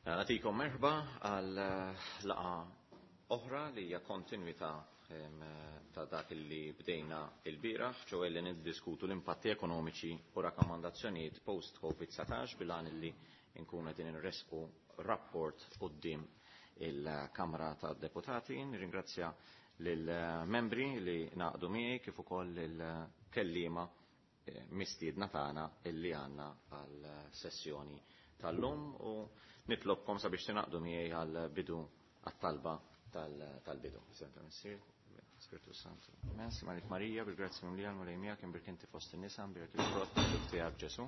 Nagħtikom merħba għal laqgħa oħra li hija kontinwità ta' dak li bdejna il-bieraħ, ċoe li niddiskutu l-impatti ekonomiċi u rakkomandazzjonijiet post-Covid-19 bil-għan li nkunu qegħdin inresqu rapport quddiem il-Kamra tad-Deputati. Nirringrazzja lill-membri li naqdu miegħi kif ukoll il-kelliema mistiedna tagħna illi għandna għal sessjoni tal-lum u nitlobkom sabiex tingħaqdu miegħi għal bidu għat-talba tal-bidu. Spiritu Santu. Amen. Malik Marija, bil-grazzja mimlija l-Mulej miegħek imbierek inti fost in-nisa, imbierek il-frott tiegħek Ġesu.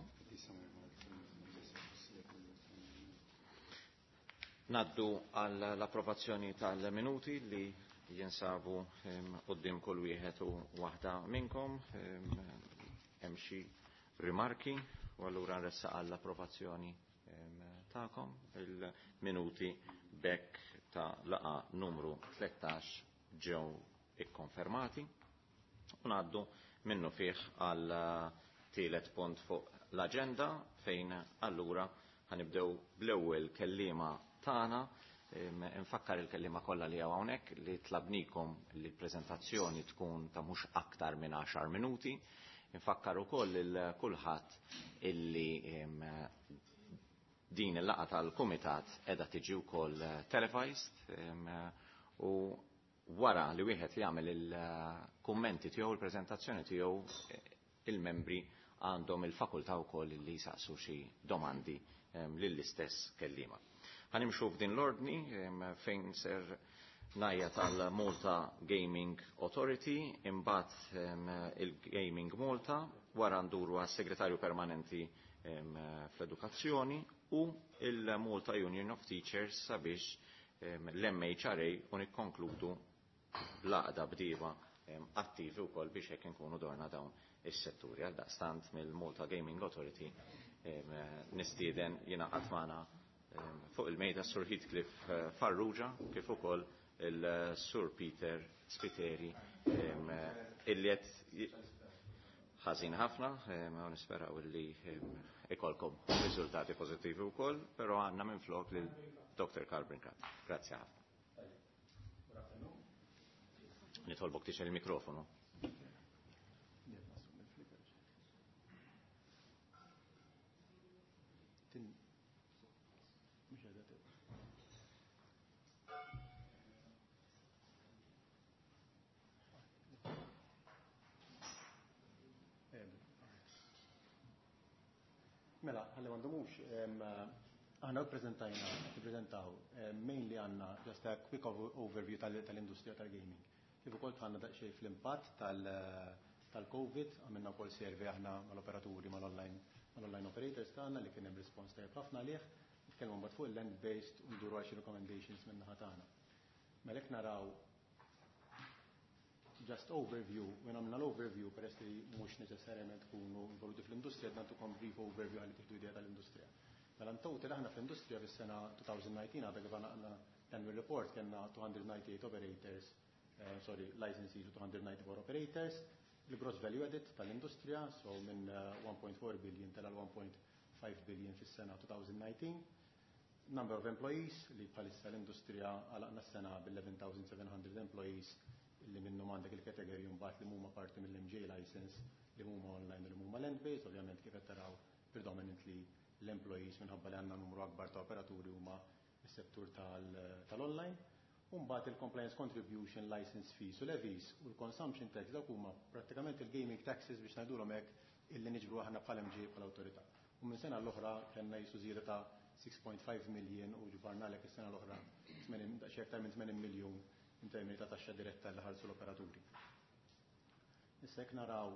Naddu għall-approvazzjoni tal-minuti li jinsabu quddiem kull wieħed u waħda minnkom. Hemm xi rimarki u allura nressaq għall-approvazzjoni tagħkom il-minuti bekk ta' laqa numru 13 ġew ikkonfermati. U ngħaddu minnu fih għal tielet punt fuq l-aġenda fejn allura ħanibdew bl-ewwel kelliema tagħna. Infakkar il-kelliema kollha li hawn hawnhekk li tlabnikom li l-preżentazzjoni tkun ta' mhux aktar minn 10 minuti. Infakkar ukoll lil kulħadd illi din il-laqgħa tal-kumitat qiegħda tiġi wkoll televised u wara li wieħed jagħmel il-kummenti tiegħu, il-preżentazzjoni tiegħu, il-membri għandhom il-fakultà wkoll li jsaqsu xi domandi lill-istess kelliema. Ħanimxu f'din l-ordni fejn ser najja tal-Malta Gaming Authority, imbagħad il-Gaming Malta, wara nduru għas-Segretarju Permanenti fl-Edukazzjoni u il-Malta Union of Teachers sabiex l-MHRA u nikkonkludu l-għaqda bdiewa attivi wkoll biex hekk inkunu dorna dawn is-setturi. Għal daqstant mill-Malta Gaming Authority nistieden jingħaqad magħna fuq il-mejda Sur Heathcliff Farrugia kif ukoll il-Sur Peter Spiteri illi qed ħażin ħafna, u nisperaw illi ikolkom riżultati pożittivi wkoll, però għandna minflok lil Dr. Karl Brincat. Grazzi ħafna. Nitolbok tixgħel il-mikrofonu. Mela, ħalli ma ndumux, aħna ppreżentajna, tippreżentaw, mainly għandna just a quick overview tal-industrija tal-gaming. Kif ukoll dħalna daqsxejn fl-impatt tal-Covid, għamilna wkoll survey aħna mal-operaturi, mal-online operators tagħna li kien hemm response tajjeb ħafna għalih. Nitkellmu mbagħad fuq il-land-based u nduru għal xi recommendations minn naħa tagħna. Mela hekk naraw just overview, u għamilna l-overview peress li mhux neċessarjament tkunu involuti fl-industrija, qed nagħtukom brief overview għalli tieħdu idea tal-industrija. Mela in total aħna fl-industrija fis-sena 2019 għadha kif għandna annual report kellna 298 operators, sorry, licensees u 294 operators, il-gross value added tal-industrija, so minn 1.4 billion tela 1.5 billion fis-sena 2019. Number of employees li bħalissa l-industrija għalaqna s-sena bil-11,700 employees li minnhom għandek il-kategoriji mbagħad li huma parti mill-MGA license li huma online u li huma land-based, ovvjament kif qed taraw predominantly l-employees minħabba li għandna numru akbar ta' operaturi huma s-settur tal-online. U mbagħad il-compliance contribution, license fees u levies u l-consumption tax dawk huma prattikament il-gaming taxes biex ngħidulhom hekk illi niġbru aħna bħala MGA bħala awtorità. U minn sena l-oħra kellna jisu żieda ta' 6.5 million u ġbarna lek is-sena l-oħra daqsxejn aktar minn 80 miljun in termini ta' taxxa diretta li ħarsu l-operaturi. Issa jekk naraw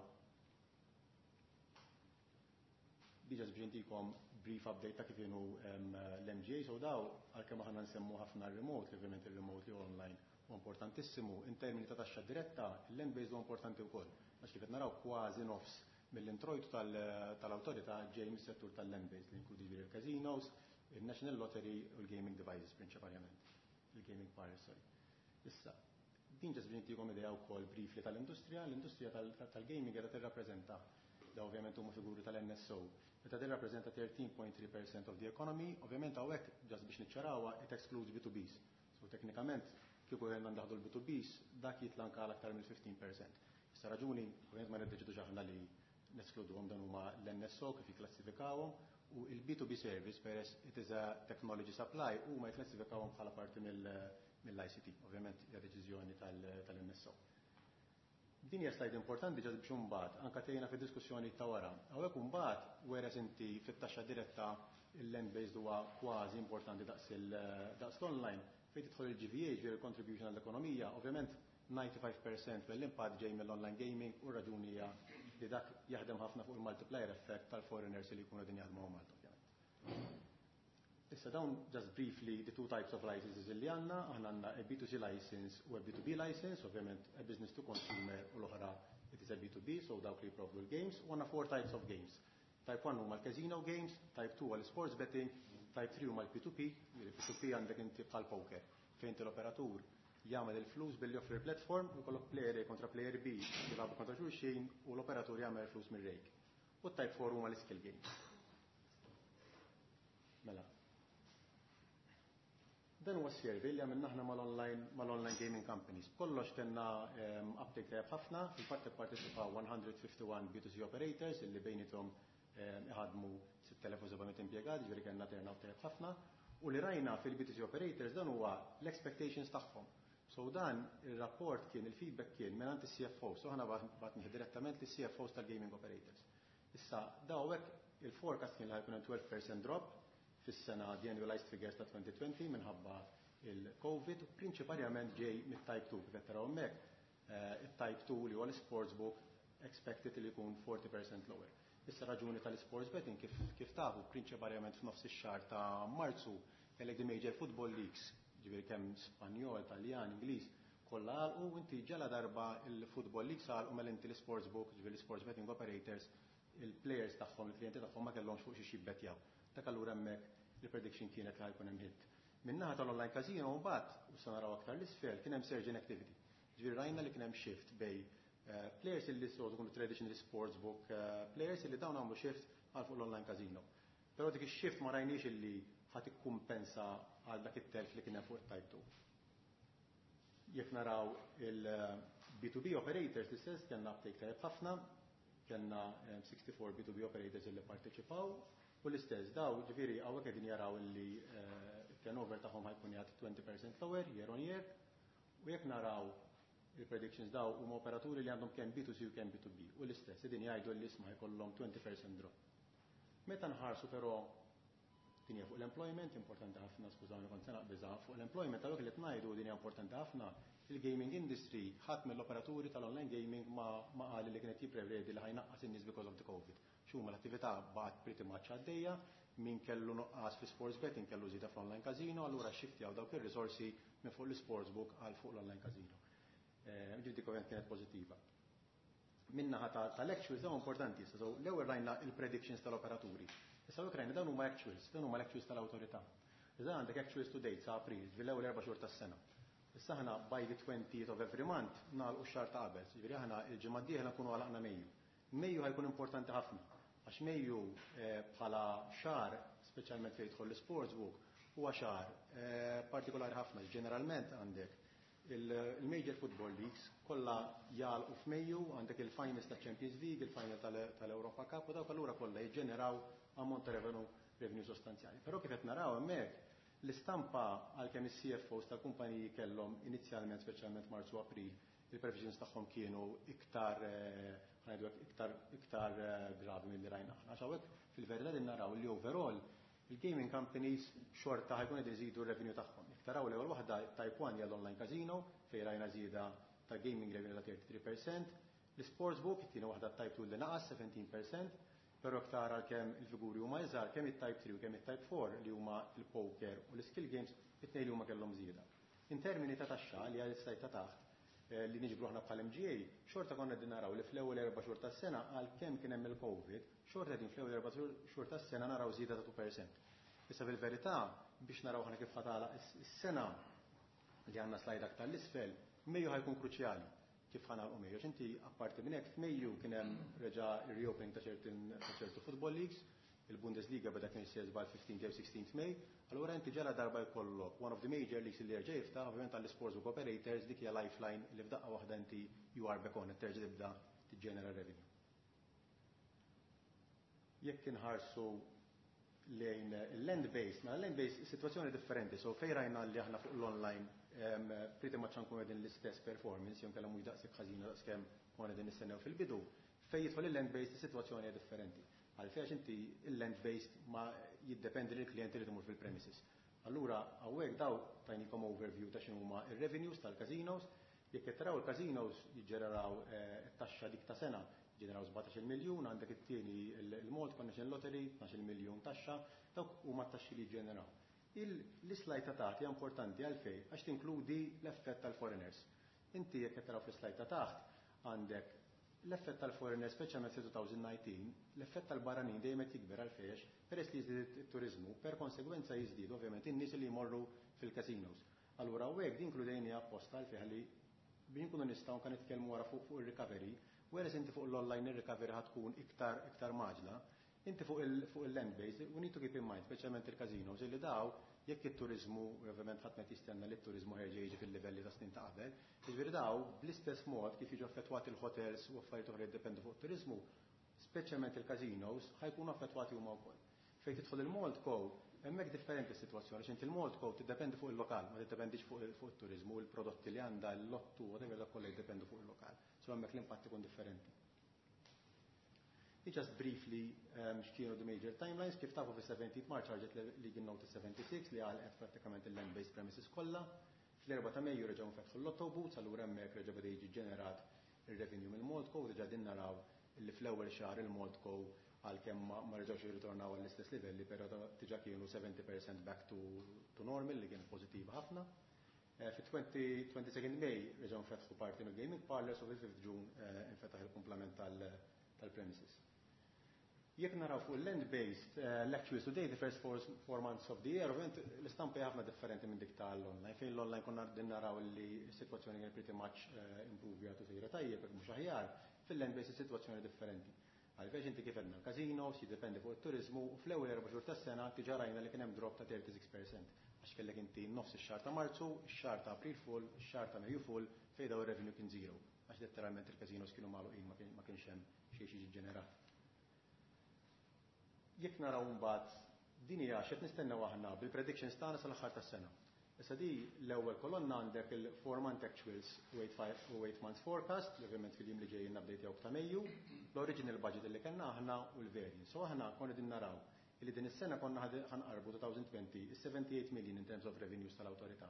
diġa biex intikom brief update ta' kif inhu l-MGA, so daw għalkemm aħna nsemmu ħafna remote, li ovvjament il-remote li online u importantissimu, in termini ta' taxxa diretta, il-land-based huwa importanti wkoll. Għax kif qed naraw kważi nofs mill-introjtu tal-awtorità ġej mis-settur tal-land-based li jinkludi il-casinos, il-National Lottery u l-gaming devices prinċipalment, il-gaming parlors, sorry. Issa, din ġas biex intikom idea wkoll briefly tal-industrija, l-industrija tal-gaming qiegħda tirrappreżenta da ovvjament huma figuri tal-NSO, Meta din rappreżenta 13.3% of the economy, ovvjament hawnhekk, just biex niċċarawha, it excludes B2Bs. So teknikament, kieku għandna ndaħdu l-B2Bs, dak jitla anka għal aktar mill-15%. Issa raġuni, ovvjament ma niddeċidux aħna li neskluduhom, dan huma l-NSO kif jikklassifikawhom u il-B2B service, peress it is a technology supply, huma jikklassifikawhom bħala parti mill-ICT. Ovvjament hija deċiżjoni tal-NSO. Din hija slide importanti ġas biex imbagħad anke tgħinna fid-diskussjoni ta' wara. Hawnhekk imbagħad, whereas inti fit-taxxa diretta il-land based huwa kważi importanti daqs l-online, fejn tidħol il-GVA, ġifieri contribution għall-ekonomija, ovvjament 95% mill-impatt ġej mill-online gaming u raġuni hija li dak jaħdem ħafna fuq il-multiplier effect tal-foreigners li jkunu din jaħdmu Malta, ovvjament. Issa dawn just briefly the two types of licenses li għandna: aħna għandna a B2C license u a B2B license, ovvjament a business to consumer u l-oħra it is a B2B, so dawk li jipprovdu l-games, u għandna four types of games. Type 1 huma l-casino games, type 2 għal sports betting, type 3 huma l-P2P, l-P2P għandek inti bħal poker, fejn l-operatur jagħmel il-flus billi joffri platform u jkollok player A kontra player B jilagħbu kontra xulxin u l-operatur jagħmel il-flus mir-rake. U type 4 huma l-skill games. Mela. Dan huwa survey li għamilna aħna mal-online gaming companies. Kollox kellna uptake tajjeb ħafna, fil-fatt ipparteċipaw 151 B2C operators illi bejniethom iħadmu 6700 impjegati, ġifieri kellna turnout tajjeb ħafna. U li rajna fil-B2C operators dan huwa l-expectations tagħhom. So dan il-rapport kien, il-feedback kien minn il-CFO, so aħna bgħatnieh direttament lis-CFOs tal-gaming operators. Issa, dawek il-forecast kien li ħa jkun 12% drop fis-sena, the annualized figures ta' 2020 minħabba il-COVID, u prinċipalment ġej mit-type 2, kif qed taraw hemmhekk, it-type 2 li huwa l-sportsbook expected li jkun 40% lower. Issa raġuni tal-sports betting, kif tafu, prinċipalment f'nofs ix-xahar ta' Marzu kellek the major football leagues, ġifieri kemm Spanjol, Taljan, Ingliż, kollha għalqu u inti ġala darba il-football leagues għalqu, mela inti l-sportsbook, ġifieri l-sports betting operators, il-players tagħhom, il-klijenti tagħhom ma kellhomx fuq xi jibbettjaw. Dak allura hemmhekk il-prediction kienet li ħa jkun hemm hit. Min-naħa tal-online casino mbagħad, u sa naraw aktar l-isfel, kien hemm surge in activity. Ġifieri rajna li kien hemm shift bejn players illi soltu kunu traditional sportsbook players illi dawn għamlu shift għal fuq l-online casino. Però dik ix-shift ma rajniex illi ħa tikkumpensa għal dak it-telf li kien hemm fuq it-type 2. Jekk naraw il-B2B operators, l-istess, kellna uptake tajjeb ħafna, kellna 64 B2B operators illi parteċipaw u l-istess daw, ġifieri hawnhekk qegħdin jaraw illi turnover tagħhom ħa jkun jgħid 20% lower year on year. U jekk naraw il-predictions, daw huma operaturi li għandhom kemm B2C u kemm B2B u l-istess qegħdin jgħidu li isma' jkollhom 20% drop. Meta nħarsu però din hija fuq l-employment, importanti ħafna, skużawni kont se naqbiżha, fuq l-employment għalhekk li qed ngħidu din hija importanti ħafna, il-gaming industry, ħadd mill-operaturi tal-online gaming ma qal li kienet jipprevedi li ħa jnaqqas in-nies because of the COVID. X'huma l-attività baqgħet pretty much għaddejja, min kellu nuqqas fi sports betting kellu żieda fl-online casino, allura shiftjaw dawk ir-risorsi minn fuq l-sportsbook għal fuq l-online casino. Ġifieri dik ovvjament kienet pożittiva. Min-naħa tal-actuals dawn importanti, so l-ewwel rajna il-predictions tal-operaturi. Issa hawnhekk rajna dawn huma actuals, dawn huma l-actuals tal-awtorità. Iżda għandek actuals to date sa April, ġifieri l-ewwel 4 xhur tas-sena. Issa aħna by the 20th of every month nagħlqu x-xahar ta' qabel, ġifieri aħna il-ġimgħa d-dieħla nkunu għalaqna Mejju. Mejju ħa jkun importanti ħafna, għax Mejju bħala xahar, speċjalment fejn jidħol l-sportsbook, huwa xahar partikolari ħafna. Ġeneralment għandek il-major football leagues kollha jagħlqu f'Mejju, għandek il-finals ta' Champions League, il-final tal-Europa Cup u dawk allura kollha jiġġeneraw ammont ta' revenue sostanzjali. Però kif qed naraw hemmhekk, l-istampa, għalkemm is-CFOs tal-kumpaniji kellhom inizjalment, speċjalment Marzu, April, il-previsions tagħhom kienu iktar ngħidu iktar gravi milli rajna aħna. Għax hawnhekk fil-verità din naraw li overall il-gaming companies xorta ħa jkun qed iżidu r-revenue tagħhom. Jekk taraw l-ewwel waħda, type 1 hija l-online casino fejn rajna żieda ta' gaming revenue ta' 33%, l-sportsbook, it-tieni waħda, type 2 li naqas 17%, però iktar għalkemm il-figuri huma iżgħar, kemm it-type 3 u kemm it-type 4 li huma il-poker u l-skill games, it-tnejn li huma kellhom żieda. In termini ta' taxxa li għal slide ta' taħt li niġbru aħna bħal MGA, xorta konna din naraw li fl-ewwel 4 xhur tas-sena, għalkemm kien hemm il-COVID, xorta din fl-ewwel 4 xhur tas-sena naraw żieda ta' 2%. Issa fil-verità, biex naraw aħna kif ħa tagħlaq is-sena li għandna slide aktar l-isfel, Mejju ħa jkun kruċjali kif ħa nagħlqu Mejju. Inti apparti minn hekk f'Mejju kien hemm reġa' reopening ta' ċertu football leagues, Il-Bundesliga beda kien jsir 15 jew 16 May, allura inti ġala darba jkollok one of the major leagues li jerġa' jiftaħ, ovvjament għall-sportsbook operators dik hija lifeline li f'daqqa waħda inti you are back on, terġa' tibda tiġġenera revenue. Jekk inħarsu lejn il-land-based, ma land-based situazzjoni differenti, so fejn rajna li aħna fuq l-online pretty much nkunu qegħdin l-istess performance, jew kellha mhux daqshekk ħażina daqskemm konna qegħdin nistennew fil-bidu, fejn jidħol il-land-based is-sitwazzjoni hija differenti. Għalfejn inti il-land-based ma jiddependi li l-klijenti li tmur fil-premises. Allura hawnhekk daw tajnikom overview ta' x'inhuma ir-revenues tal-casinos. Jekk qed taraw, il-casinos jiġġeneraw taxxa dik ta' sena, ġeneraw 17 miljun, għandek it-tieni il-Malta National Lottery, 12 miljun taxxa, dawk huma t-taxxi li jiġġeneraw. L-slide ta' taħt hija importanti. Għalfejn? Għax tinkludi l-effett tal-foreigners. Inti jekk qed taraw fl-slide ta' taħt għandek l-effett tal-foreigners, speċjalment fi 2019, l-effett tal-barranin dejjem qed jikber. Għalfejn? Peress li jiżdied it-turizmu, per konsegwenza jiżdied ovvjament in-nies li jmorru fil-casinos. Allura hawnhekk din inkludejni apposta għalfejn li biex nkunu nistgħu kan nitkellmu wara fuq il-recovery, whereas inti fuq l-online il-recovery ħa tkun iktar mgħaġġla, inti fuq il-land base, we need to keep in mind, speċjalment il-casinos, illi daw jekk it-turizmu, ovvjament ħadd ma jistenna li t-turizmu ħerġa jiġi fil-livelli ta' snin ta' qabel, jiġifieri daw bl-istess mod kif jiġu affettwati il-hotels u affarijiet oħra jiddependu fuq it-turizmu, speċjalment il-casinos ħa jkunu affettwati huma wkoll. Fejn tidħol il-Maltco, hemmhekk differenti s-sitwazzjoni, għax inti il-Maltco tiddependi fuq il-lokal, ma tiddependix fuq it-turizmu, il-prodotti li għandha, l-lottu, whatever, dak kollha jiddependu fuq il-lokal. So hemmhekk l-impatt ikun differenti. Just briefly x'kienu the major timelines, kif tafu fi 17 March ħarġet Legal Notice 76 li għalqet prattikament il-land-based premises kollha. Fl-4 ta' Mejju reġgħu nfetħu l-lotto booths, allura hemmhekk reġa' beda jiġi ġenerat ir-revenue mill-Maltco, diġà din naraw li fl-ewwel xahar il-Maltco, għalkemm ma reġgħux jirritornaw għall-istess livelli, però diġà kienu 70% back to normal, li kien pożittiva ħafna. Fi 22 May reġgħu nfetħu parti mill-gaming parlors u fil-5 June infetaħ il-komplement tal-premises. Jekk naraw fuq il-land-based, l-actual today, the first 4 months of the year, ovvijament l-istampa ħafna differenti minn dik tal-online. Fejn l-online konna din naraw li s-situazzjoni kien pretty much improve u sejra tajjeb, jekk mhux aħjar, fil-land-based is-sitwazzjoni differenti. Għalfejn inti kif għedna l-casinos jiddependi fuq it-turizmu u fl-ewwel 4 xhur tas-sena diġà rajna li kien hemm drop ta' 36%. Għax kellek inti nofs ix-xahar ta' Marzu, ix-xahar ta' April full, ix-xahar ta' Mejju full, fejn daw ir-revenue kien zero. Għax letteralment il-casinos kienu magħluqin, ma kienx hemm xejn xi ġenerat. Jekk naraw mbagħad din hija x'qed nistennew aħna bil-predictions tagħna sal-aħħar tas-sena. Issa di l-ewwel kolonna għandek il-4 month actuals u 8 months forecast, li ovvjament fil-jiem li ġejjin update jew ta' Mejju, l-original budget li kellna aħna u l-variance. So aħna konna din naraw li din is-sena konna ħa nqarbu 2020 is-78 million in terms of revenues tal-awtorità.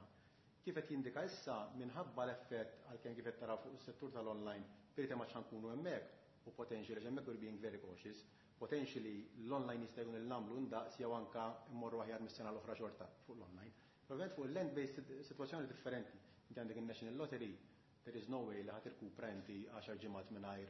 Kif qed jindika issa minħabba l-effett, għalkemm kif qed taraw fuq is-settur tal-online pretty much ħa nkunu hemmhekk u potentially hemmhekk we're being very cautious, potentially l-online jista' jkun il-namlu ndaqs jew anka mmorru aħjar mis-sena l-oħra xorta fuq l-online. Ovvjament fuq il-land-based situazzjoni differenti. Inti għandek il-National Lottery, there is no way li ħa tirkupra inti 10 ġimgħat mingħajr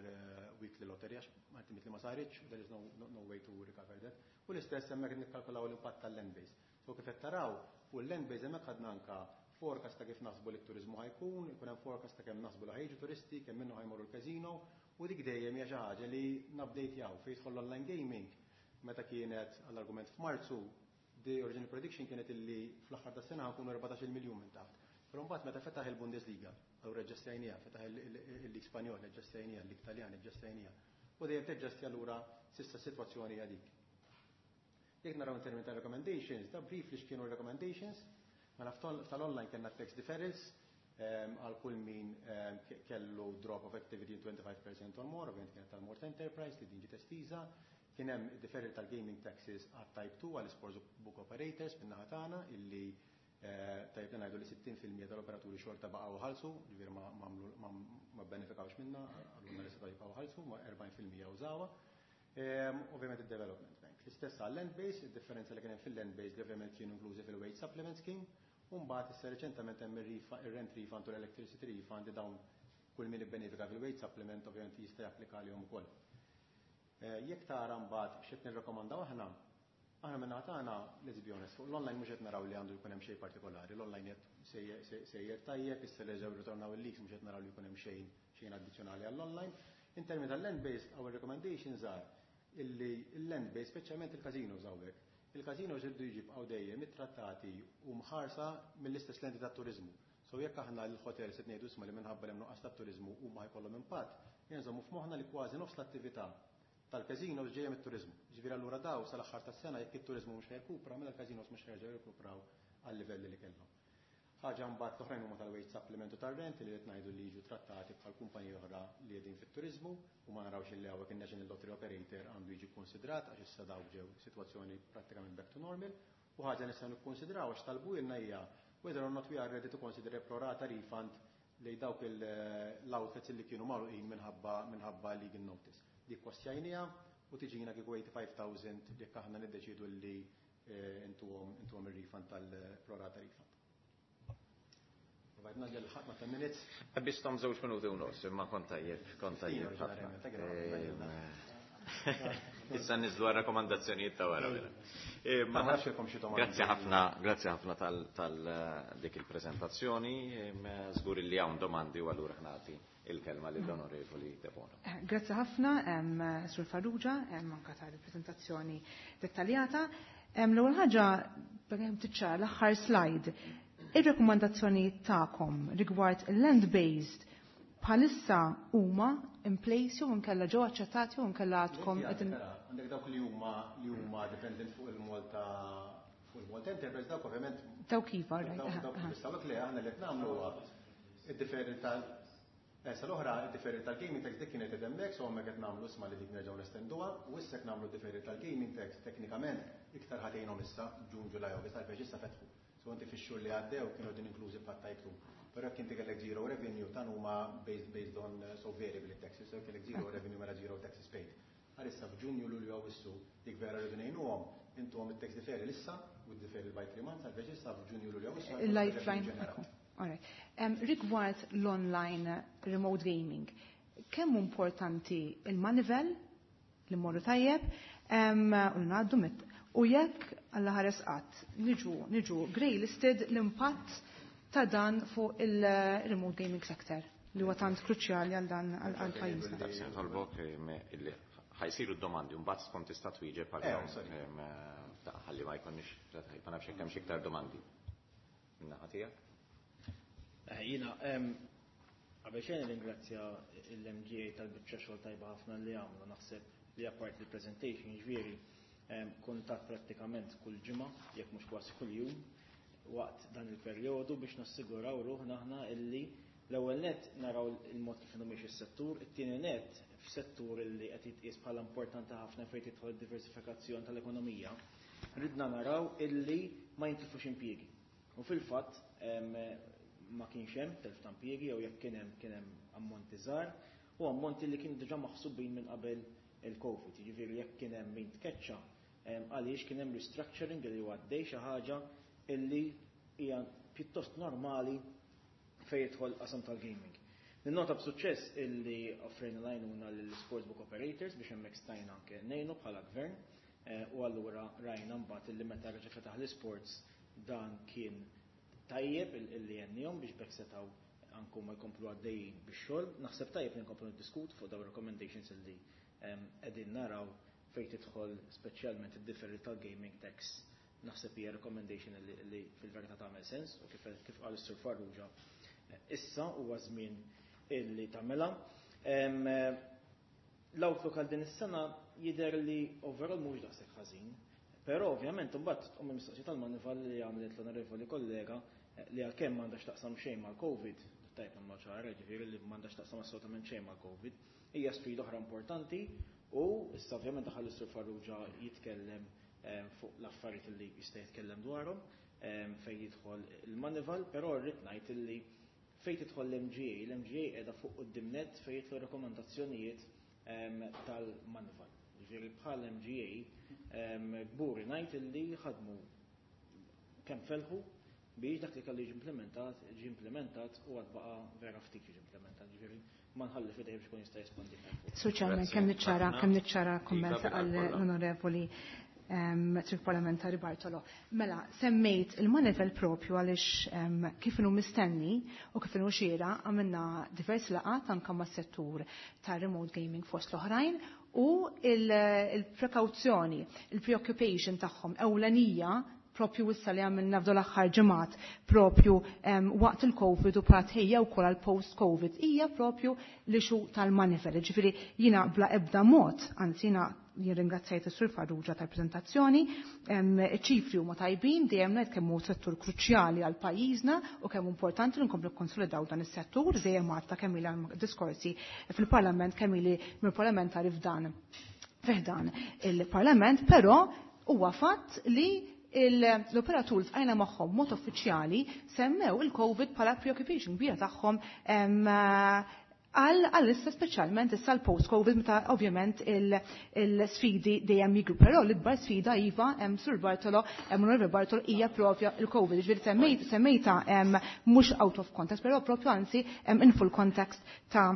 weekly lottery, għax ultimately ma saritx, there is no way to recover that. U l-istess hemmhekk nikkalkulaw l-impatt tal-land based. So kif qed taraw, fuq il-land based hemmhekk ħadna anka forecast ta' kif naħsbu li t-turizmu ħa jkun, ikun hemm forecast ta' kemm naħsbu li ħa jiġu turisti, kemm minnu ħa jmorru l-casino, u dik dejjem hija xi ħaġa li nupdate-jaw. Fejn jidħol online gaming, meta kienet għall-argument f'Marzu, the original prediction kienet illi fl-aħħar tas-sena nkunu 14 miljun minn taħt. Però mbagħad meta fetaħ il-Bundesliga, allura aġġustajnieha, fetaħ il-Lig Spanjol, aġġustajnieha, il-Lig Taljan, aġġustajnieha. U dejjem teġġasti, allura s'issa s-sitwazzjoni hija dik. Jekk naraw in termini ta' recommendations, da briefly x'kienu recommendations, mela tal-online kellna tax deferrals għal kull min kellu drop of activity 25% or more, ovvijament kienet tal-Malta Enterprise li din ġiet estiża, kien hemm deferral tal-gaming taxes għat Type 2 għal sports book operators min-naħa tagħna, illi tajjeb li ngħidu li 60% tal-operaturi xorta baqgħu ħalsu, ġifieri ma benefikawx minna, għalluna li setgħu jibqgħu ħalsu, ma 40% użawha. Ovvjament il-development bank. L-istess għal land base, il-differenza li kien hemm fil-land base li ovvjament kienu inklużi fil-wage supplement scheme, u mbagħad issa reċentament hemm ir-rent refund u l-electricity refund li dawn kull min ibbenefika fil-wage supplement ovvjament jista' japplika għalihom ukoll. Jekk tara mbagħad x'qed nirrakkomandaw aħna, aħna minn tagħna, let's be honest, fuq l-online mhux qed naraw li għandu jkun hemm xejn partikolari. L-online qed sejjer tajjeb, issa li ġew ritornaw il-leagues mhux qed naraw li jkun hemm xejn xejn addizzjonali għall-online. In termini tal-land based, our recommendations are Illi l-land base, speċjalment il-casinos hawnhekk, il-casinos irridu jibqgħu dejjem ittrattati u mħarsa mill-istess lenti tat-turiżmu. So jekk aħna l-hotel se ngħidu isma' li minħabba li hemm nuqqas tat-turiżmu huma jkollhom impatt, nżommu f'moħħna li kważi nofs l-attività tal-casinos ġejja mit-turiżmu. Ġifieri allura daw sal-aħħar tas-sena, jekk it-turiżmu mhux ħa jirkupra, mela l-casinos mhux ħa jerġgħu jirkupraw għal-livelli li kellhom. Ħaġa mbagħad l-oħrajn huma tal-wage supplement u tar-rent li qed ngħidu li jiġu trattati bħal kumpaniji oħra li qegħdin fit-turiżmu u ma narawx illi hawnhekk in-National Lottery Operator għandu jiġi konsidrat, għax issa dawk ġew sitwazzjoni prattikament back to normal. U ħaġa nistgħu nikkonsidraw għax talbu hija whether or not we are ready to consider a pro rata refund lejn dawk l-outlets li kienu magħluqin minħabba legal notice. Dik kostjajnija u tiġina kieku 85,000 jekk aħna niddeċidu li intuhom ir-refund tal-pro rata refund. Għadna ħatna 10 minutes. Qbistom 2 minuti u nofs, imma kont tajjeb, kont tajjeb ħafna. Issa niżlu għal rakkomandazzjonijiet ta' wara. Ma nafx jekk xi domandi. Grazzi ħafna, grazzi ħafna tal dik il-prezentazzjoni. Żgur li hawn domandi u allura ħa nagħti il-kelma lill-Onorevoli Debono. Grazzi ħafna, Sur Farrugia, anka tal-prezentazzjoni dettaljata. L-ewwel ħaġa, kemm tiċċara l-aħħar slide. Ir-rekomandazzjoni tagħkom rigward il-land-based bħalissa huma in place jew inkella ġew aċċettati jew inkella għadkom qegħdin? Għandek dawk li huma dependent fuq il-Malta Enterprise, dawk ovvjament. Dawk iva, right. Dawk dawk li aħna li qed nagħmlu huwa id-deferral tal Issa l-oħra, id-deferral tal-gaming tax, dik kienet hemmhekk, so hemmhekk qed nagħmlu isma' li dik nerġgħu nestenduha, u issa qed nagħmlu deferral tal-gaming tax, teknikament iktar ħa tgħinhom issa Ġun, Ġulaj, August, għalfejn issa fetħu. So inti fix-xhur li għaddew kienu din inklużi bħat type 2. Però jekk inti kellek zero revenue, tan huma based on so variable taxes, so kellek zero revenue, mela zero taxes paid. Għalissa f'Ġunju, Lulju, Awwissu, dik vera rridu ngħinuhom, intuhom it-tax deferral issa u deferral by 3 months, għalfejn issa f'Ġunju, Lulju, Awwissu. Il-lifeline. Alright. Rigward l-online remote gaming, kemm importanti il-Moneyval li mmorru tajjeb u ngħaddu mit u jekk Alla ħares qatt niġu grey listed, l-impatt ta' dan fuq il-remote gaming sector li huwa tant kruċjali għal dan għal pajjiżna. Nitolbok illi ħa jsiru d-domandi, mbagħad tkun tista' twieġeb għal Sorry. Ħalli ma jkunniex, ma nafx hekk hemm xi iktar domandi. Min-naħa tiegħek? Jiena, qabel xejn ringrazzja l-MGA tal-biċċa xogħol tajba ħafna li għamlu. Naħseb li apart il-presentation, ġifieri, kuntatt prattikament kull ġimgħa, jekk mhux kważi kull jum, waqt dan il-perjodu biex nassiguraw ruħna aħna illi l-ewwel net naraw il-mod kif inhu miexi s-settur, it-tieni net f'settur illi qed jitqies bħala importanti ħafna fejn tidħol diversifikazzjoni tal-ekonomija, ridna naraw illi ma jintilfux impjiegi. U fil-fatt ma kienx hemm telf ta' impjiegi, jew jekk kien hemm ammonti żgħar u ammonti li kienu diġà maħsubin minn qabel il-Covid. Jiġifieri jekk kien hemm min tkeċċa għaliex kien hemm restructuring li huwa għaddej, xi ħaġa illi hija pjuttost normali fejn jidħol qasam tal-gaming. Ninnota b'suċċess illi offrejna l-għajnuna lill-sportsbook operators biex hemmhekk stajna anke ngħinu bħala gvern, u allura rajna mbagħad illi meta reġa' fetaħ l-sports dan kien tajjeb illi għenniehom biex b'hekk setgħu anku ma jkomplu għaddejjin bix-xogħol. Naħseb tajjeb li nkomplu niddiskutu fuq dawn recommendations illi qegħdin naraw fejn tidħol speċjalment id-deferral tal-gaming tax. Naħseb hija recommendation li fil-verità tagħmel sens u kif qal is-Sur Farrugia, issa huwa żmien illi tagħmilha. L-outlook għal din is-sena jidher li overall mhux daqshekk ħażin. Però ovvjament imbagħad tqum il-mistoqsija tal-Moneyval li għamlet l-onorevoli kollega, li għalkemm m'għandax taqsam xejn mal-Covid, tajb ma ċara, ġifieri li m'għandax taqsam assolutament xejn mal-Covid, hija sfida oħra importanti u issa ovvjament daħal is-Sur Farrugia jitkellem fuq l-affarijiet li jista' jitkellem dwarhom fejn jidħol il-Moneyval, però rrid ngħid illi fejn tidħol l-MGA, l-MGA qiegħda fuq quddiem net fejn jidħlu rekomandazzjonijiet tal-Moneyval. Ġifieri bħal MGA kburi ngħid illi ħadmu kemm felħu biex dak li kellu jiġi implementat, ġi implementat u għad baqa vera ftit jiġi implementat. Ġifieri ma nħalli f'idejh biex ikun jista' jispondi. Sur Chairman, Grazzi. kemm Ħafna. niċċara komment Iva, bil-kollha. għall-Onorevoli Sur Parlamentari Bartolo. Mela, semmejt il-Moneyval propju għaliex kif inhu mistenni u kif inhu xieraq għamilna diversi laqgħat anke mas-settur ta' remote gaming fost l-oħrajn. u il-prekawzjoni, il-preoccupation tagħhom ewlenija propju issa li għamilna f'dawn l-aħħar ġimgħat propju waqt il-Covid u bħala wkoll għal post-Covid hija propju l-issue tal-Moneyval. Ġifieri jiena bla ebda mod, anzi jiena jirringrazzjajt is-Sur Farrugia tal-prezentazzjoni, ċifri huma tajbin, dejjem ngħid kemm hu settur kruċjali għal pajjiżna u kemm importanti li nkomplu konsolidaw dan is-settur, dejjem għadta kemm ili diskorsi fil-Parlament kemm ili mill-parlamentari f'dan fiħdan il-Parlament, però huwa fatt li l-operatur tqajna magħhom mod uffiċjali semmew il-Covid bħala preoccupation kbira tagħhom għal-issa, speċjalment issa l-post-Covid, meta ovvjament il-sfidi dejjem jikbru. Però l-ikbar sfida, iva, hemm Sur Bartolo, hemm Onorevoli Bartolo, hija propju il-Covid. Ġifieri semmejta mhux out of context, però propju anzi in full context ta'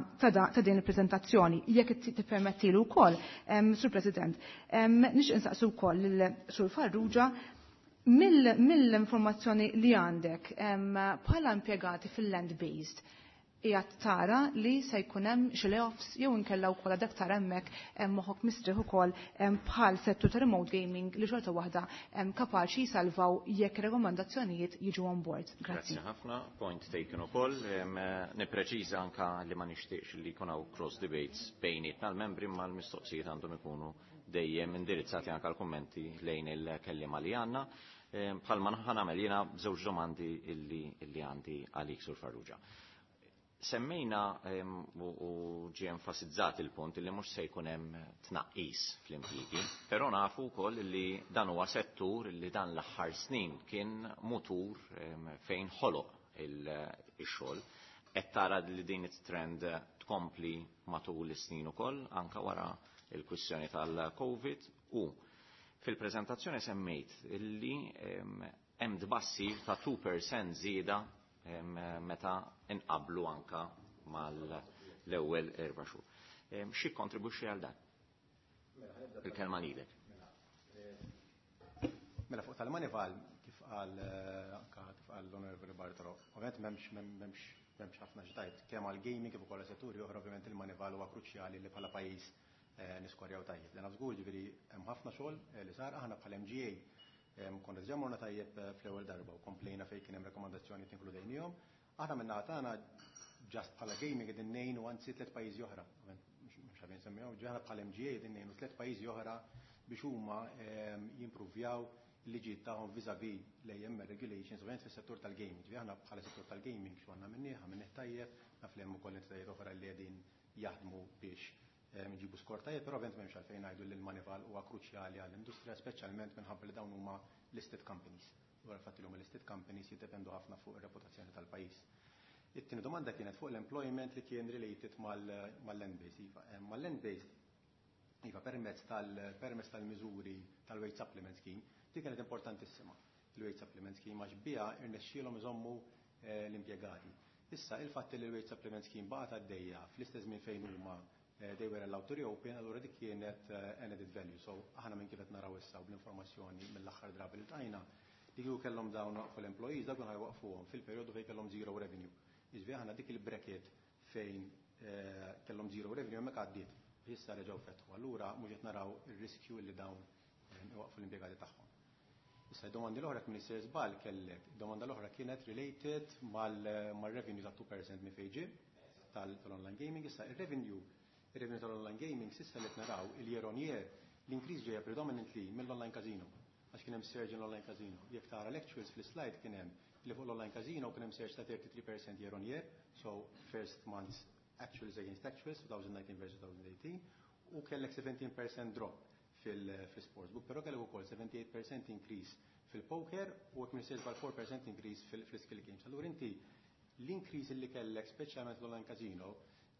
din il-preżentazzjoni. Jekk tippermettilu wkoll, Sur President, nixtieq insaqsu wkoll lil Sur Farrugia mill-informazzjoni li għandek bħala impjegati fil-land-based, qiegħed tara li se jkun hemm xi layoffs jew inkella wkoll għadek tara hemmhekk moħħok mistrieħ ukoll bħal settur ta' remote gaming li xorta waħda kapaċi jsalvaw jekk rekomandazzjonijiet jiġu on board? Grazzi. Grazzi ħafna, point taken ukoll. Nippreċiża anka li ma nixtieqx li jkun hawn cross debates bejnietna l-membri, ma l-mistoqsijiet għandhom ikunu dejjem indirizzati anka l-kummenti lejn il-kellima li għandna. Bħalma ħa nagħmel jiena b'żewġ domandi illi għandi għalik, Sur Farrugia. Semmejna u ġie enfasizzat il-punt li mhux se jkun hemm tnaqqis fl-impjiegi, però nafu wkoll li dan huwa settur li dan l-aħħar snin kien mutur fejn ħoloq il-xogħol. Qed tara li din it-trend tkompli matul is-snin ukoll anka wara il-kwistjoni tal-Covid? U fil-preżentazzjoni semmejt illi hemm tbassir ta' 2% żieda meta inqablu anka mal-ewwel 4 xhur. Xi kontribwixxi għal dan? Il-kelma lilek. Mela, fuq tal-Moneyval, kif qal anka kif qal l-Onorevoli Bartolo, ovvjament m'hemmx ħafna x'tgħid, kemm għal gaming kif ukoll setturi oħra, ovvjament il-Moneyval huwa kruċjali li bħala pajjiż niskorjaw tajjeb. Lena żgur, ġifieri hemm ħafna xogħol li sar. Aħna bħala MGA konna diġà morna tajjeb fl-ewwel darba u komplejna fejn kien hemm rekomandazzjoni inkludejnihom. Aħna minna tagħna just bħala gaming qegħdin ngħinu anzi tliet pajjiżi oħra. Mhux ħabin semmihom, aħna bħala MGA qegħdin ngħinu tliet pajjiżi oħra biex huma jimpruvjaw il-liġijiet tagħhom vis-à-vis l-AML regulations, ovvjament fis-settur tal-gaming. Ġifieri aħna bħala settur tal-gaming xu għandna minnih, għamilnih tajjeb, naf li hemm ukoll entitajiet oħra li qegħdin jaħdmu biex nġibu skor tajjeb, però ovvjament m'hemmx għalfejn ngħidu li l-Moneyval huwa kruċjali għall-industrija, speċjalment minħabba li dawn huma listed companies. Dwar il-fatt li huma listed companies jiddependu ħafna fuq ir-reputazzjoni tal-pajjiż. It-tieni domanda kienet fuq l-employment li kien related mal-land-based. Iva, mal-land-based, iva, permezz tal-miżuri tal-wage supplement scheme, dik kienet importantissima. Il-wage supplement scheme, għax biha irnexxielhom iżommu l-impjegati. Issa, il-fatt li l-wage supplement scheme baqgħet għaddejja fl-istess żmien fejn huma they were allowed to reopen, allura dik kienet an added value. So aħna minn kif qed naraw issa u bl-informazzjoni mill-aħħar drabi li tajna, li kieku kellhom dawn waqfu l-employees, dak ħa jwaqfuhom fil-perjodu fejn kellhom zero revenue. Jiġifieri aħna dik il-bracket fejn kellhom zero revenue hemmhekk għaddiet. Issa reġgħu fetħu. Allura mhux qed naraw ir-riskju li dawn iwaqfu l-impjegati tagħhom. Issa, domandi l-oħra, kien sejjer żball kellek, domanda l-oħra kienet related mal-revenue ta' 2% minn fejn ġie tal-online gaming. Issa, il-revenue tal-online gaming s'issa li naraw il-year on year, l-increase ġejja predominantly mill-online casino. Għax kien hemm surge in online casino. Jekk tara l-actuals fl-slide, kien hemm li fuq l-online casino kien hemm surge ta' 33% year on year, so first months actuals against actuals, 2019 versus 2018, u kellek 17% drop fil-sportsbook, però kellek ukoll 78% increase fil-poker u għek minn 4% increase fil-skill games. Allura inti l-increase li kellek speċjalment l-online casino,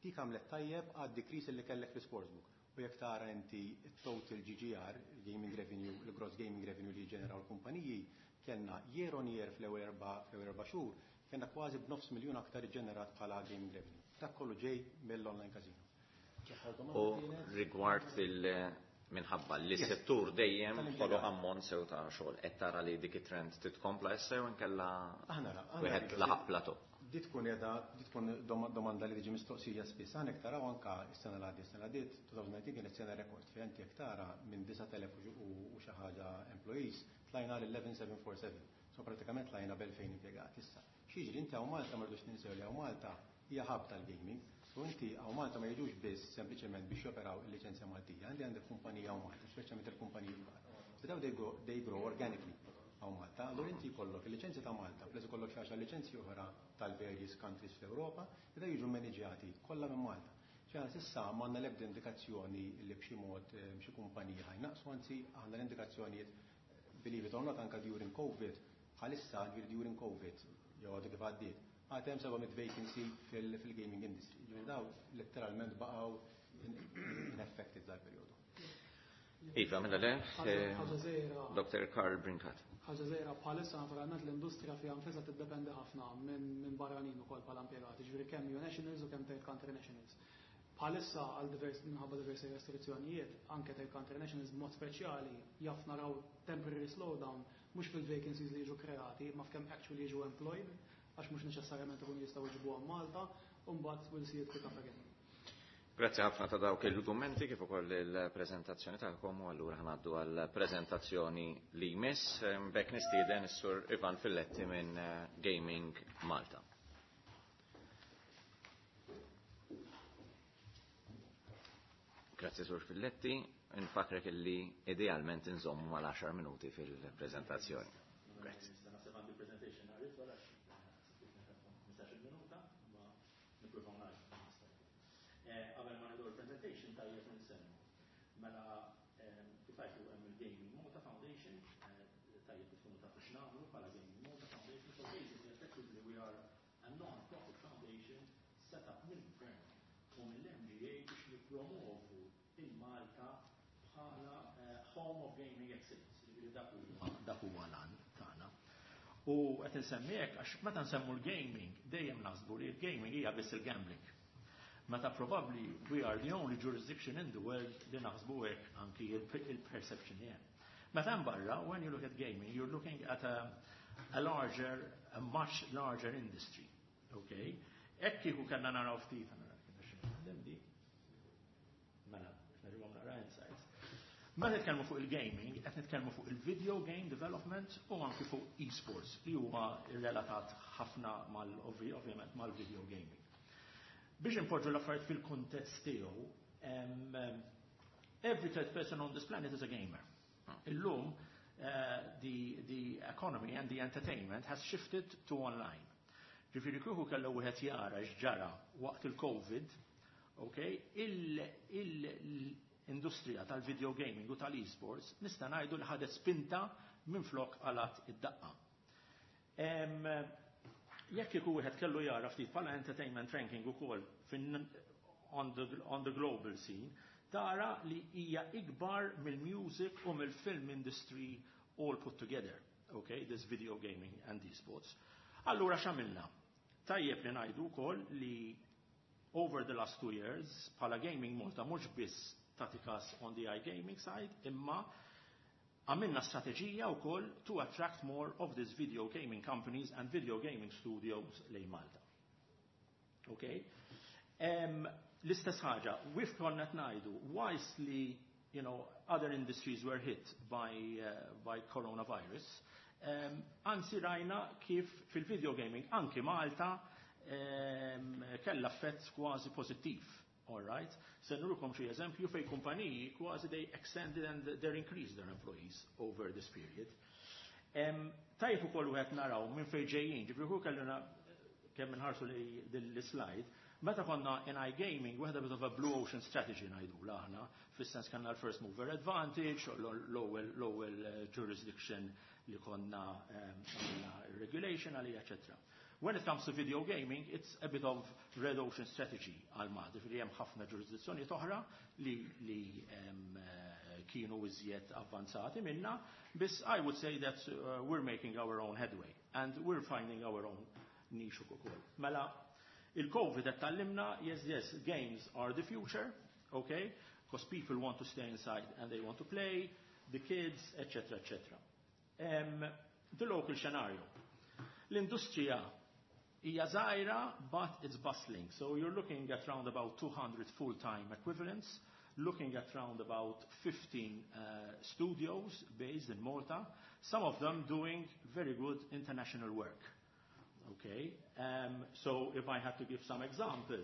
dik għamlet tajjeb għad decrease li kellek fil-sportsbook. U jekk tara inti total GGR, gaming revenue, il-gross gaming revenue li ġeneraw l-kumpaniji, kellna year on year fl-ewwel 4 xhur, kellna kważi b'0.5 miljun aktar ġenerat bħala gaming revenue. Dak kollu ġej mill-online casino. U rigward il minħabba li settur dejjem ħoloq ammont sew ta' xogħol, qed tara li dik it-trend titkompla issa jew inkella wieħed laħaq plateau? Di tkun edha, di tkun domanda li tiġi mistoqsija spiss. Għanek taraw anka s-sena l għaddiet, s-sena l-għaddiet, 2019 kienet sena rekord, fejn inti jekk tara minn 9,000 u xi ħaġa employees tlajna l 11,747. So pratikament tlajna b'2000 impjegat issa. X'jiġri, inti hawn Malta, ma rridux ninsew li hawn Malta hija hub tal-gaming. So inti hawn Malta ma jiġux biss sempliċement biex joperaw il-liċenzja Maltija, għandi għandek kumpanija hawn Malta, speċjalment il-kumpaniji kbar. So daw they grow organically hawn Malta. Allura inti jkollok il-liċenzja ta' Malta, plus ikollok xi għaxar liċenzji oħra tal-various countries fl-Ewropa, li da jiġu maniġjati kollha minn Malta. ċe s'issa m'għandna l-ebda indikazzjoni li b'xi mod xi kumpaniji ħa jnaqqsu, anzi għandna l-indikazzjonijiet, believe it or not, anka during COVID, bħalissa ġifieri during COVID, jew għadu kif għaddiet, għad hemm 700 vacancy fil-gaming industry. Ġifieri daw letteralment baqgħu unaffected dal-perjodu. Iva, mela le, Ħaġa żgħira. Dr. Karl Brincat. Ħaġa żgħira, bħalissa naturalment l-industrija fiha nfisha tiddependi ħafna minn barranin ukoll bħala impjegati, ġifieri kemm EU nationals u kemm third country nationals. Bħalissa għal divers minħabba diversi restrizzjonijiet, anke third country nationals b'mod speċjali, jaf naraw temporary slowdown mhux fil-vacancies li jiġu kreati, ma f'kemm actually jiġu employed, għax mhux neċessarjament ikunu jistgħu jġibuhom Malta, u mbagħad we'll see it pick up again. Grazzi ħafna ta' dawk il-dokumenti kif ukoll il-preżentazzjoni tagħkom, u allura ħa ngħaddu għall-preżentazzjoni li jmiss. B'hekk nistieden is-Sur Ivan Filletti minn Gaming Malta. Grazzi, Sur Filletti, infakrek illi idealment inżommu mal-10 minuti fil-preżentazzjoni. Grazzi. Naħseb għandi presentation għarif, għalax 15 minuta, ma nippruvaw nagħmlu. Qabel ma nibdew il-presentation tajjeb nsemmu. Mela kif għajtu hemm il-Gaming Malta Foundation, tajjeb li tkunu tafu x'nagħmlu bħala Gaming Malta Foundation. So basically, effectively, we are a non-profit foundation set up mill-gvern u mill-MGA biex nippromovu il-Malta bħala home of gaming excellence. Ġifieri dak huwa l-għan tagħna. U qed insemmi hekk għax meta nsemmu l-gaming dejjem naħsbu li l-gaming hija biss il-gambling. Meta probably we are the only jurisdiction in the world li naħsbu hekk, anki il-perception li hemm. Meta barra, when you look at gaming, you're looking at a larger, a much larger industry. Okay? Hekk kieku kellna naraw ftit, di. Mela, nerġgħu naqra insights. Meta nitkellmu fuq il-gaming, qed nitkellmu fuq il-video game development u anki fuq e-sports li huwa relatat ħafna mal ovvjament mal-video gaming. Biex impoġġu l-affarijiet fil-kuntest tiegħu, every third person on this planet is a gamer. Illum, the economy and the entertainment has shifted to online. Ġifieri kieku kellu wieħed jara x'ġara waqt il-COVID, okay, l-industrija tal-video gaming u tal-esports nista' ngħidu li ħadet spinta minn flok qalgħet id-daqqa. Jekk kieku wieħed kellu jara ftit bħala entertainment ranking ukoll on the global scene, tara li hija ikbar mill-music u mill-film industry all put together. Okay, this video gaming and esports. Allura x'għamilna? Tajjeb li ngħidu wkoll li over the last 2 years, bħala Gaming Malta mhux biss tagħti kas on the iGaming side, imma għamilna strateġija wkoll to attract more of these video gaming companies and video gaming studios lejn Malta. Okay? L-istess ħaġa, wif konna ngħidu, whilst li other industries were hit by coronavirus, anzi rajna kif fil-video gaming anki Malta kella effett kważi pozittiv. All right? Se nurukom xi eżempju fej kumpaniji kważi they extended and they increased their employees over this period. Tajjeb ukoll wieħed naraw minn fejn ġejjin, ġifieri hu kellna kemm inħarsu li l-slide, meta konna in iGaming, we had a bit of a blue ocean strategy ngħidu aħna, fis-sens kellna l-first mover advantage, l-ewwel jurisdiction li konna regulation għalija, etc. When it comes to video gaming, it's a bit of red ocean strategy għal Malta, ġifieri hemm ħafna ġurisdizzjoni oħra li kienu iżjed avvanzati minna, biss I would say that we're making our own headway and we're finding our own niche ukoll. Mela, il-COVID qed tgħallimna, yes, games are the future, okay? Because people want to stay inside and they want to play, the kids, etc., etc. The local scenario. L-industrija Hija żgħira, but it's bustling. So you're looking at round about 200 full-time equivalents, looking at round about 15 studios based in Malta, some of them doing very good international work. Okay? So if I had to give some example,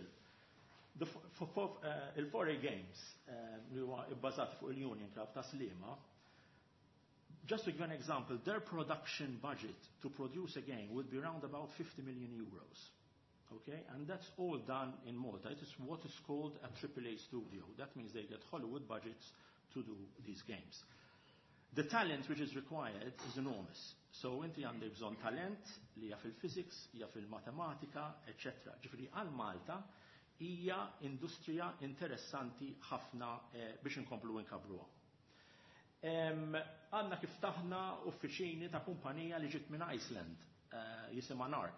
il-4A Games li huwa bbażat fuq il-Union Club ta' Sliema, just to give an example, their production budget to produce a game would be around about €50 million. Okay? And that's all done in Malta. It is what is called a AAA studio. That means they get Hollywood budgets to do these games. The talent which is required is enormous. So inti għandek bżonn talent li jaf il-physics, jaf il-matematika, etc. Ġifieri għal Malta hija industrija interessanti ħafna biex inkomplu nkabbruha. Għandna kif ftaħna uffiċini ta' kumpanija li ġiet minn Iceland, jisimha Narc.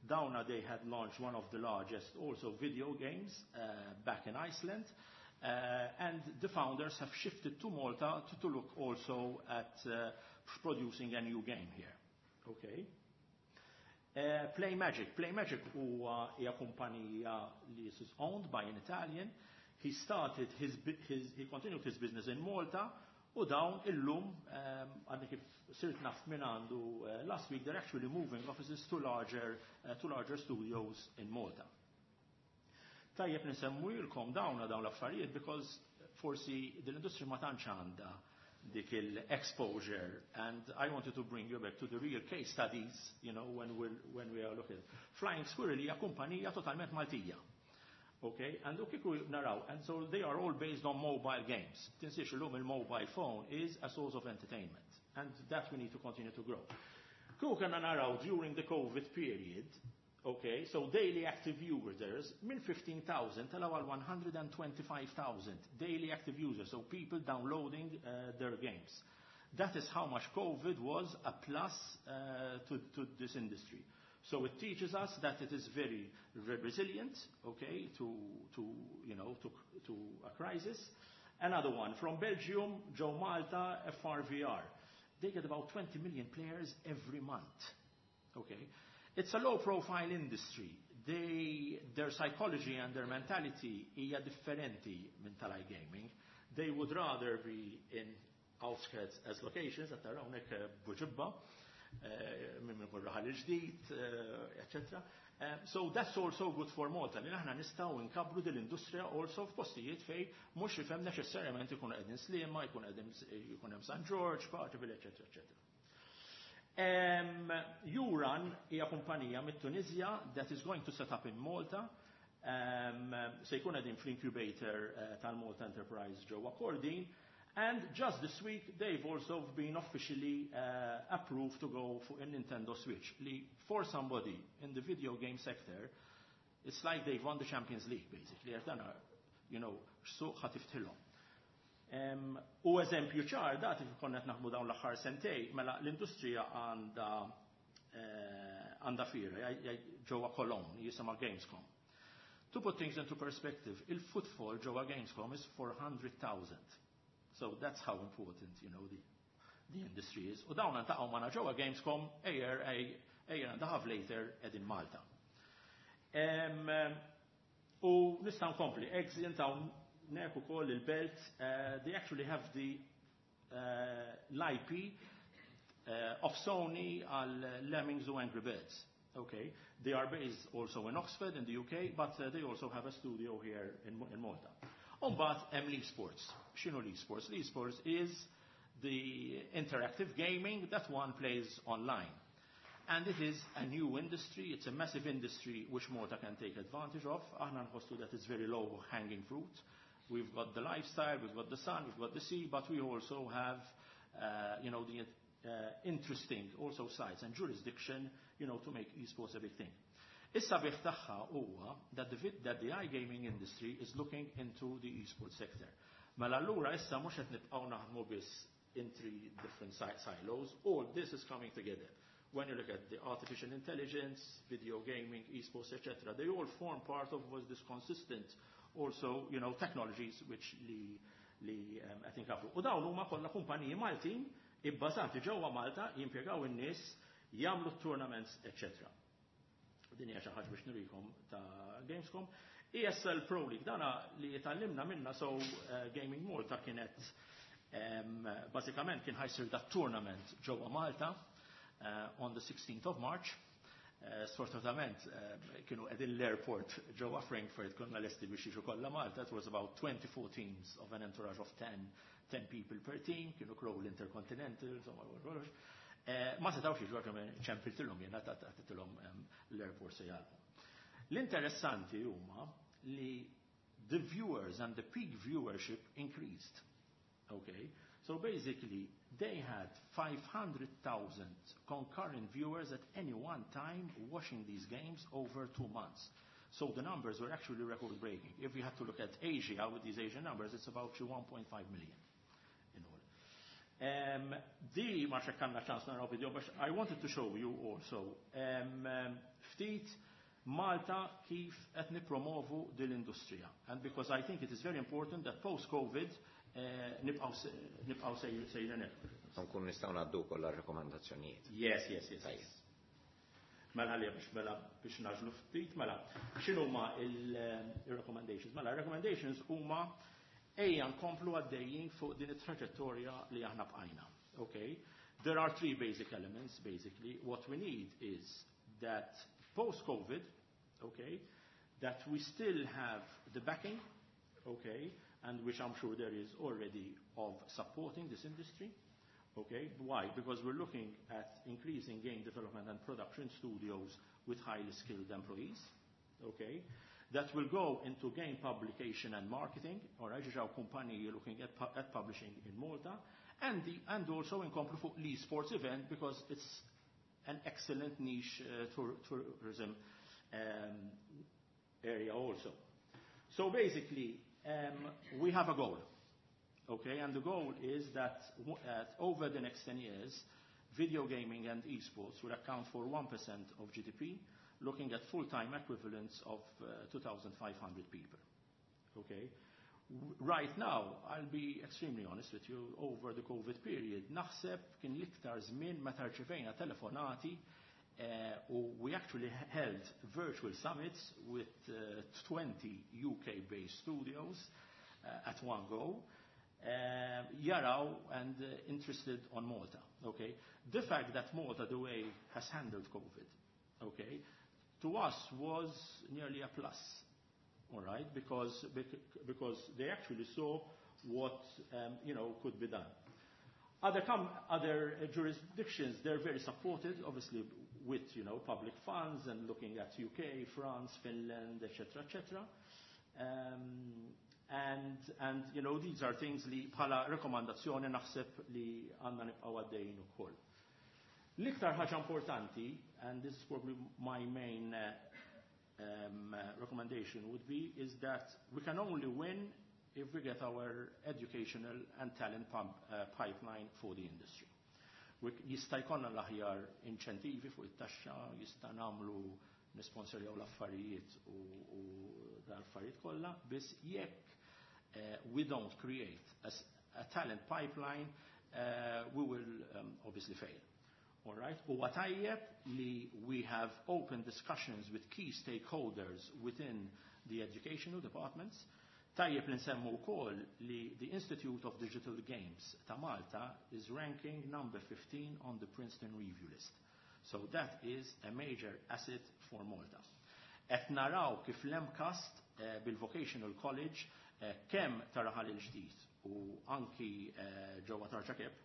Dawna they had launched one of the largest also video games back in Iceland. And the founders have shifted to Malta to look also at producing a new game here. Okay. Play Magic. Play Magic huwa hija kumpanija li is owned by an Italian. He started his, his he continued his business in Malta u dawn illum għadni kif sirt naf minn għandu last week, they're actually moving offices to larger studios in Malta. Tajjeb nisemmulkom dawn l-affarijiet because forsi l-industry ma tantx għandha dik il-exposure, and I wanted to bring you back to the real case studies when we are looking. Flying Squirrel hija kumpanija totalment Maltija. Okay, and kieku naraw, and so they are all based on mobile games. Tinsiex illum il-mobile phone is a source of entertainment, and that we need to continue to grow. Kieku kellna naraw during the COVID period, okay, so daily active users minn 15,000 telgħu għal 125,000 daily active users, so people downloading their games. That is how much COVID was a plus to this industry. So it teaches us that it is very resilient, okay, to you know, to a crisis. Another one from Belgium, ġo Malta, FRVR. They get about 20 million players every month. Okay. It's a low profile industry. Their psychology and their mentality hija differenti minn tal-iGaming. They would rather be in outskirts as locations, at hawnhekk Buġibba, minn minn Raħal Ġdid, etc. So that's also good for Malta, li aħna nistgħu nkabbru dil-industrija also f'postijiet fejn mhux ifhem neċessarjament ikun qegħdin Sliema, jkun qegħdin jkun hemm San George, Paceville, eċetera, eċetera. Uran hija kumpanija mit-Tunizja that is going to set up in Malta. Se jkun qegħdin fl-incubator tal-Malta Enterprise ġewwa Kordin. And just this week, they've also been officially approved to go for a Nintendo Switch. Li for somebody in the video game sector, it's like they've won the Champions League, basically. Għax dan, suq ħa tiftħilhom. U eżempju ċar, da kif konna qed naħdmu dawn l-aħħar sentejn, mela l-industrija għandha fiera ġewwa Cologne, jisimha Gamescom. To put things into perspective, il-footfall ġewwa Gamescom is 400,000. So that's how important the industry is. U dawn iltaqgħu magħna ġewwa Gamescom a year and a half later qegħdin Malta. U nista' nkompli, Exient hawnhekk ukoll il-Belt, they actually have the l-IP of Sony għal Lemmings u Angry Birds. Okay, they are based also in Oxford in the UK, but they also have a studio here in Malta. Umbagħad hemm l-esports. X'inhu l-esports? L-esports is the interactive gaming that one plays online. And it is a new industry, it's a massive industry which Malta can take advantage of. Aħna nħossu that it's very low hanging fruit. We've got the lifestyle, we've got the sun, we've got the sea, but we also have the interesting also sites and jurisdiction to make esports a big thing. Is-sabiħ tagħha huwa that the iGaming industry is looking into the esports sector. Mela allura issa mhux qed nibqgħu naħdmu biss in three different silos, all this is coming together. When you look at the artificial intelligence, video gaming, esports, etc., they all form part of was this consistent also technologies which li qed inkabbru. U dawn huma kollha kumpaniji Maltin ibbażati ġewwa Malta, jimpjegaw in-nies, jagħmlu tournaments, etc. Din hija xi ħaġa biex nurikom ta' Gamescom. ESL Pro League, dana li tgħallimna minna. So Gaming Malta kienet bażikament kien ħa jsir dat tournament ġewwa Malta on the 16th of March. Sfortunatament kienu qegħdin l-airport ġewwa Frankfurt, konna lesti biex jiġu kollha Malta. It was about 24 teams of an entourage of 10 people per team, kienu krow l-Intercontinental, insomma, kollox. Ma setawx jiġu għax ċempiltilhom jiena, għedtilhom l-airport se jagħlqu. L-interessanti huma li the viewers and the peak viewership increased. Okay? So basically, they had 500,000 concurrent viewers at any one time watching these games over 2 months. So the numbers were actually record-breaking. If you had to look at Asia, with these Asian numbers, it's about 1.5 million in all. Di ma kellna ċans naraw video, but I wanted to show you also ftit Malta kif qed nippromovu din l-industrija. And because I think it is very important that post-COVID nibqgħu sejrin hekk. Nkun nistgħu ngħaddu kollha rakkomandazzjonijiet. Yes. Mela għalija biex mela biex ngħaġġlu ftit, mela x'inhuma il-recommendations? Mela recommendations huma ejja nkomplu għaddejjin fuq din it-traġettorja li aħna bqajna. Okay? There are three basic elements, basically. What we need is that post-COVID, okay, that we still have the backing, okay, and which I'm sure there is already of supporting this industry. Okay, why? Because we're looking at increasing game development and production studios with highly skilled employees. Okay, that will go into game publication and marketing, or ġiġaw kumpaniji looking at publishing in Malta, and also inkomplu fuq l-esports event because it's an excellent niche tourism area also. So basically, we have a goal. Okay, and the goal is that over the next 10 years, video gaming and esports will account for 1% of GDP, looking at full-time equivalents of 2,500 people. Okay? Right now, I'll be extremely honest with you, over the COVID period, naħseb kien l-iktar żmien meta rċevejna telefonati u we actually held virtual summits with 20 UK-based studios at one go, jaraw and interested on Malta. Okay, the fact that Malta, the way has handled COVID, okay, to us was nearly a plus. All right, because they actually saw what could be done. Other jurisdictions, they're very supported, obviously, with public funds and looking at UK, France, Finland, etc., etc. And these are things li bħala rekomandazzjoni naħseb li għandna nibqgħu għaddejjin ukoll. L-iktar ħaġa importanti, and this is probably my main recommendation would be, is that we can only win if we get our educational and talent pipeline for the industry. Jista' jkollna l-aħjar inċentivi fuq it-taxxa, jista' nagħmlu nisponsorjaw l-affarijiet u dal-affarijiet kollha, biss jekk we don't create a talent pipeline, we will obviously fail. All right? U tajjeb li we have open discussions with key stakeholders within the educational departments. Tajjeb li nsemmu wkoll li the Institute of Digital Games ta' Malta is ranking number 15 on the Princeton Review list. So that is a major asset for Malta. Et naraw kif l-MCAST bil-Vocational College kemm ta' Raħal il-Ġdid u anki ġewwa Tarġa Cape,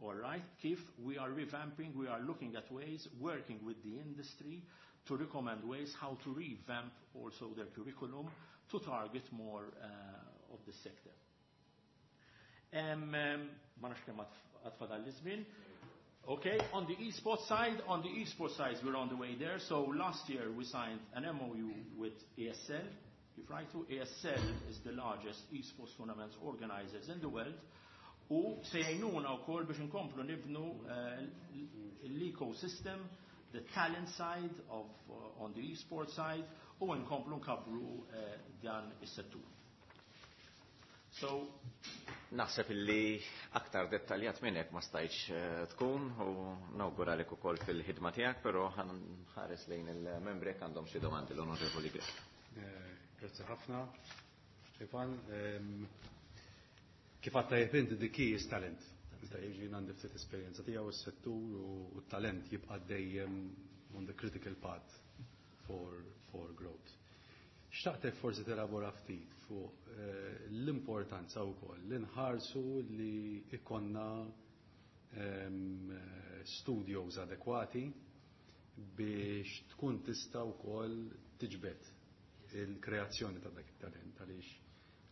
all right, kif we are revamping, we are looking at ways, working with the industry to recommend ways how to revamp also their curriculum to target more of the sector. Ma nafx kemm għad fadal l-żmien. Okay, on the esports side, on the esports side, we're on the way there. So last year we signed an MOU with ESL. Kif rajtu, ESL is the largest esports tournament organizers in the world. U se jgħinuna wkoll biex inkomplu nibnu l-ecosystem, the talent side of on the esports side, u nkomplu nkabbru dan is-settur. So, naħseb illi aktar dettaljat minn hekk ma stajtx tkun u nawguralek ukoll fil-ħidma tiegħek, però ħa nħares lejn il-membri jekk għandhom xi domandi. L-Onorevoli Grech. Grazzi ħafna. Ivan, kif għatta inti, the key is talent. Iżda jiġi għandi ftit esperjenza tiegħu s-settur u t-talent jibqa' dejjem on the critical path for growth. Xtaqtek forsi telabora ftit fuq l-importanza wkoll li nħarsu li ikonna studios adekwati biex tkun tista' wkoll tiġbed il-kreazzjoni ta' dak it-talent, għaliex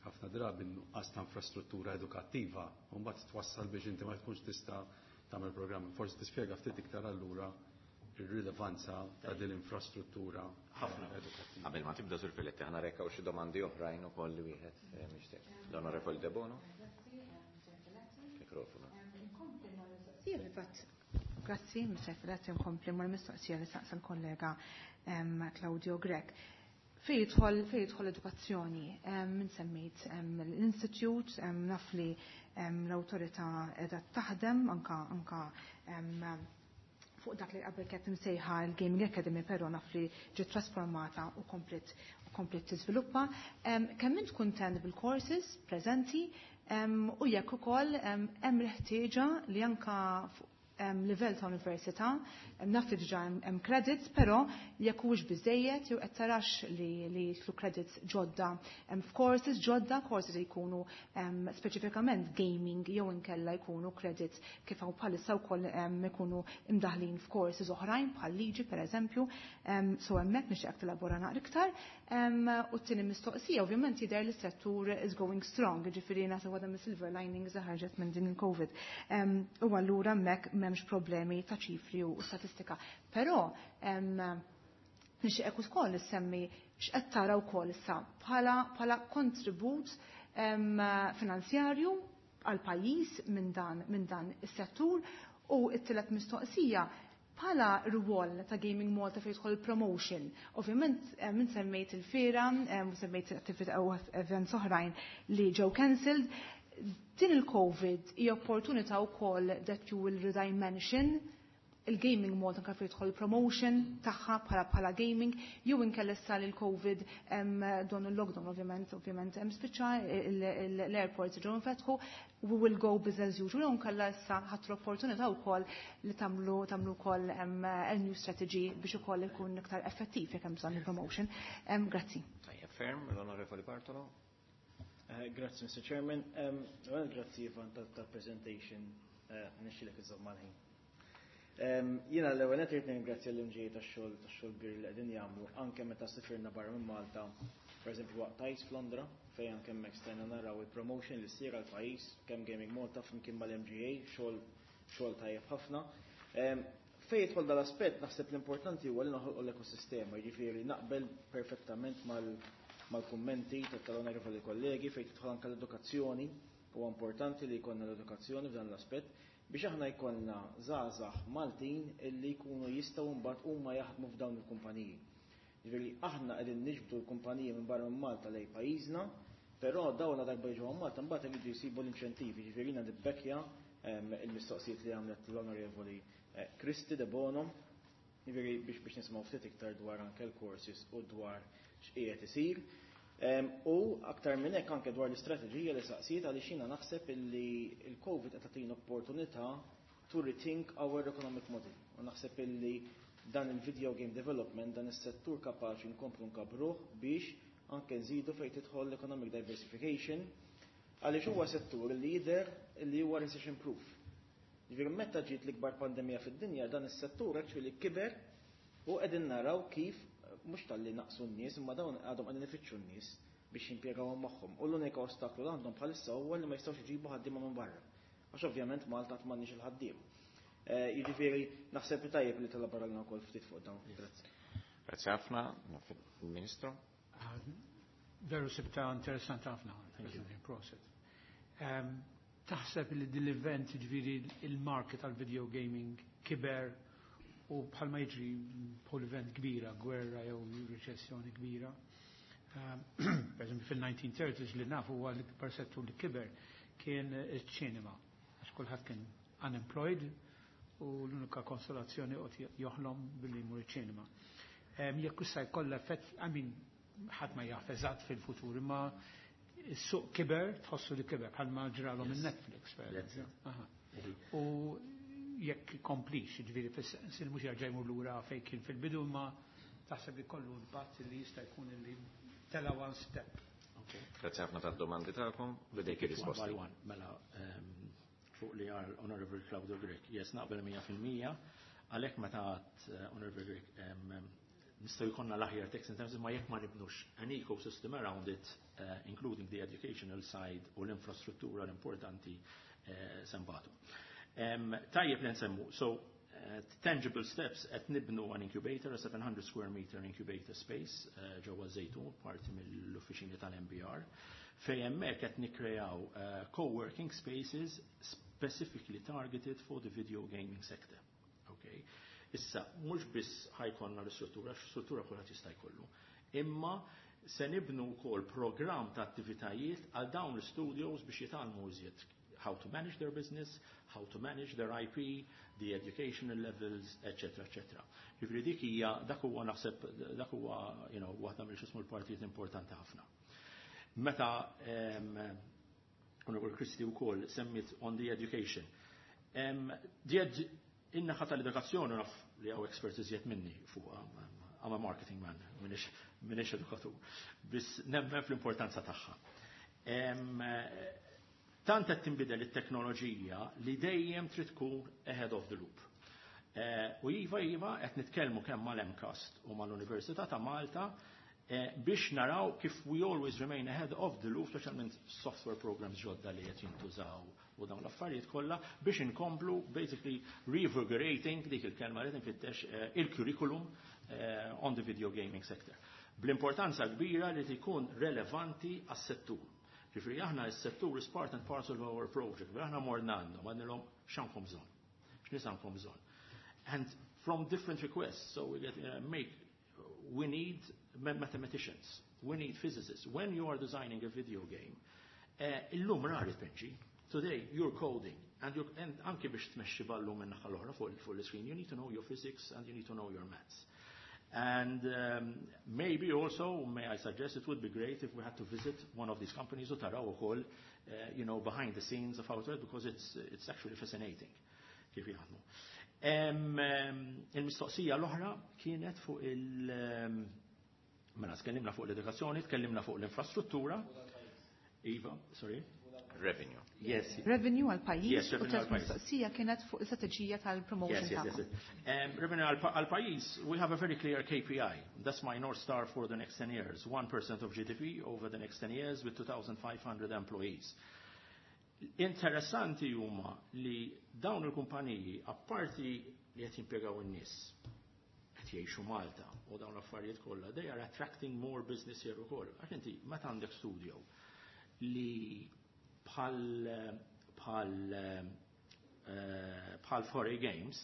ħafna drabi nuqqas ta' infrastruttura edukattiva u mbagħad twassal biex inti ma tkunx tista' tagħmel programm. Forsi tispjega ftit iktar allura ir-rilevanza ta' din l-infrastruttura ħafna edukattiva. Qabel ma tibda, Sur Filetti, ħa narekkaw xi domandi oħrajn ukoll li wieħed mixtieq. L-Onorevoli Debono. Mikrofonu. Grazzi, Mr. Filetti, nkompli mal-mistoqsija li saqsa l-kollega Claudio Grech. Fej jidħol edukazzjoni, min semmejt l-Institute, naf li l-autorità edha taħdem anka fuq dak li qabel kienet msejħa l-Gaming Academy, però naf li ġiet trasformata u komplet tiżviluppa. Kemm int kuntent bil-courses preżenti u jekk ukoll hemm l-ħtieġa li anka fuq livell ta' università, naf li diġà hemm credits, però jekk huwiex biżejjed jew qed tarax li jidħlu credits ġodda f'courses ġodda, courses li jkunu speċifikament gaming jew inkella jkunu credits kif hawn bħalissa wkoll ikunu imdaħlin f'courses oħrajn bħal liġi pereżempju. So hemmhekk nixtieq tilabora naqra iktar. U t-tieni mistoqsija, ovvjament jidher li s-settur is going strong, ġifieri nagħti waħda mis-silver linings li ħarġet minn din il-COVID. U allura hemmhekk m'hemmx problemi ta' ċifri u statistika. Però nixtieq ukoll issemmi x'qed tara wkoll issa bħala kontribut finanzjarju għal pajjiż minn dan is-settur. U t-tielet mistoqsija, bħala rwol ta' Gaming Malta fejn jidħol promotion. Ovvjament minn semmejt il-fira, u semmejt attività u events oħrajn li ġew cancelled. Din il-COVID hija opportunità wkoll that you will redimension il-Gaming Malta anke fejn jidħol promotion tagħha bħala gaming, jew inkella issa li l-COVID don il-lockdown ovvjament hemm spiċċa, l-airports ġew infetħu, we will go business as usual, jew inkella issa ħadd l-opportunità wkoll li tagħmlu wkoll a new strategy biex ukoll ikun iktar effettiv jekk hemm bżonn il-promotion. Grazzi. Tajjeb ferm, l-Onorevoli Bartolo. Grazzi, Mr. Chairman. Well, grazzi, Ivan, tal-presentation. Nixxilek iżomm mal-ħin. Jiena l-ewwel qed irid nirringrazzja l-MGA tax-xogħol kbir li qegħdin jagħmlu anke meta sifirna barra minn Malta, pereżempju waqt ICE f'Londra, fejn anke hemmhekk stajna naraw il-promotion li ssir għall-pajjiż kemm Gaming Malta flimkien mal-MGA, xogħol tajjeb ħafna. Fejn jidħol dal-aspett, naħseb l-importanti huwa li noħolqu l-ekosistema, jiġifieri naqbel perfettament mal-kummenti tal-onorevoli kollegi fejn tidħol anke l-edukazzjoni. Huwa importanti li jkollna l-edukazzjoni f'dan l-aspett biex aħna jkollna żgħażagħ Maltin illi jkunu jistgħu mbagħad huma jaħdmu f'dawn il-kumpaniji. Ġifieri aħna qegħdin niġbdu l-kumpaniji minn barra minn Malta lejn pajjiżna, però dawn darba jiġu Malta mbagħad iridu jsibu l-inċentivi, ġifieri jiena nibbekkja il-mistoqsijiet li għamlet l-Onorevoli Kristi Debono, ġifieri biex nisimgħu ftit iktar dwar anke l-courses u dwar x'qiegħed isir. U aktar minn hekk anke dwar l-istrateġija li saqsiet, għaliex jiena naħseb illi il-COVID qed tagħtina opportunità to rethink our economic model. U naħseb illi dan il-video game development, dan is-settur kapaċi nkomplu nkabruh biex anke nżidu fejn tidħol l-economic diversification, għaliex huwa settur li jidher li huwa recession proof. Ġifieri meta ġiet l-ikbar pandemija fid-dinja, dan is-settur actually kiber u qegħdin naraw kif mhux talli naqsu n-nies, imma dawn għadhom qegħdin ifittxu n-nies biex jimpjegawhom magħhom. U l-unika ostaklu li għandhom bħalissa huwa li ma jistgħux iġibu ħaddiema minn barra. Għax ovvjament Malta m'għandniex il-ħaddiem. Jiġifieri naħseb li tajjeb li telaboralna wkoll ftit fuq dawn. Grazzi. Grazzi ħafna, Ministru. Veru sibta interessanti ħafna, prosit. Taħseb li dil-event, ġifieri il-market tal-video gaming kiber u bħalma jiġri bħal event kbira, gwerra jew riċessjoni kbira? Per eżempju, fil-1930s li nafu huwa l-ikbar settur li kiber kien iċ-ċinema. Għax kulħadd kien unemployed u l-unika konsolazzjoni qed joħlom billi jmur iċ-ċinema. Jekk issa jkollha effett, I mean, ħadd ma jaf eżatt fil-futur, imma s-suq kiber, tħossu li kiber, bħalma ġralhom il-Netflix, per eżempju. U jekk komplix, ġifieri fis-sens li mhux jerġa' jmur lura fejn kien fil-bidu, ma taħseb li kollu impatt li jista' jkun li tela one step. Grazzi ħafna tad-domandi tagħkom, bidejk ir-risposti. One by one, mela fuq li għal Honorable Claudio Grech, yes, naqbel 100%, għalhekk meta għat Honorable Grech, nistgħu jkollna l-aħjar tax in terms ma jekk ma nibnux an ecosystem around it, including the educational side u l-infrastruttura l-importanti sembatu. Tajjeb li nsemmu, so tangible steps qed nibnu an incubator, a 700 square meter incubator space ġewwa Żejtun, parti mill-uffiċini tal-NBR, fejn hemmhekk qed nikkreaw co-working spaces specifically targeted for the video gaming sector. Okay. Issa, mhux biss ħa jkollna l-istruttura, struttura kulħadd jista' jkollu, imma se nibnu wkoll programm ta' attivitajiet għal dawn l-studios biex jitgħallmu iżjed how to manage their business, how to manage their IP, the educational levels, etc., etc. Ġifieri dik hija dak huwa naħseb dak huwa waħda mill xismu l-partijiet importanti ħafna. Meta Honorable Christie wkoll semmit on the education. In-naħa tal-edukazzjoni naf li hawn experts iżjed minni fuq, I'm a marketing man, minix edukatur, biss nemmen fl-importanza tagħha. Tant qed tinbidel it-teknoloġija li dejjem trid tkun ahead of the loop. U iva, qed nitkellmu kemm mal-MCAST u mal-Università ta' Malta biex naraw kif we always remain ahead of the loop, speċjalment software programs ġodda li qed jintużaw u dawn l-affarijiet kollha biex inkomplu basically revigorating dik il-kelma li tinfittex il-curriculum on the video gaming sector. Bl-importanza kbira li tkun relevanti għas-settur. Ġifieri aħna s-settur is part and parcel of our project, but aħna morna għandhom, għandilhom x'għandkom bżonn, x'nies għandkom bżonn. And from different requests, so we get, make, we need mathematicians, we need physicists. When you are designing a video game, illum rari tpinġi. Today you're coding, and anke biex tmexxi ballu minn naħa l-oħra fuq l-screen, you need to know your physics and you need to know your maths. And maybe also, may I suggest, it would be great if we had to visit one of these companies u taraw ukoll, behind the scenes of how it works, because it's actually fascinating kif jaħdmu. Il-mistoqsija l-oħra kienet fuq il-, mela, tkellimna fuq l-edukazzjoni, tkellimna fuq l-infrastruttura. Iva, sorry. Revenue. Yes. Revenue għal pajjiż. Yes, revenue U għal pajjiż. mistoqsija kienet fuq l-istrateġija tal-promotion Yes. tagħkom. Revenue għal pajjiż, we have a very clear KPI. That's my North Star for the next 10 years. 1% of GDP over the next 10 years with 2,500 employees. Interessanti huma li dawn il-kumpaniji, apparti li qed jimpjegaw in-nies, qed jgħixu Malta u dawn l-affarijiet kollha, they are attracting more business here ukoll. Għax inti meta għandek studio li bħal 4A Games,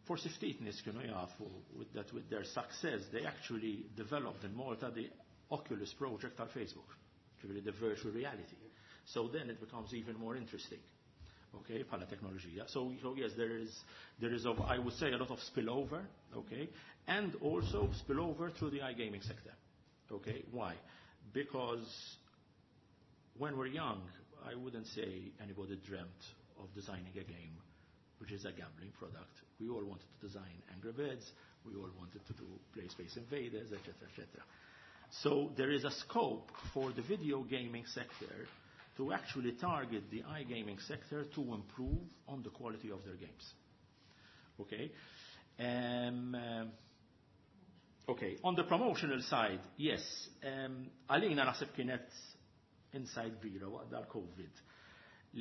forsi ftit nies kienu jafu with that with their success they actually developed in Malta the Oculus project tal Facebook, ġifieri the virtual reality. So then it becomes even more interesting, okay, bħala teknoloġija. So yes, there is of, I would say, a lot of spillover, okay, and also spillover through the iGaming sector, okay. Why? Because when we're young, I wouldn't say anybody dreamt of designing a game which is a gambling product. We all wanted to design Angry Birds, we all wanted to do play Space Invaders, et cetera, et cetera. So there is a scope for the video gaming sector to actually target the iGaming sector to improve on the quality of their games. Okay? Okay, on the promotional side, yes, għalina naħseb kienet insight kbira waqt dal-COVID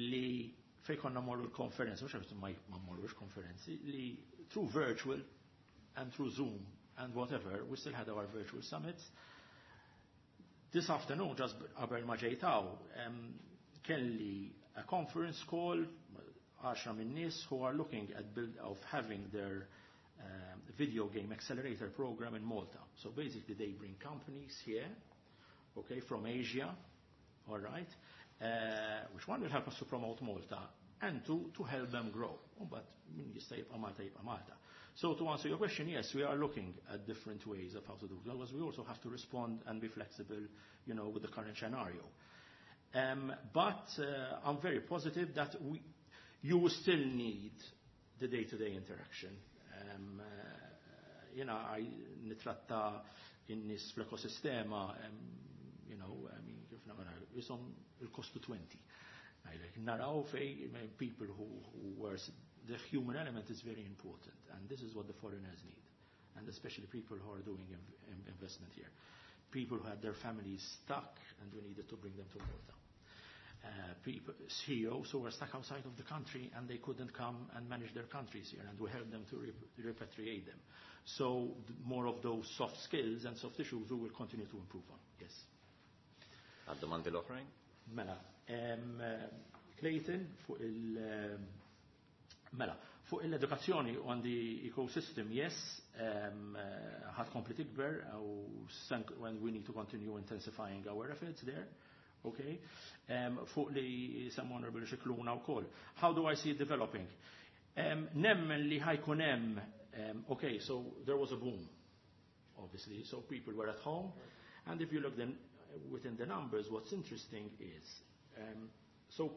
li fej konna morru l-konferenzi, mux għabtu ma morrux konferenzi, li through virtual and through Zoom and whatever, we still had our virtual summits. This afternoon, just qabel ma ġejtaw, kelli a conference call, 10 minn nies who are looking at build of having their video game accelerator program in Malta. So basically they bring companies here okay, from Asia, all right, which one will help us to promote Malta and two, to help them grow. But min jista' jibqa' Malta jibqa' Malta. So to answer your question, yes, we are looking at different ways of how to do it, because we also have to respond and be flexible with the current scenario. But I'm very positive that you will still need the day-to-day interaction. I nitratta in-nies fl-ekosistema, I mean, kif nagħmel, jisom il-kostu 20. Naraw fej people who were, the human element is very important, and this is what the foreigners need, and especially people who are doing investment here. People who had their families stuck, and we needed to bring them to Malta. People, CEOs who were stuck outside of the country and they couldn't come and manage their countries here, and we helped them to repatriate them. So more of those soft skills and soft issues we will continue to improve on. Yes. Għad-domandi l-oħrajn? Mela, Clayton, fuq il- mela, fuq l-edukazzjoni on the ecosystem, yes, ħa tkompli tikber, u when we need to continue intensifying our efforts there. Okay? Fuq li semma Honorable Scicluna wkoll. How do I see it developing? Nemmen li ħa jkun hemm, okay, so there was a boom, obviously, so people were at home, and if you look then within the numbers, what's interesting is, so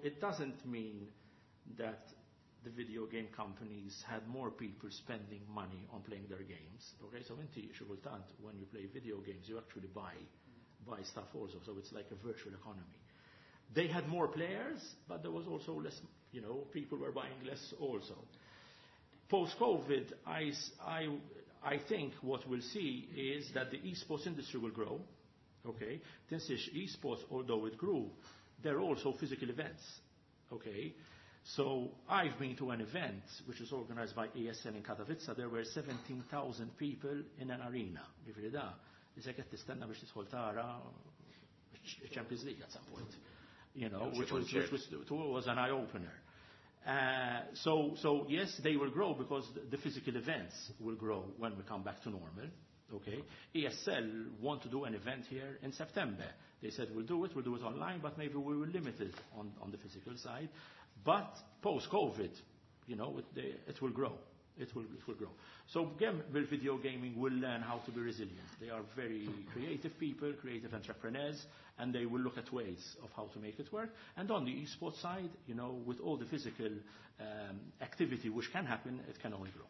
it doesn't mean that the video game companies had more people spending money on playing their games. Okay, so inti xi kultant when you play video games, you actually buy stuff also, so it's like a virtual economy. They had more players, but there was also less, people were buying less also. Post-COVID, I think what we'll see is that the esports industry will grow. Okay? Tinsiex esports, although it grew, there are also physical events. Okay? So I've been to an event which was organized by ESL in Katowice. There were 17,000 people in an arena. Ġifieri da, qisek qed tistenna biex tidħol tara Champions League at some point. Which was an eye-opener. So yes, they will grow because the physical events will grow when we come back to normal. Okay? ESL want to do an event here in September. They said, "We'll do it, we'll do it online, but maybe we will limit it on the physical side." But post-COVID, it will grow. It will grow. So again, with video gaming will learn how to be resilient. They are very creative people, creative entrepreneurs, and they will look at ways of how to make it work. And on the esports side, with all the physical activity which can happen, it can only grow.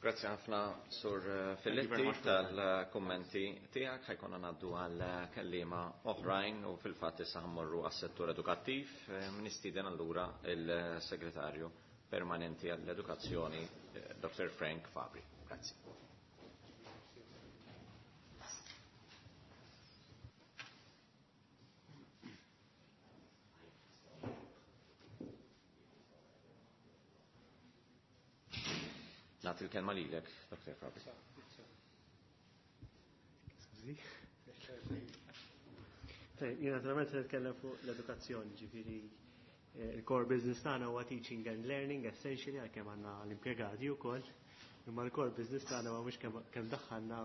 Grazzi ħafna, Sur Filletti, tal-kommenti tiegħek. Ħa jkollna ngħaddu għal kelliema oħrajn u fil-fatt issa ħa mmorru għas-settur edukattiv. Nistieden allura il-Segretarju Permanenti għall-Edukazzjoni, Dr. Frank Fabri. Grazzi. Nagħti l-kelma lilek, Dr. Fabri. Skużi. Jien naturalment se nitkellem fuq l-edukazzjoni, ġifieri il-core business tagħna huwa teaching and learning essentially, għalkemm għandna l-impjegati wkoll. Imma l-core business tagħna huwa mhux kemm daħħalna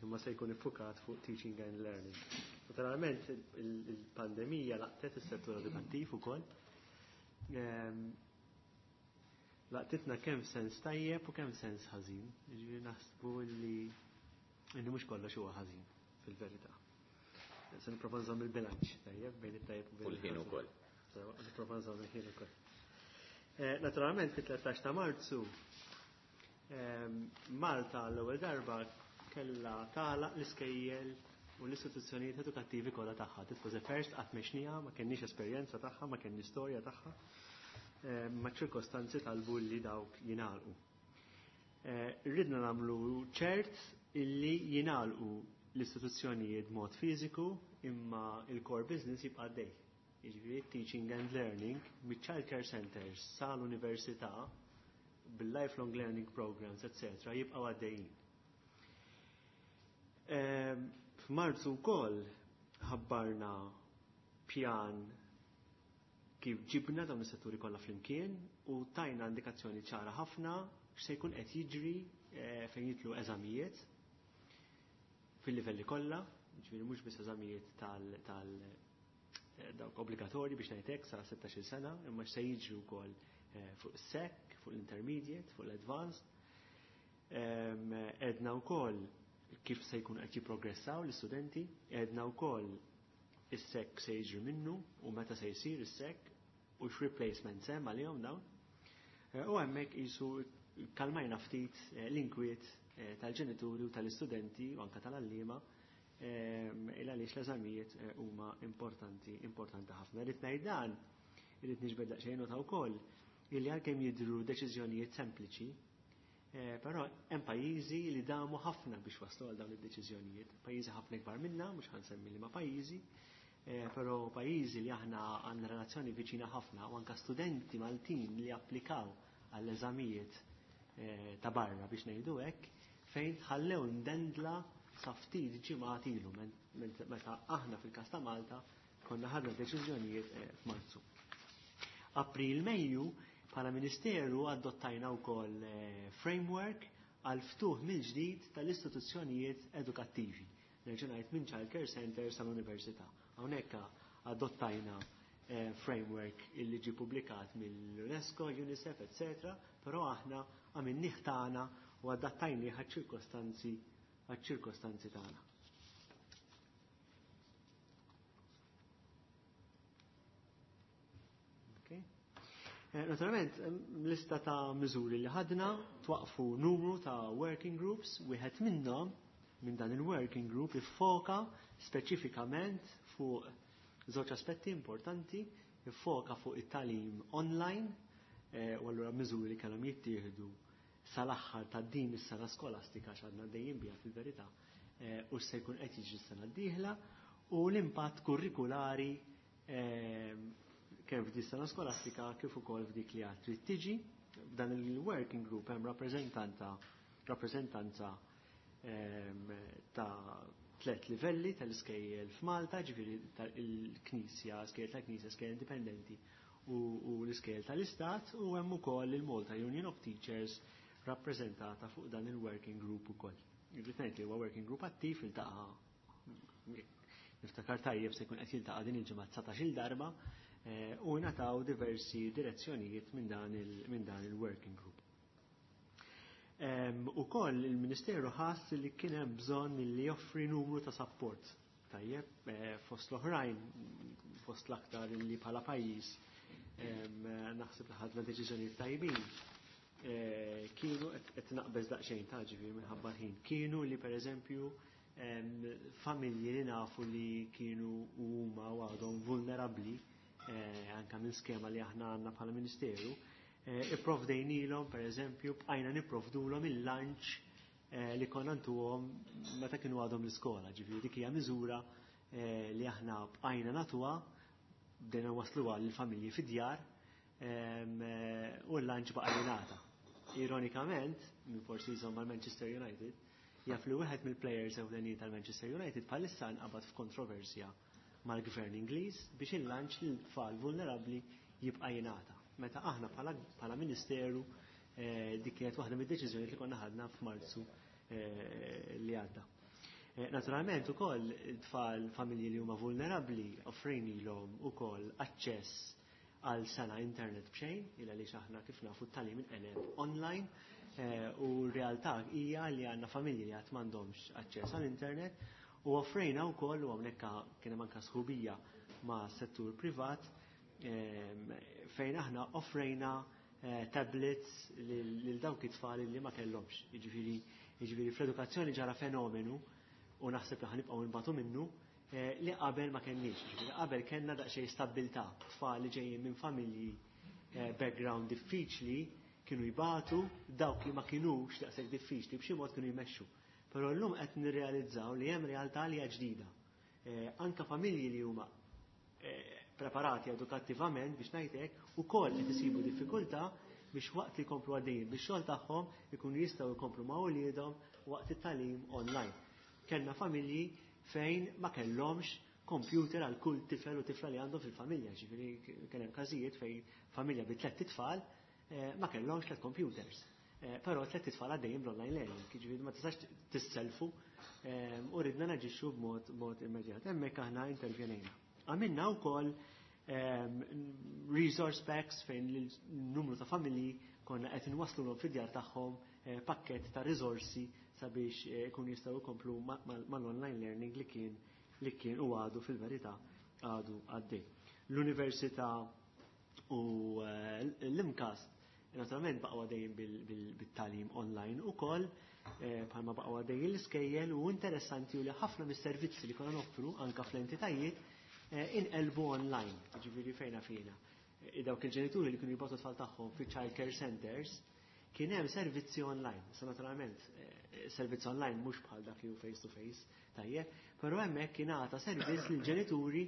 imma se jkun iffukat fuq teaching and learning. Naturalment il-pandemija laqtet is-settur edukattiv ukoll. Laqtitna kemm sens tajjeb u kemm sens ħażin. Ġifieri naħsbu li mhux kollox huwa ħażin fil-verità. Se nipprova nżomm il-bilanċ tajjeb bejn it-tajjeb u bejn il-ħin ukoll. Nipprova nżomm il-ħin ukoll. Naturalment fit-13 ta' Marzu Malta l-ewwel darba kellha tagħlaq l-iskejjel u l-istituzzjonijiet edukattivi kollha tagħha. This was the first, qatt m'għexnieha, ma kenniex esperjenza tagħha, ma kenniex storja tagħha. Ma ċirkostanzi talbu li dawk jingħalqu. Ridna nagħmlu ċert illi jingħalqu l-istituzzjonijiet mod fiżiku imma il-core business jibqa' dej. Jiġifieri teaching and learning mit-child care centers sal-università bil-lifelong learning programs, etc. jibqgħu għaddejjin. F'Marzu wkoll ħabbarna pjan kif ġibna dawn is-setturi kollha flimkien u tajna indikazzjoni ċara ħafna x'se jkun qed jiġri fejn jidħlu eżamijiet fil-livelli kollha. Ġifieri mhux biss eżamijiet tal tal dawk obbligatorji biex ngħid sa 16-il sena, imma x'se jiġri wkoll fuq is-SEC, fuq l-intermediate, fuq l-advanced. Għedna wkoll kif se jkun qed jipprogressaw l-istudenti, għedna wkoll is-SEC se jiġri minnu u meta se jsir is-SEC u x'replacements hemm għalihom dawn. U hemmhekk qisu kalmajna ftit l-inkwiet tal-ġenituri u tal-istudenti u anke tal-għalliema il għaliex l-eżamijiet huma importanti importanti ħafna. Irrid ngħid dan, irrid niġbed daqsxejn nota wkoll illi għalkemm jidhru deċiżjonijiet sempliċi, però hemm pajjiżi li damu ħafna biex waslu għal dawn id-deċiżjonijiet. Pajjiżi ħafna ikbar minna, mhux ħansemmi liema pajjiżi, però pajjiżi li aħna għandna relazzjoni viċina ħafna u anke studenti Maltin li applikaw għall-eżamijiet ta' barra biex ngħidu hekk, fejn tħallew imdendla sa ftit ġimgħat ilu meta aħna fil-każ ta' Malta konna ħadna deċiżjonijiet f'Marzu. April Mejju bħala Ministeru adottajna wkoll framework għal ftuħ mill-ġdid tal-istituzzjonijiet edukattivi. Nerġa' ngħid minn child care center sal-università. Hawnhekk adottajna framework illi ġie publikat mill-UNESCO, UNICEF, etc. Però aħna għamilnieh tagħna u adattajnieh għaċ-ċirkostanzi tagħna. Okay. Naturalment, lista ta' miżuri li ħadna twaqfu numru ta' working groups, wieħed minnhom minn dan il-working group iffoka speċifikament fuq żewġ aspetti importanti, iffoka fuq it-tagħlim online, u allura miżuri li kellhom jittieħdu sal-aħħar ta' din is-sena skolastika x'għadna dejjem biha fil-verità, u se jkun qed jiġri s-sena d-dieħla, u l-impatt kurrikulari kemm f'din sena skolastika kif ukoll f'dik li għad trid tiġi. F'dan il-working group hemm rappreżentanza ta' 3 livelli tal-iskejjel f'Malta, ġifieri il-Knisja, skejjel tal-Knisja, skejjel indipendenti u l-iskejjel tal-Istat, u hemm ukoll il-Malta Union of Teachers rappreżentata fuq dan il-working group ukoll. Irrid ngħid li huwa working group attiv iltaqa' niftakar tajjeb se jkun qed jiltaqa' din il-ġimgħa 19-il darba, u ngħataw diversi direzzjonijiet minn dan il-working group. Ukoll il-Ministeru ħass li kien hemm bżonn li joffri numru ta' support. Tajjeb, fost l-oħrajn, fost l-aktar li bħala pajjiż, naħseb li ħadna deċiżjonijiet tajbin. Kienu qed naqbeż daqsxejn ta' ġifieri minħabba l-ħin. Kienu li pereżempju familji li nafu li kienu huma u għadhom vulnerabbli, anka minn skema li aħna għandna bħala Ministeru, ipprovdejnilhom pereżempju bqajna nipprovdulhom il-lunch li konna ntuhom meta kienu għadhom l-iskola. Ġifieri dik hija miżura li aħna bqajna nagħtuha, bdejna wasluha lill-familji fid-djar, u l-lunch baqa' jingħata. Ironikament, minn forsi jżomm mal-Manchester United, jaf li wieħed mill-players ewlenin tal-Manchester United bħalissa nqabad f'kontroversja mal-gvern Ingliż biex il-lunch lil tfal vulnerabbli jibqa' jingħata. Meta aħna bħala Ministeru dik kienet waħda mid-deċiżjonijiet li konna ħadna f'Marzu li għadda. Naturalment ukoll tfal familji li huma vulnerabbli offrejnilhom ukoll aċċess għal sena internet b'xejn, il għaliex aħna kif nafu t-tagħlim inqeleb online, u r-realtà hija li għandna familji li qatt m'għandhomx aċċess għall internet, u offrejna wkoll, u hawnhekk kien hemm anke sħubija ma' settur privat, fejn aħna offrejna tablets lil dawk it-tfal li ma kellhomx. Jiġifieri fl-edukazzjoni ġara fenomenu, u naħseb li ħanibqgħu nbatu minnu, li qabel ma kenniex. Jiġifieri qabel kellna daqsxejn stabbiltà, tfal li ġejjin minn familji background diffiċli kienu jbatu, dawk li ma kinux daqshekk diffiċli b'xi mod kienu jmexxu. Però llum qed nirrealizzaw li hemm realtà li hija ġdida. Anka familji li huma preparati edukattivament biex ngħid hekk, ukoll qed isibu diffikultà biex waqt li jkomplu għaddejjin bix-xogħol tagħhom ikunu jistgħu jkomplu ma' wliedhom waqt it-tagħlim online. Kellna familji fejn ma kellhomx computer għal kull tifel u tifla li għandhom fil-familja, ġifieri kien hemm każijiet fejn familja bi tliet itfal ma kellhomx 3 computers. Però tlett itfal għaddejjin bl-online learning, jiġifieri ma tistax tisselfu u ridna naġixxu b'mod mod immedjat. Hemmhekk aħna intervjenejna. Għamilna wkoll resource packs fejn l-numru ta' familji konna qed inwaslulhom fid-djar tagħhom pakket ta' risorsi sabiex ikunu jistgħu jkomplu mal-online learning li kien u għadu, fil-verità għadu għaddej. L-Università u l-MCAST naturalment baqgħu għaddejjin bit-tagħlim online ukoll, bħalma baqgħu għaddejjin l-iskejjel, u interessanti u li ħafna mis-servizzi li konna noffru anka fl-entitajiet inqelbu online, ġifieri fejna fina. Dawk il-ġenituri li kienu jibagħtu tfal tagħhom fi child care centers, kien hemm servizzi online. Sa naturalment, servizz online mhux bħal dak li hu face to face, tajjeb, però hemmhekk kien għata servizz lill-ġenituri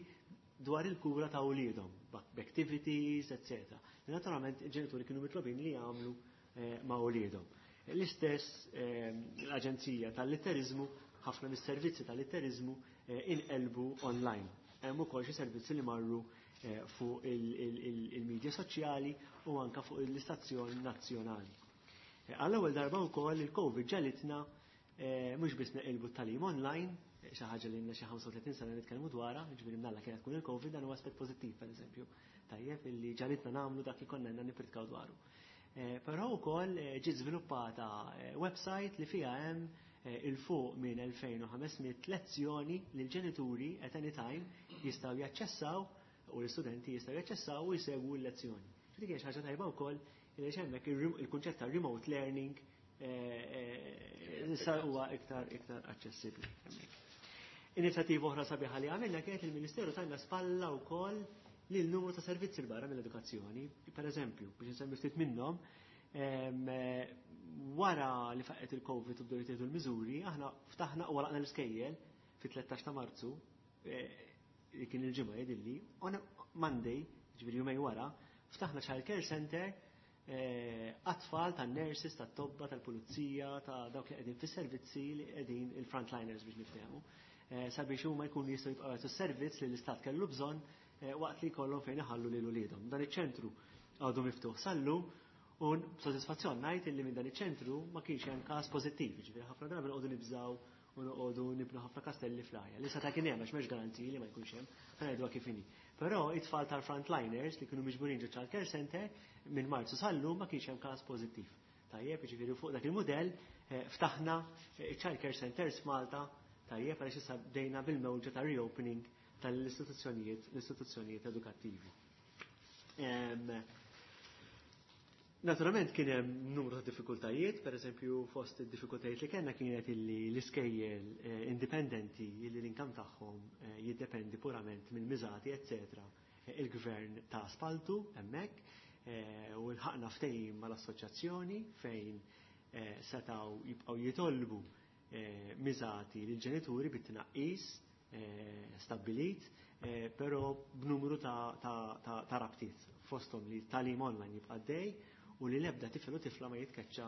dwar il-kura ta' uliedhom, b'activities, etc. Naturalment, il-ġenituri kienu mitlobin li jagħmlu ma' uliedhom. L-istess l-Aġenzija tal-Litterizmu, ħafna mis-servizzi tal-litterizmu inqelbu online. Hemm ukoll xi servizzi li marru fuq il-medja soċjali u anka fuq l-istazzjon nazzjonali. Għall-ewwel darba wkoll il-Covid ġegħlitna mhux biss neqilbu t-tagħlim online, xi ħaġa li xi 35 sena nitkellmu dwarha, ġifieri mnalla kienet tkun il-Covid, dan huwa aspett pożittiv, pereżempju. Tajjeb illi ġegħlitna nagħmlu dak li konna nippritkaw dwaru. Però wkoll ġiet żviluppata website li fiha hemm 'il fuq minn 2500 lezzjoni li l-ġenituri at any time jistgħu jaċċessaw u l-istudenti jistgħu jaċċessaw u jsegwu l-lezzjoni. Dik hija xi ħaġa tajba wkoll li hemmhekk il-kunċett ta' remote learning issa huwa iktar iktar aċċessibbli hemmhekk. Inizjattiva oħra sabiħa li għamilna kienet il-Ministeru tajna spalla wkoll lil numru ta' servizzi 'l barra mill-edukazzjoni. Per eżempju, biex nsemmi ftit minnhom, wara li faqqet il-Covid u bdew jittieħdu l-miżuri, aħna ftaħna u għalaqna l-iskejjel fit-13 ta' Marzu, li kien il-ġimgħa jidilli, on Monday, ġifieri jumej wara, ftaħna child care center għat-tfal tan-nurses, tat-tobba, tal-pulizija, ta' dawk li qegħdin fis-servizzi, li qegħdin il-frontliners biex niftehmu, sabiex huma jkunu jistgħu jibqgħu jagħtu servizz li l-istat kellu bżonn waqt li jkollhom fejn iħallu lil uliedhom. Dan iċ-ċentru għadu miftuħ sal-lum u b'sodisfazzjon ngħid illi minn dan iċ-ċentru ma kienx hemm każ pożittiv, ġifieri ħafna drabi noqogħdu nibżgħu u noqogħdu nibnu ħafna kastelli fl-arja. Li seta' kien hemm, għax m'hemmx garanziji li ma jkunx hemm, ħa ngħiduha kif inhi. Però it-tfal tal-frontliners li kienu miġburin ġo child care center, minn Marzu sal-lum ma kienx hemm każ pożittiv. Tajjeb, ġifieri fuq dak il-mudell ftaħna child care centers f'Malta, tajjeb, għaliex issa bdejna bil-mewġa ta' reopening tal-istituzzjonijiet l-istituzzjonijiet edukattivi. Naturalment kien hemm numru ta' diffikultajiet, per eżempju fost id-diffikultajiet li kellna kienet illi l-iskejjel indipendenti illi l-income tagħhom jiddependi purament mill-miżati, eccetera. Il-gvern ta spaltu hemmhekk u lħaqna ftehim mal-assoċjazzjoni fejn setgħu jibqgħu jitolbu miżati lill-ġenituri bit-tnaqqis stabbilit, però b'numru ta' rabtiet, fosthom li tagħlim online jibqa' dej u li l-ebda tifel u tifla ma jitkeċċa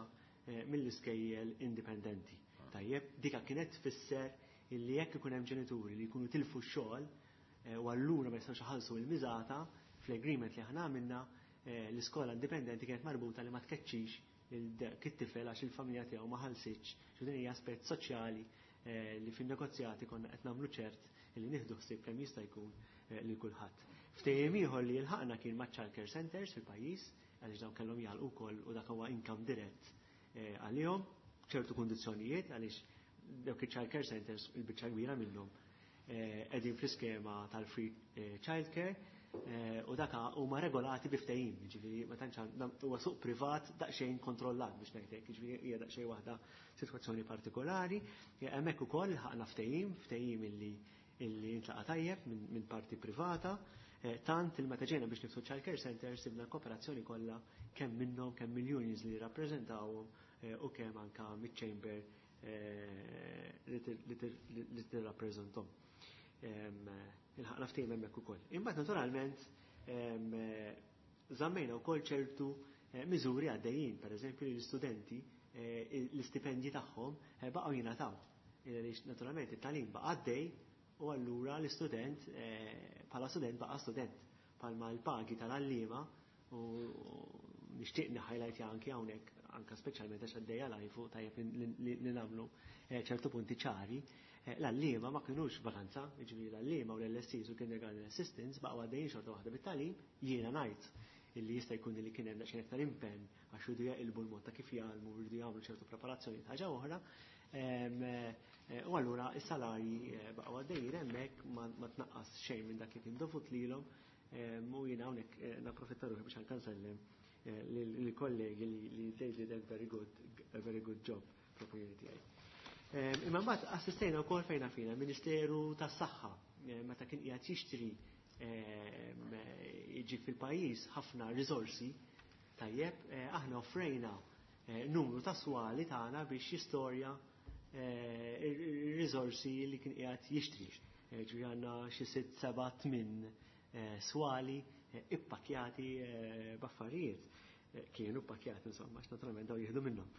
mill-iskejjel indipendenti. Tajjeb, dika kienet tfisser illi jekk ikun hemm ġenituri li jkunu tilfu x-xogħol u allura ma jistgħux iħallsu l-miżata, fl-agreement li aħna għamilna l-iskola indipendenti kienet marbuta li ma tkeċċix it-tifel għax il-familja tiegħu ma ħallsitx. Xu din hija aspett soċjali li fin-negozjati konna qed nagħmlu ċert li nieħdu ħsieb kemm jista' jkun lil kulħadd. Ftehim ieħor li lħaqna kien ma' child care centers fil-pajjiż, għaliex dawn kellhom jagħlqu wkoll u dak huwa income dirett għalihom, ċertu kundizzjonijiet, għaliex dawk il-child care centers, il-biċċa kbira minnhom qegħdin fl-iskema tal-free child care u daka huma regolati bi ftehim, jiġifieri ma tantx huwa suq privat daqsxejn kontrollat biex ngħidlek, jiġifieri hija daqsxejn waħda sitwazzjoni partikolari. Hemmhekk ukoll ħaqna ftehim illi intlaqa tajjeb minn parti privata, tant il meta ġejna biex niftħu child care center sibna kooperazzjoni kollha kemm minnhom, kemm mill-unions li jirrappreżentawhom u kemm anka miċ-chamber li tirrappreżentahom. Ilħaqna ftehim hemmhekk ukoll. Imbagħad naturalment żammejna wkoll ċertu miżuri għaddejjin, pereżempju l-istudenti l-istipendji tagħhom baqgħu jingħataw. Għaliex naturalment it-tagħlim baqa' għaddej u allura l-istudent bħala student baqa' student, palma l-pagi tal-għalliema, u nixtieq highlight anki hawnhekk. anka speċjalment għax għaddejja live u tajjeb li nagħmlu ċertu punti ċari, l-għalliema ma kinux vakanza, jiġifieri l-għalliema u l-LSCs u kindergarten assistants baqgħu għaddejjin xorta waħda bit-tagħlim, jiena ngħid illi jista' jkun li kien hemm daqsxejn aktar impenn għax jridu jaqilbu l-mod ta' kif jgħallmu, jridu jagħmlu ċertu preparazzjoni ħaġa oħra. U allura is-salarji baqgħu għaddejjin hemmhekk, ma tnaqqas xejn minn dak li kien dovut lilhom, u jiena hawnhekk napprofitta ruħi biex anke nsellem lill-kollegi li they did a very good job fl-opinjoni tiegħi. Imma mbagħad assistejna wkoll fejna fina Ministeru tas-Saħħa meta kien qiegħed jixtri, jiġi fil-pajjiż ħafna riżorsi, tajjeb, aħna offrejna numru ta' swali tagħna biex jistorja ir-riżorsi li kien qiegħed jixtri. Ġifieri għandna xi sitt, seba', tmien swali ippakjati b'affarijiet. Kienu ppakjati insomma, għax naturalment daw jieħdu minnhom.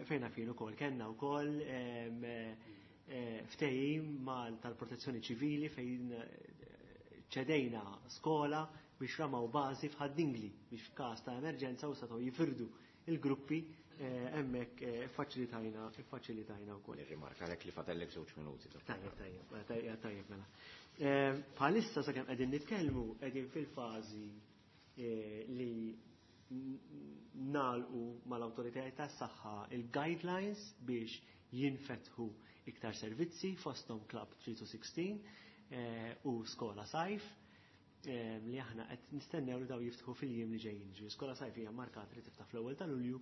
Fejna fin ukoll kellna wkoll ftehim mal tal-protezzjoni ċivili fejn ċedejna skola biex ramaw bażi f'Ħad-Dingli biex f'każ ta' emerġenza u setgħu jifirdu il-gruppi hemmhekk, faċilitajna wkoll. Nirrimarka lek li fadallek 2 minuti. Tajjeb, tajjeb, mela. Bħalissa sakemm qegħdin nitkellmu qegħdin fil-fażi li nagħlqu mal-awtoritajiet tas-saħħa il-guidelines biex jinfetħu iktar servizzi, fosthom Club 3 to 16 u Skola Sajf, li aħna qed nistennew li daw jiftħu fil-jiem li ġejjin. Ġifieri Skola Sajf hija markata li tiftaħ fl-ewwel ta' Lulju,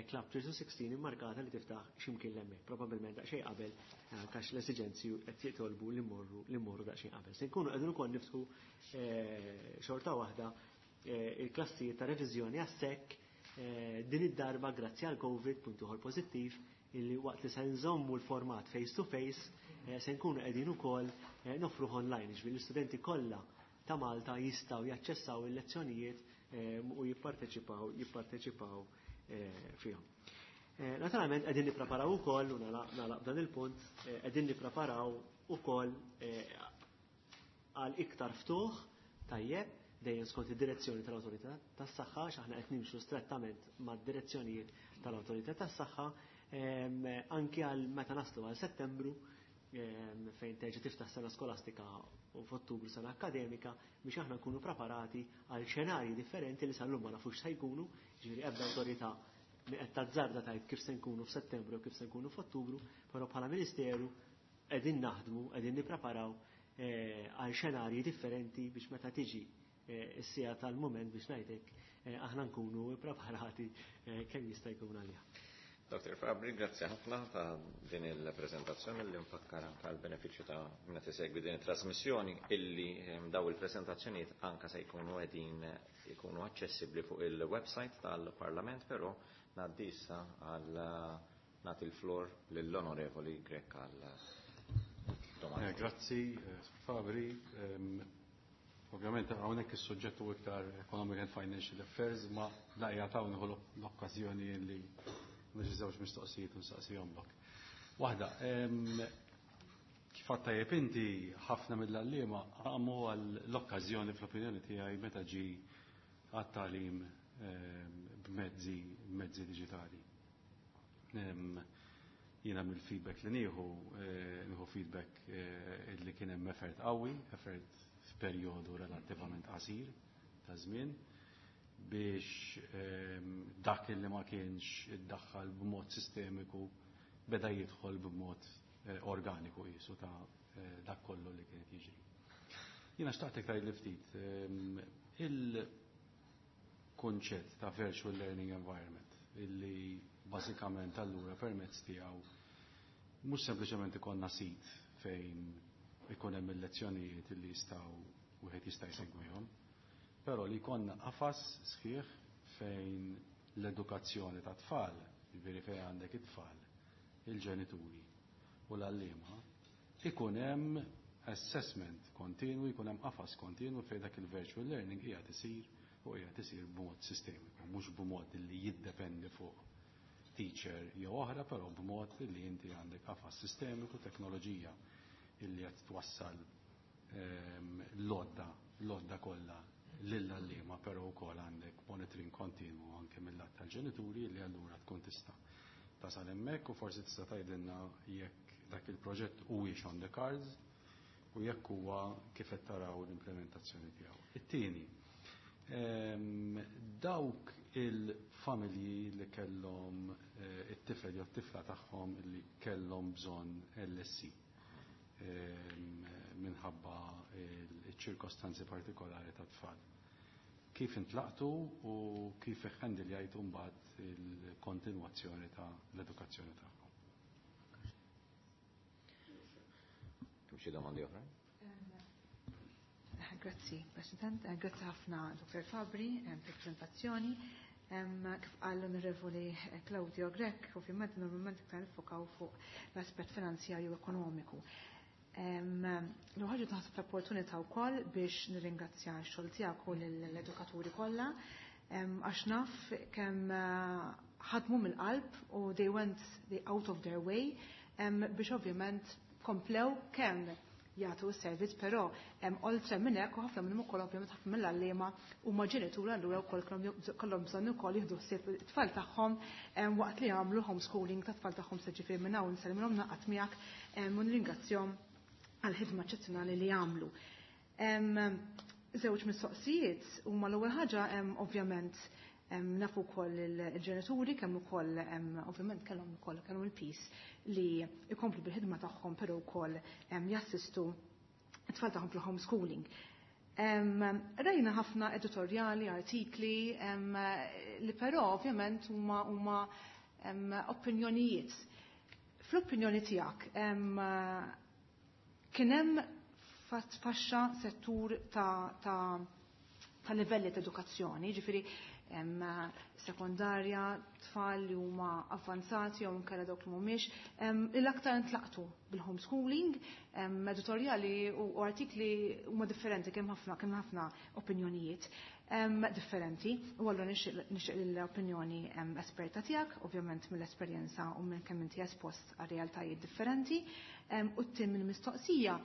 Club 3 to 16 immarkata li tiftaħ x'imkien hemmhekk, probabbilment daqsxejn qabel, għax l-esiġenzi qed jitolbu li mmorru daqsxejn qabel. Se nkunu qegħdin ukoll niftħu xorta waħda il-klassijiet ta' reviżjoni għas-SEC, din id-darba grazzi għal Covid, punt ieħor pożittiv, illi waqt li se nżommu l-format face to face, se nkunu qegħdin ukoll nofru online, ġifieri l-istudenti kollha ta' Malta jistgħu jaċċessaw il-lezzjonijiet u jipparteċipaw fihom. Naturalment qegħdin nippreparaw ukoll, u nagħlaq dan il-punt, qegħdin nippreparaw ukoll għal iktar ftuħ, tajjeb, dejjem skont id-direzzjoni tal-Awtorità tas-Saħħa, x'aħna qed nimxu strettament mad-direzzjonijiet tal-Awtorità tas-Saħħa, anki għal meta naslu għal Settembru, fejn terġa' tiftaħ sena skolastika u f'Ottubru sena akademika, biex aħna nkunu preparati għal xenarji differenti li sal-lum ma nafux se jkunu, ġifieri ebda awtorità mi qed tazzarda tgħid kif se nkunu f'Settembru u kif se nkunu f'Ottubru, però bħala Ministeru qegħdin naħdmu, qegħdin nippreparaw għal xenarji differenti biex meta tiġi s-siegħa tal-moment, biex ngħidlek, aħna nkunu preparati kemm jista' jkun għaliha. Dr. Fabri, grazzi ħafna ta' din il-prezentazzjoni li nfakkar anka l-benefiċċju ta' meta tisegwi din it-trasmissjoni illi daw il-prezentazzjonijiet anka se jkunu qegħdin jkunu aċċessibbli fuq il-website tal-Parlament, però ngħaddi issa għal nagħti l-flor lill-Onorevoli Grech għal domanda. Grazzi, Fabri. Ovvjament hawnhekk is-suġġett hu iktar Economic and Financial Affairs, ma laqja ta' nieħu l-okkażjoni li nġi żewġ mistoqsijiet u nsaqsihomlok. Waħda, kif għedt tajjeb inti, ħafna mill-għalliema għamu għall-okkażjoni fl-opinjoni tiegħi meta ġi għat-tagħlim b'mezzi diġitali. Jiena mill-feedback li nieħu, nieħu feedback li kien hemm effort qawwi, effort f'perjodu relattivament qasir ta' żmien biex dak li ma kienx iddaħħal b'mod sistemiku beda jidħol b'mod organiku qisu ta' dak kollu li kienet jiġri. Jiena xtaqtek tgħid li ftit il-konċett ta' virtual learning environment illi bażikament allura permezz tiegħu mhux sempliċement ikollna sit fejn ikun hemm il-lezzjonijiet illi jistgħu wieħed jista' jsegwihom, però li jkollna qafas sħiħ fejn l-edukazzjoni ta' tfal, jiġifieri fejn għandek it-tfal, il-ġenituri u l-għalliema, ikun hemm assessment kontinwu, ikun hemm qafas kontinwu fejn dak il-virtual learning qiegħed isir u qiegħed isir b'mod sistemiku, mhux b'mod li jiddependi fuq teacher jew oħra, però b'mod li inti għandek qafas sistemiku, teknoloġija illi qed twassal l-għodda kollha. Lill-għalliema però wkoll għandek monitoring kontinwu anke mill-lat tal-ġenituri li allura tkun tista' tasal hemmhekk u forsi tista' tgħidilna jekk dak il-proġett huwiex on the cards u jekk huwa kif qed taraw l-implementazzjoni tiegħu. It-tieni, dawk il-familji li kellhom it-tifel jew t-tifla tagħhom li kellhom bżonn LSE minħabba il-ċirkostanzi partikolari ta' tfal. Kif intlaqtu u kif iħendiljajtu mbagħad il-kontinwazzjoni ta' l-edukazzjoni tagħhom? Hemm xi domandi oħra? Grazzi, President. Grazzi ħafna, Dr. Fabri, per-prezentazzjoni. Kif qal l-Onorevoli Claudio Grech, ovvjament normalment iktar nifokaw fuq l-aspett finanzjarju ekonomiku. L-ħaġa taħseb l-opportunità wkoll biex nirringrazzja x-xogħol tiegħek u l-edukaturi kollha, għax naf kemm ħadmu mill-qalb u they went out of their way biex ovvjament komplew kemm jagħtu s-servizz, però oltre minn hekk u ħafna minnhom ukoll, ovvjament ħafna mill-għalliema huma ġenituri, allura wkoll kellhom bżonn ukoll jieħdu ħsieb it-tfal tagħhom waqt li jagħmlu homeschooling tat-tfal tagħhom. Se ġifieri minn hawn nselmilhom, naqgħod miegħek u nirringrazzjahom għall-ħidma eċċezzjonali li jagħmlu. Żewġ mistoqsijiet huma: l-ewwel ħaġa, ovvjament nafu wkoll il-ġenituri kemm ukoll ovvjament kellhom ukoll kellhom il-piż li jkomplu bil-ħidma tagħhom, però wkoll jassistu it-tfal tagħhom fil-homeschooling. Rajna ħafna editorjali, artikli, li però ovvjament huma opinjonijiet. Fl-opinjoni tiegħek, kien hemm faxxa settur ta' livelli ta' edukazzjoni, ġifieri sekondarja, tfal li huma avvanzati jew inkella dawk li mhumiex, l-aktar intlaqtu bil-homeschooling? Editorjali u artikli huma differenti, kemm ħafna opinjonijiet differenti, u allura nixtieq l-opinjoni esperta tiegħek, ovvjament mill-esperjenza u minn kemm inti espost għal realtajiet differenti. U t-tieni mill-mistoqsija,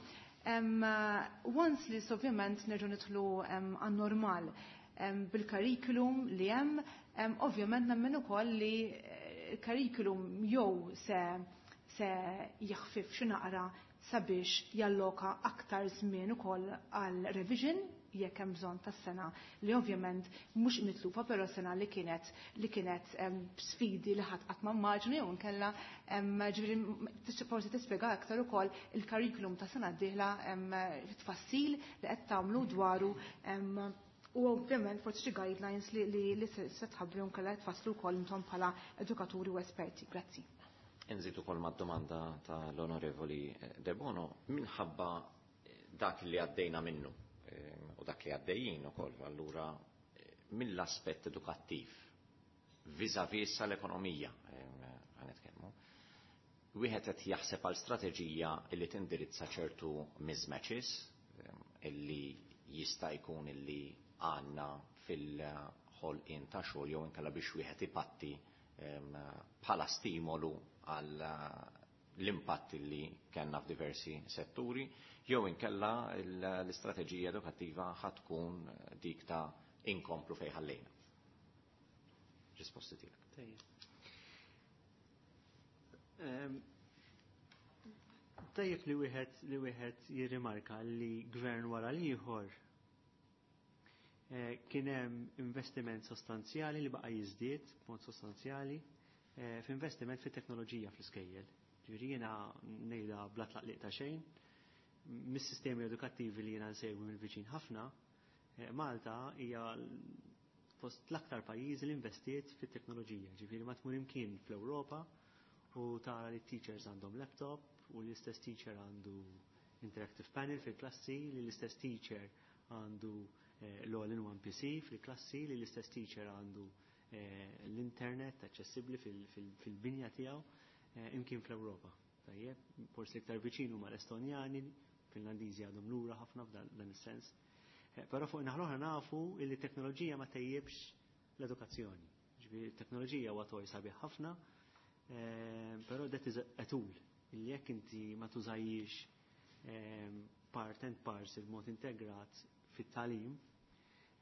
once li ovvjament nerġgħu nidħlu għan-normal bil-curriculum li hemm, ovvjament nemmen ukoll li il-curriculum jew se jaħfif xi naqra sabiex jalloka aktar żmien ukoll għal revision jekk hemm bżonn tas-sena li ovvjament mhux mitlufa, però sena li kienet sfidi li ħadd qatt ma immaġni, jew nkella ġifieri forsi tispjega aktar ukoll il-curriculum ta' sena d-dieħla, tfassil li qed tagħmlu dwaru u ovvjament forsi xi guidelines li se tħabbru nkella tfasslu wkoll intom bħala edukaturi u esperti. Grazzi. Inżid ukoll mad-domanda tal-Onorevoli De Bono, minħabba dak li għaddejna minnu u dak li għaddejjin ukoll, allura mill-aspett edukattiv vis-à-vis l-ekonomija ħa nitkellmu. Wieħed qed jaħseb għal strateġija li tindirizza ċertu mismatches illi jista' jkun illi għandna fil-ħolqien ta' xogħol jew inkella biex wieħed ipatti bħala stimolu għal l-impatt li kellna f'diversi setturi, jew inkella l-istrateġija edukattiva ħa tkun dik ta' inkomplu fejn ħallejna. Risposti tiegħek. Tajjeb li wieħed jirrimarka li gvern wara l-ieħor kien hemm investiment sostanzjali li baqa' jiżdied b'mod sostanzjali f'investiment fit-teknoloġija fl-iskejjel. Ġifieri jiena ngħidha bla tlaqliq ta' xejn, mis-sistemi edukattivi li jiena nsegwi mill-viċin ħafna, Malta hija fost l-aktar pajjiżi li investiet fit-teknoloġija. Ġifieri ma tmur imkien fl-Ewropa u tara li teachers għandhom laptop u l-istess teacher għandu interactive panel fil-klassi, li l-istess teacher għandu l-all-in-one PC fil-klassi, li l-istess teacher għandu l-internet aċċessibbli fil-binja tiegħu imkien fl-Ewropa. Tajjeb, forsi iktar viċin huma l-Estonjani, Finlandiżi għadhom lura ħafna f'dan is-sens. Però fuq naħa nafu li teknoloġija ma tejjibx l-edukazzjoni. Ġifieri teknoloġija huwa toy sabiħ ħafna, però that is a tool illi jekk inti ma tużajjix part and parcel mod integrat fit-tagħlim.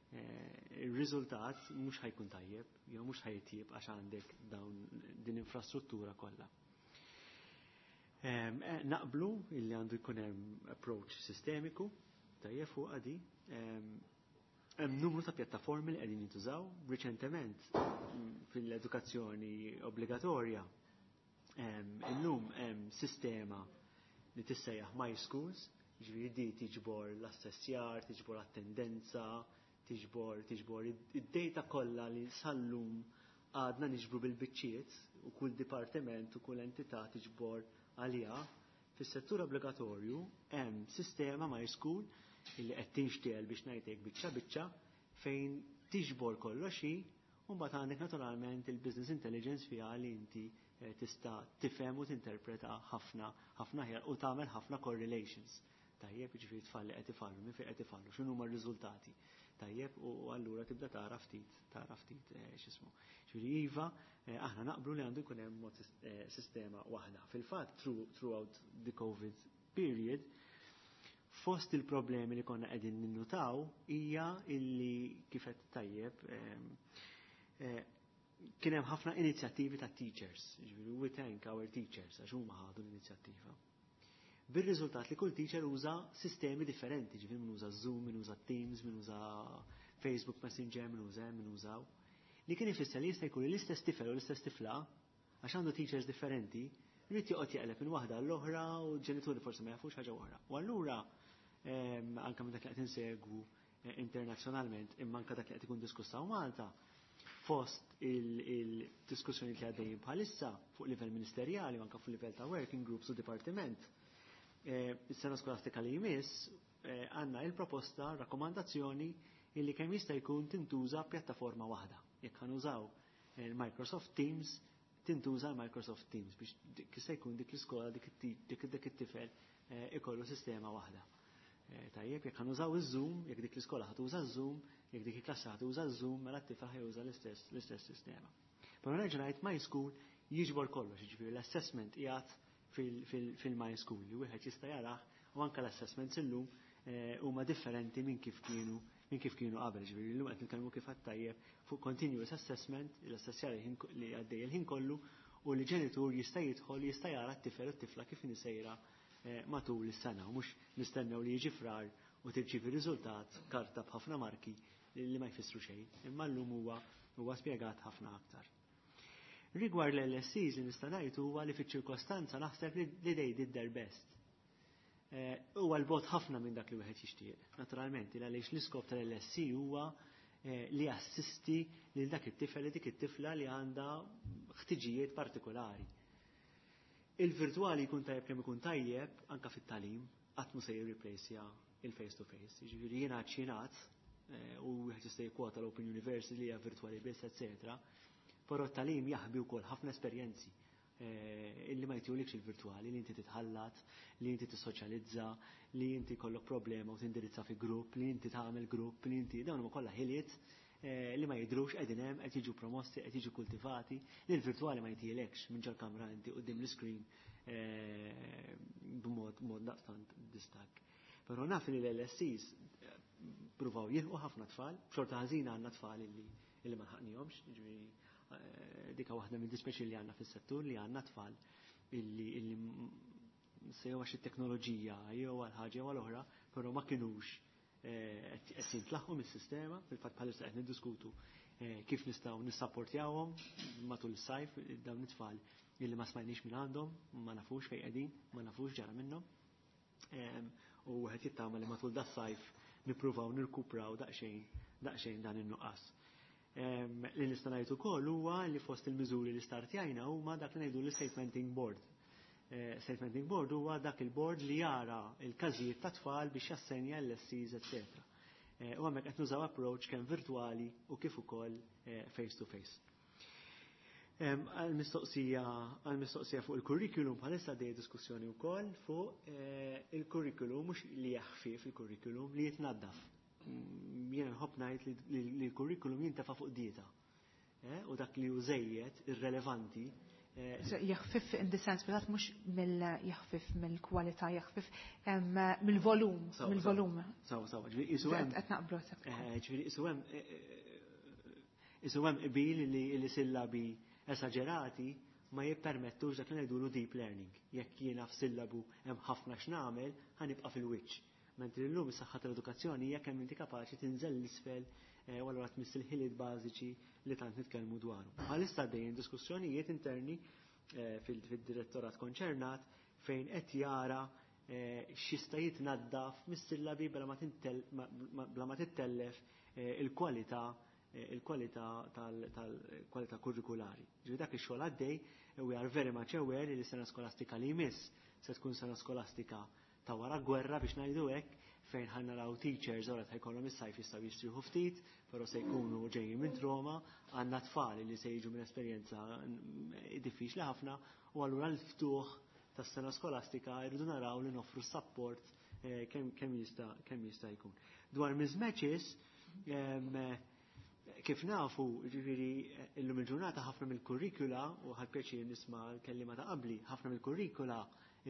Ir-riżultat mhux ħa jkun tajjeb, jew mhux ħa jitjieb għax għandek dawn din infrastruttura kollha. Naqblu illi għandu jkun hemm approach sistemiku tajjeb fuq għadi. Hemm numru ta' pjattaformi li qegħdin jintużaw riċentement fil-edukazzjoni obbligatorja. Illum hemm sistema li tissejjaħ My Schools, ġifieri di tiġbor l-assessjar, tiġbor attendenza, tiġbor id-data kollha li sallum għadna niġbru bil-biċċiet u kull dipartiment u kull entità tiġbor għalija. Fis-settur obbligatorju hemm sistema My School illi qed tinxtiel biex ngħidlek biċċa biċċa fejn tiġbor kollox hi, u mbagħad għandek naturalment il-business intelligence fiha li inti tista' tifhem u tinterpreta ħafna ħafna aħjar u tagħmel ħafna correlations. Tajjeb, jiġifieri tfal li qed ifallu, minn fejn qed ifallu, x'inhu huma r-riżultati. Tajjeb, u allura tibda tara ftit x'ismu. Ġifieri iva, aħna naqblu li għandu jkun hemm mod sistema waħda. Fil-fatt, throughout the COVID period, fost il-problemi li konna qegħdin ninnutaw hija illi kif qed tajjeb kien hemm ħafna inizjattivi ta' teachers, ġifieri we thank our teachers għax huma ħadu l-inizjattiva. Bir-riżultat li kull teacher uża sistemi differenti, ġifieri min uża Zoom, min uża Teams, min uża Facebook Messenger, min uża min użaw. Li kien ifisser li jista' jkun l-istess tifel u l-istess tifla, għax għandu teachers differenti, jrid joqgħod jaqleb minn waħda l-oħra u ġenituri forsi ma jafux ħaġa oħra. U allura anke minn dak li qed insegwu internazzjonalment imma anke dak li qed ikun diskussa Malta, fost il-diskussjoni li għaddejjin bħalissa fuq livell ministerjali u anke fuq livell ta' working groups u dipartiment, is-sena skolastika li jmiss għandna il-proposta, rakkomandazzjoni illi kemm jista' jkun tintuża pjattaforma waħda. Jekk ħa nużaw il-Microsoft Teams, tintuża l-Microsoft Teams biex jista' jkun dik l-iskola dik it-tifel ikollu sistema waħda. Tajjeb, jekk ħa nużaw iż-Zoom, jekk dik l-iskola ħa tuża Zoom, jekk dik il-klassa ħa tuża Zoom, mela t-tifel ħa juża l-istess sistema. Però nerġa' ngħid, My School jiġbor kollox, jiġifieri l-assessment qiegħed fil-My School li wieħed jista' jarah u anke l-assessments illum huma differenti minn kif kienu qabel, ġifieri llum qed nitkellmu kif tajjeb fuq continuous assessment, l-assessjar li għaddej il-ħin kollu u li ġenitur jista' jidħol jista' jara t-tifel u t-tifla kif sejra matul is-sena u mhux nistennew li jiġi Frar u tirċievi riżultat karta b'ħafna marki li ma jfissru xejn, imma llum huwa spjegat ħafna aktar. Rigward l-LSCs, li nista' ngħid huwa li fiċ-ċirkostanza naħseb li they did their best. Huwa 'l bogħod ħafna minn dak li wieħed jixtieq. Naturalment, għaliex l-iskop tal-LSC huwa li assisti lil dak it-tifel li dik it-tifla li għandha ħtiġijiet partikolari. Il-virtuali jkun tajjeb kemm ikun tajjeb anka fit-tagħlim, qatt mu se jirreplaceja il-face to face. Jiġifieri jiena ċinat u wieħed jista' jikkwota l-Open University li hija virtuali biss, etc. Però t-tagħlim jaħbi wkoll ħafna esperjenzi illi ma jtihulikx il-virtuali, li inti titħallat, li inti tissoċjalizza, li inti kollok problema u tindirizza fi grupp, li inti tagħmel grupp, li inti dawn huma kollha ħiliet li ma jidrux qegħdin hemm, qed jiġu promossi, qed jiġu kultivati, li l-virtuali ma jtielekx minn ġol-kamra inti quddiem l-screen b'mod mod daqstant distakk. Però naf li l-LSCs pruvaw jilħqu ħafna tfal, xorta ħażina għandna tfal illi ma lħaqnihomx, ġifieri dika waħda minn dispeċi li għandna fis-settur li għandna tfal illi se jew għax it-teknoloġija jew għal ħaġa jew għal oħra, però ma kinux qed jintlaħqu mis-sistema, fil-fatt bħalissa qed niddiskutu kif nistgħu nissapportjawhom matul is-sajf dawn it-tfal illi ma smajniex minn għandhom, ma nafux fejn qegħdin, ma nafux ġara minnhom. U qed jittama li matul das-sajf nippruvaw nirkupraw daqsxejn daqsxejn dan in-nuqqas. Li nista' ngħid ukoll huwa li fost il-miżuri li startjajna huma dak li ngħidu l-statementing board. Statementing board huwa dak il-board li jara il-każijiet ta' tfal biex jassenja l-LSCs, etc. U hemmhekk qed nużaw approach kemm virtuali u kif ukoll face to face. Għal-mistoqsija fuq il-curriculum, bħalissa dej diskussjoni wkoll fuq il-curriculum, mhux li jaħfif il-curriculum, li jitnaddaf. Jiena nħobb ngħid li l-curriculum jintefa' fuq dieta. U dak li hu żejjed irrelevanti. Jaħfif in the sense, but mhux mill jaħfif mill-kwalità, jaħfif mill-volum, mill-volum. Sawa, sawa, ġifieri isu hemm. Qed naqblu Ġifieri isu hemm isu hemm qbil li sillabi esaġerati ma jippermettux dak li ngħidulu deep learning. Jekk jiena f'sillabu hemm ħafna x'nagħmel, ħanibqa' fil-wiċċ. Mentri llum is-saħħa tal-edukazzjoni hija kemm inti kapaċi tinżel l-isfel u allura tmiss il-ħiliet bażiċi li tant nitkellmu dwaru. Bħalissa għaddejjin diskussjonijiet interni fil-direttorat konċernat fejn qed jara x'jista' jitnaddaf mis-sillabi bla ma tittellef il-kwalità il-kwalità tal-kwalità kurrikulari. Ġifieri dak ix-xogħol għaddej, we are very much aware li s-sena skolastika li jmiss se tkun sena skolastika ta' wara gwerra biex ngħidu hekk, fejn ħa naraw teachers ora ta' jkollhom is-sajf jistgħu jistrieħu ftit, però se jkunu ġejjin minn trauma, għandna tfal li se jiġu minn esperjenza diffiċli ħafna, u allura l-ftuħ tas-sena skolastika jridu naraw li noffru support kemm jista' jkun. Dwar mismatches, kif nafu, ġifieri illum il-ġurnata ħafna mill-kurrikula, u ħadt pjaċir nisma' l-kellima ta' qabli, ħafna mill-kurrikula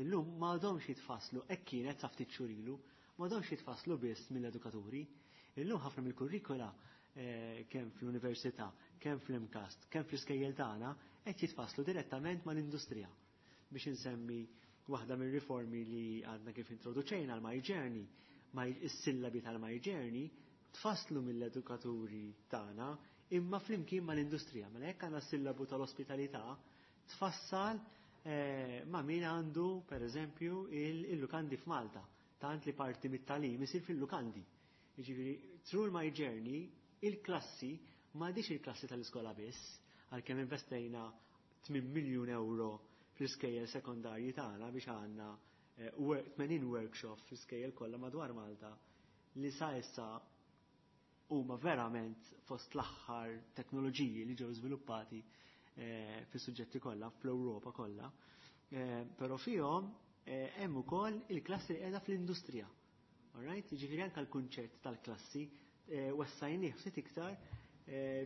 illum m'għadhomx jitfasslu, hekk kienet sa ftit xhur ilu, m'għadhomx jitfasslu biss mill-edukaturi. Illum ħafna mill-kurrikula kemm fl-università, kemm fl-MCAST, kemm fl-iskejjel tagħna qed jitfasslu direttament mal-industrija. Biex insemmi waħda mir-riformi li għadna kif introduċejna l-My Journey, is-sillabi tal-My Journey tfasslu mill-edukaturi tagħna imma flimkien mal-industrija. Mela jekk għandna sillabu tal-ospitalità tfassal ma' min għandu per eżempju il-lukandi f'Malta, tant li parti mit-talim isir fil-lukandi. Jiġifieri through My Journey il-klassi m'għadix il-klassi tal-iskola biss, għalkemm investejna 8 miljun euro fl-iskejjel sekondarji tagħna biex għandna 80 workshop fl-iskejjel kollha madwar Malta li sa issa huma verament fost l-aħħar teknoloġiji li ġew żviluppati fis-suġġetti kollha fl-Ewropa kollha. Però fihom hemm ukoll il-klassi li qiegħda fl-industrija. Alright? Jiġifieri anke l-kunċett tal-klassi wessajnih ftit iktar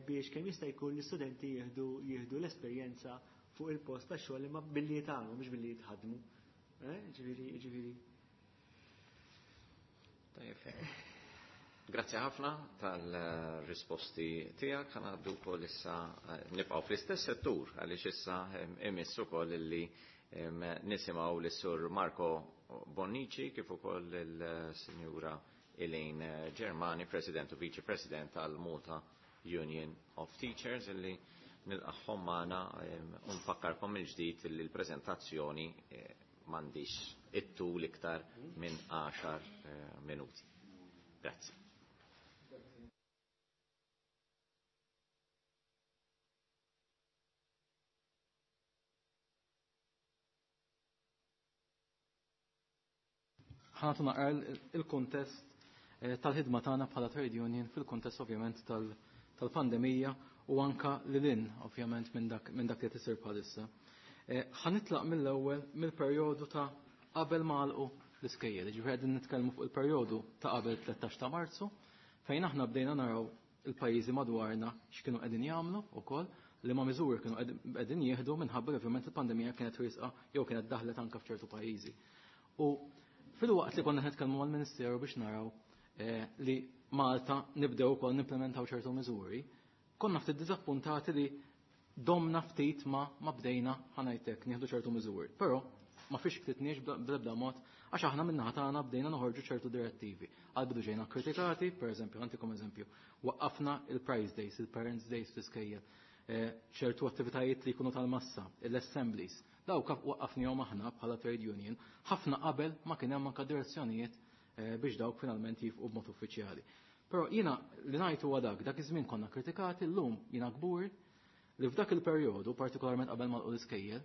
biex kemm jista' jkun l-istudenti jieħdu l-esperjenza fuq il-post tax-xogħol imma billi jitgħallmu mhux billi jitħaddmu. Ġifieri. Tajjeb. Grazzi ħafna tal-risposti tiegħek. Ħa ngħaddu wkoll issa nibqgħu fl-istess settur għaliex issa imiss ukoll illi nisimgħu lis-Sur Marco Bonnici kif ukoll il-Sinjura Elaine Germani, President u Vice President tal-Malta Union of Teachers, illi nilqagħhom magħna u nfakkarkom mill-ġdid illi l-preżentazzjoni m'għandix it-tul iktar minn 10 minuti. Grazzi. Ħa nagħtu naqra il-kontest tal-ħidma tagħna bħala trade union fil-kontest ovvjament tal-pandemija u anka lil ovvjament minn dak li qed isir bħalissa. Ħa nitlaq mill-ewwel mill-perjodu ta' qabel ma għalqu l-iskejjel, ġifieri qegħdin nitkellmu fuq il-perjodu ta' qabel 13 ta' Marzu, fejn aħna bdejna naraw il-pajjiżi madwarna x'kienu qegħdin jagħmlu wkoll, li ma miżuri kienu qegħdin jieħdu minħabba li ovvjament il-pandemija kienet riesqa jew kienet daħlet anke f'ċertu pajjiżi. U fil-waqt li konna nitkellmu mal-Ministeru biex naraw li Malta nibdew ukoll nimplementaw ċertu miżuri, konna ftit diżappuntati li domna ftit ma bdejna ħa ngħidlek nieħdu ċertu miżuri. Però ma fix ktitniex bl-ebda mod għax aħna min-naħa tagħna bdejna noħorġu ċertu direttivi. Għal bidu ġejna kritikati, per eżempju, ħa ntikom eżempju, waqqafna il-Prize Days, il-Parents Days fl-iskejjel, ċertu attivitajiet li jkunu tal-massa, l-assemblies. Dawk waqqafnihom aħna bħala trade union, ħafna qabel ma kien hemm anke direzzjonijiet biex dawk finalment jifqu b'mod uffiċjali. Però jiena li ngħid huwa dak iż-żmien konna kritikati, llum jiena kbur li f'dak il-perjodu, partikolarment qabel ma l-iskejjel,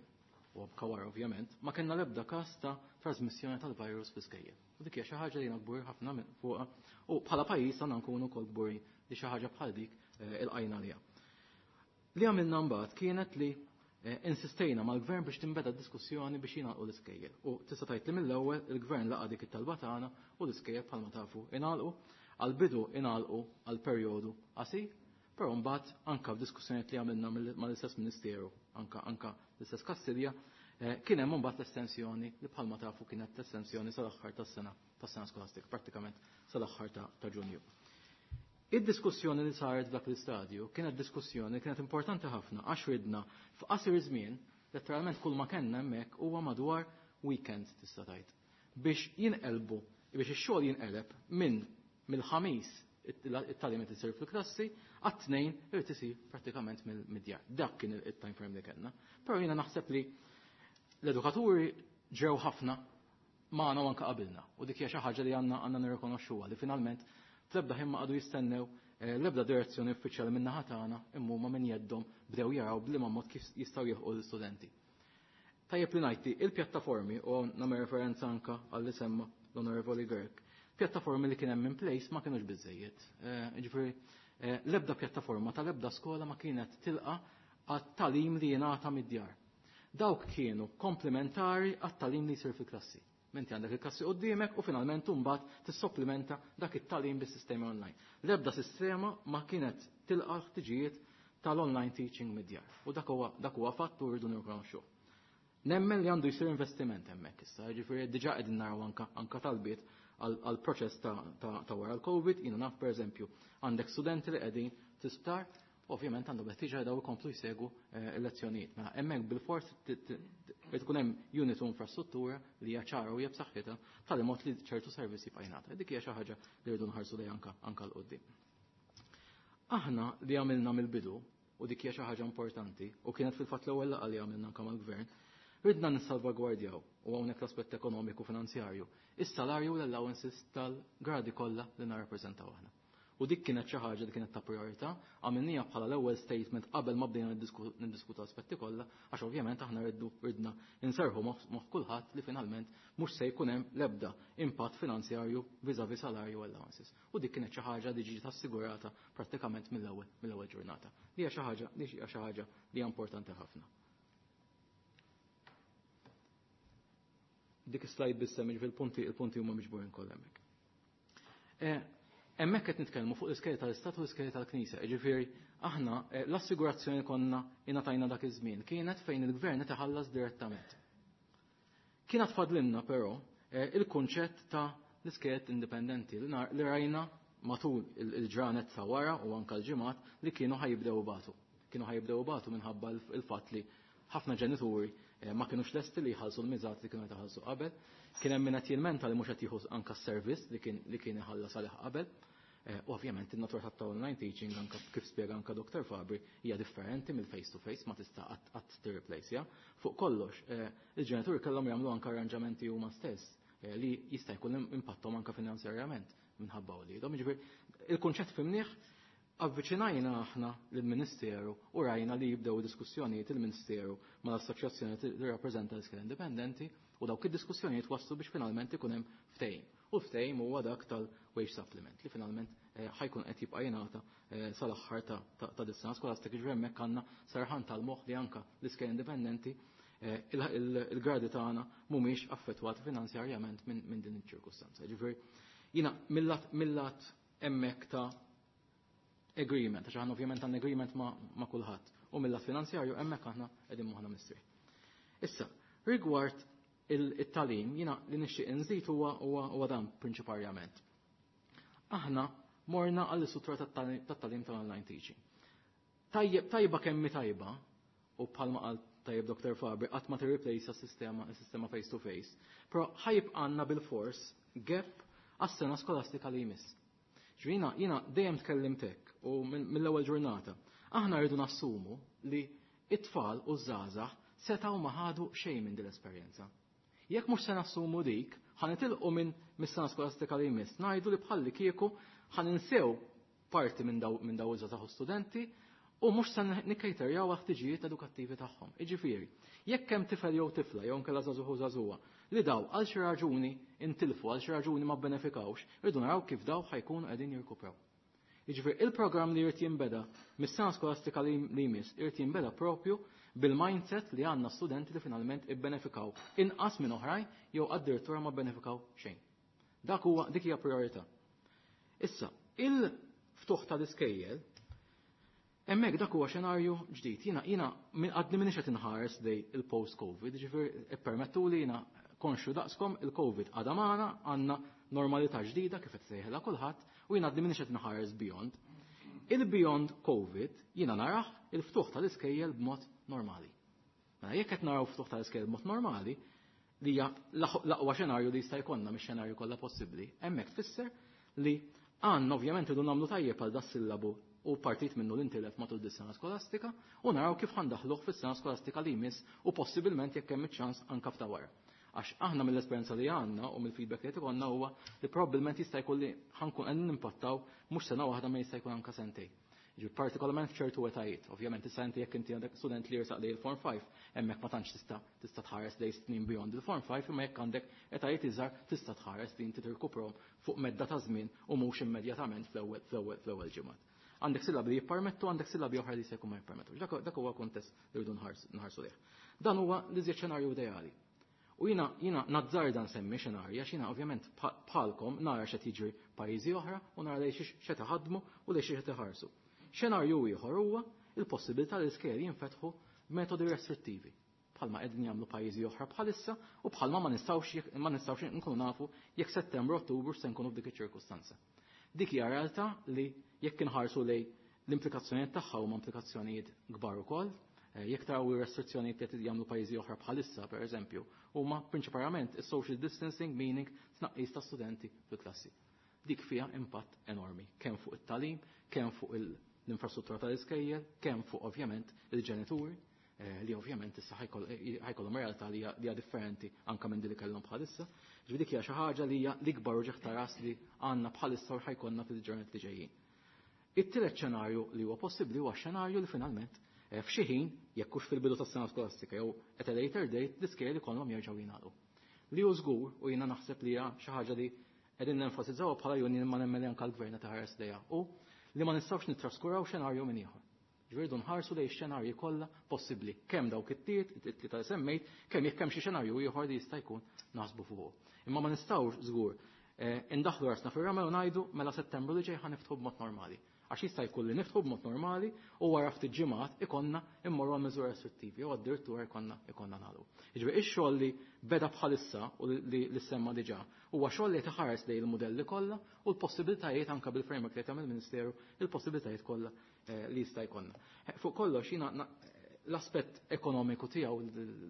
u anka wara ovvjament, ma kellna l-ebda każ ta' trasmissjoni tal-virus fl-iskejjel. U dik hija xi ħaġa li jiena kbur ħafna minn fuqha u bħala pajjiż għandna nkunu wkoll kburin li xi ħaġa bħal dik ilqajna liha. Li għamilna mbagħad kienet li insistejna mal-gvern biex tinbeda diskussjoni biex jingħalqu l-iskejjel. U tista' tgħid li mill-ewwel il-gvern laqa' dik it-talba tagħna u l-iskejjel bħalma tafu ingħalqu, għal-bidu ingħalqu għal perjodu qasir. Però mbagħad anka f'diskussjonijiet li għamilna mal-istess Ministeru, anka anka l-istess Kastilja, kien hemm imbagħad l-estensjoni li bħalma tafu kienet l-estensjoni sal-aħħar tas-sena skolastika, prattikament sal-aħħar ta' Ġunju. Id-diskussjoni li saret f'dak l-istadju kienet diskussjoni li kienet importanti ħafna għax ridna f'qasir żmien, letteralment kull ma kellna hemmhekk huwa madwar weekend tista' tgħid, biex jinqelbu, biex ix-xogħol jinqeleb minn mill-Ħamis it-tagħlim qed isir fil-klassi għat-Tnejn irid isir prattikament mid-djar. Dak kien il-time frame li kellna. Però jiena naħseb li l-edukaturi ġew ħafna magħna u anke qabilna. U dik hija xi ħaġa li għandna għandna nirrikonoxxuha li finalment fl-ebda ħin ma qagħdu jistennew l-ebda direzzjoni uffiċjali min-naħa tagħna imma huma minn jeddhom bdew jaraw b'liema mod kif jistgħu jilħqu l-istudenti. Tajjeb li ngħid li il-pjattaformi, u hawn nagħmel referenza anke għal li semma l-Onorevoli Grech, pjattaformi li kien hemm in place ma kinux biżżejjed. Jiġifieri l-ebda pjattaforma tal-ebda skola ma kienet tilqa' għat-tagħlim li jingħata mid-djar. Dawk kienu komplementari għat-tagħlim li jsir fil-klassi. Inti għandek il-klassi quddiemek u finalment imbagħad tissopplimenta dak it-tagħlim bis-sistemi online. L-ebda sistema ma kienet tilqa' l-ħtiġijiet tal-online teaching mid-djar. U dak huwa dak huwa fatt u rridu nirrikonoxxuh. Nemmen li għandu jsir investiment hemmhekk issa, jiġifieri diġà qegħdin naraw anka anka talbiet għal proċess ta', ta, ta wara l-Covid, jiena naf pereżempju għandek studenti li qegħdin fl-isptar, ovvjament għandhom ħtieġa daw ikomplu jsegwu l-lezzjonijiet. Mela hemmhekk bilfors irid ikun hemm unit u infrastruttura li hija ċara u hija b'saħħitha tali mod li ċertu servizz jibqa' jingħata. Dik hija xi ħaġa li rridu nħarsu lejha anka anka 'l quddiem. Aħna li għamilna mill-bidu, u dik hija xi ħaġa importanti, u kienet fil-fatt l-ewwel laqgħa li għamilna anke mal-Gvern, ridna nissalvagwardjaw, u hawnhekk l-aspett ekonomiku finanzjarju, is-salarju u l-allowances tal-gradi kollha li nirrappreżentaw aħna. U dik kienet xi ħaġa li kienet ta' priorità, għamilniha bħala l-ewwel statement qabel ma bdejna niddiskutu aspetti kollha, għax ovvjament aħna rridu ridna inserħu moħħ kulħadd li finalment mhux se jkun hemm l-ebda impatt finanzjarju vis-à-vis salarju u allowances. U dik kienet xi ħaġa li ġiet assigurata prattikament mill-ewwel mill-ewwel ġurnata. Li hija xi ħaġa li hija xi ħaġa li hija importanti ħafna. Dik is-slide biss hemm il-punti il-punti huma miġburin kollha hemmhekk. Hemmhekk qed nitkellmu fuq l-iskejjel tal-Istat u l-iskejjel tal-Knisja. Jiġifieri aħna l-assigurazzjoni konna ingħatajna dak iż-żmien kienet fejn il-gvern qed iħallas direttament. Kien fadlilna però il-kunċett ta' l-iskejjel indipendenti li rajna matul il-ġranet ta' wara u anke l-ġimgħat li kienu ħa jibdew ibatu. Kienu ħa jibdew ibatu minħabba il-fatt li ħafna ġenituri ma kinux lesti li jħallsu l-miżat li kienu jħallsu qabel. Kien hemm min qed jilmenta li mhux qed jieħu anke s-servizz li kien iħallas għalih qabel. U ovvjament in-natura ta' online teaching anke kif spjega anke Dr. Fabri hija differenti mill-face to face, ma tista' qatt tirreplace. Fuq kollox, il-ġenituri kellhom jagħmlu anke arranġamenti huma stess li jista' jkun impattom anke finanzjarjament minħabba wliedhom. Jiġifieri il-kunċett fimnieh, avviċinajna aħna lill-Ministeru u rajna li jibdew diskussjonijiet il-Ministeru mal-assoċjazzjoni li rappreżenta l-iskejjel indipendenti u dawk id-diskussjonijiet waslu biex finalment ikun hemm ftehim. U ftehim huwa dak tal-wage supplement li finalment ħa jkun qed jibqa' jingħata sal-aħħar ta' dis-sena skolastika. Ġifieri hemmhekk għandna serħan tal-moħħ li anke l-iskejjel indipendenti il-gradi tagħna mhumiex affettwati finanzjarjament minn din iċ-ċirkustanza. Ġifieri jiena mill-lat hemmhekk ta' agreement, għax aħna ovvjament għandna agreement ma' kulħadd. U mill-lat finanzjarju hemmhekk aħna qegħdin moħħna mistrieħ. Issa, rigward it-tagħlim, jiena li nixtieq inżid huwa dan prinċiparjament. Aħna morna għall-istruttura tat-tagħlim tal-online teaching. Tajjeb, tajba kemm tajba, u bħalma qal tajjeb Dr. Fabri, qatt ma tirreplace s-sistema face to face, però ħa jibqa' għandna bil-fors gap għas-sena skolastika li jmiss. Ġrina, jiena dejjem tkellimt hekk u mill-ewwel ġurnata. Aħna rridu nassumu li it-tfal u żgħażagħ setgħu ma ħadu xejn minn din l-esperjenza. Jekk mhux se nassumu dik, ħa nitilqu minn mis-sena skolastika li jmiss, ngħidu li bħalli kieku ħa ninsew parti minn daw minn daw iż-żgħażagħ u studenti u mhux se nikkejterjaw għal-ħtiġijiet edukattivi tagħhom. Jiġifieri, jekk hemm tifel jew tifla jew inkella żagħżugħ u żagħżugħa li daw għal xi raġuni intilfu, għal xi raġuni ma bbenefikawx, irridu naraw kif daw ħa jkunu qegħdin jirkupraw. Jiġifieri il-programm li jrid jinbeda mis-sena skolastika li jmiss irid jinbeda propju bil-mindset li għandna studenti li finalment ibbenefikaw inqas minn oħrajn jew addirittura ma bbenefikaw xejn. Dak huwa dik hija priorità. Issa, il-ftuħ tal-iskejjel Hemmhekk dak huwa xenarju ġdid. Jiena għadni m'iniex qed inħares lejn il-post-Covid, ġifieri ippermettuli, jiena konxju daqskom, il-Covid għadha magħna, għandna normalità ġdida kif qed sejħilha kulħadd, u jiena għadni m'iniex qed inħares beyond. Il-beyond Covid jiena narah il-ftuħ tal-iskejjel b'mod normali. Mela jekk qed naraw ftuħ tal-iskejjel b'mod normali, li hija l-aqwa xenarju li jista' jkollna mix-xenarju kollha possibbli, hemmhekk tfisser li għandna ovvjament irridu nagħmlu tajjeb għal das-sillabu u partit minnu li ntilef matul dis-sena skolastika u naraw kif ħa ndaħħluh fis-sena skolastika li jmiss u possibilment jekk hemm iċ-ċans anke f'ta' wara. Għax aħna mill-esperjenza li għandna u mill-feedback li qed ikollna huwa li probabbilment jista' jkun li ħa nkun qegħdin nimpattaw mhux sena waħda ma jista' jkun anke sentejn. Ġifieri partikolarment f'ċertu etajiet. Ovvjament issa inti jekk inti għandek student li jersaq lejn il-Form 5, hemmhekk ma tantx tista' tħares lejn snin beyond il-Form 5, imma jekk għandek etajiet iżgħar tista' tħares li inti tirkuprahom fuq medda ta' żmien u mhux immedjatament fl-ewwel ġimgħat. Għandek sillabi li jippermettu, għandek sillabi oħra li se jkun ma jippermettux. Dak huwa kuntest li rridu nħarsu lejh. Dan huwa l-iżjed xenarju ideali. U jiena nazzarda nsemmi xenarja, għax jiena ovvjament bħalkom nara x'qed jiġri pajjiżi oħra u nara lejn x'qed iħaddmu u lejn x'qed iħarsu. Xenarju ieħor huwa il-possibilità li l-iskejjel jinfetħu b'metodi restrittivi, bħalma qegħdin jagħmlu pajjiżi oħra bħalissa u bħalma ma nistgħux nkunu nafu jekk Settembru, Ottubru se nkunu f'dik iċ-ċirkustanza. Dik hija realtà li jekk inħarsu lejn l-implikazzjonijiet tagħha huma implikazzjonijiet kbar ukoll. Jekk taraw ir-restrizzjonijiet li qed jagħmlu pajjiżi oħra bħalissa, pereżempju, huma prinċipalment is-social distancing, meaning tnaqqis ta' studenti fil-klassi. Dik fiha impatt enormi, kemm fuq it-tagħlim, kemm fuq l-infrastruttura tal-iskejjel, kemm fuq ovvjament il-ġenituri, li ovvjament issa ħa jkollhom realtà li hija differenti anke minn din li kellhom bħalissa. Ġifieri dik hija xi ħaġa li hija l-ikbar uġigħ ta' ras li għandna bħalissa u ħa jkollna fil-ġranet li ġejjin. It-tielet xenarju li huwa possibbli huwa xenarju li finalment f'xi ħin, jekk hux fil-bidu tas-sena skolastika jew at a later date, l-iskejjel ikollhom jerġgħu jingħalqu. Li hu żgur, u jiena naħseb li hija xi ħaġa li qegħdin nenfasizzaw bħala union ma nemmen li anke l-gvern taħares lejha, u li ma nistgħux nittraskuraw xenarju minn ieħor. Ġifieri nħarsu lejn xenarji kollha possibbli, kemm dawk it-tiet, it-tlieta li semmejt, kemm jekk hemm xi xenarju ieħor li jista' jkun naħsbu fuqu. Imma ma nistgħux żgur indaħlu rasna fir-ramel u ngħidu mela Settembru li ġej ħa niftħu b'mod normali. Għax jista' jkun li niftħu b'mod normali u wara ftit ġimgħat ikollna immorru għal miżura restrittivi u addirittura ikollna nagħlqu. Jiġifieri ix-xogħol li beda bħalissa u li semma diġà huwa xogħol li taħares lejn il-mudelli kollha u l-possibilitajiet anke bil-framework li tagħmel il-Ministeru, il-possibilitajiet kollha li jista' jkollna. Fuq kollox jiena l-aspett ekonomiku tiegħu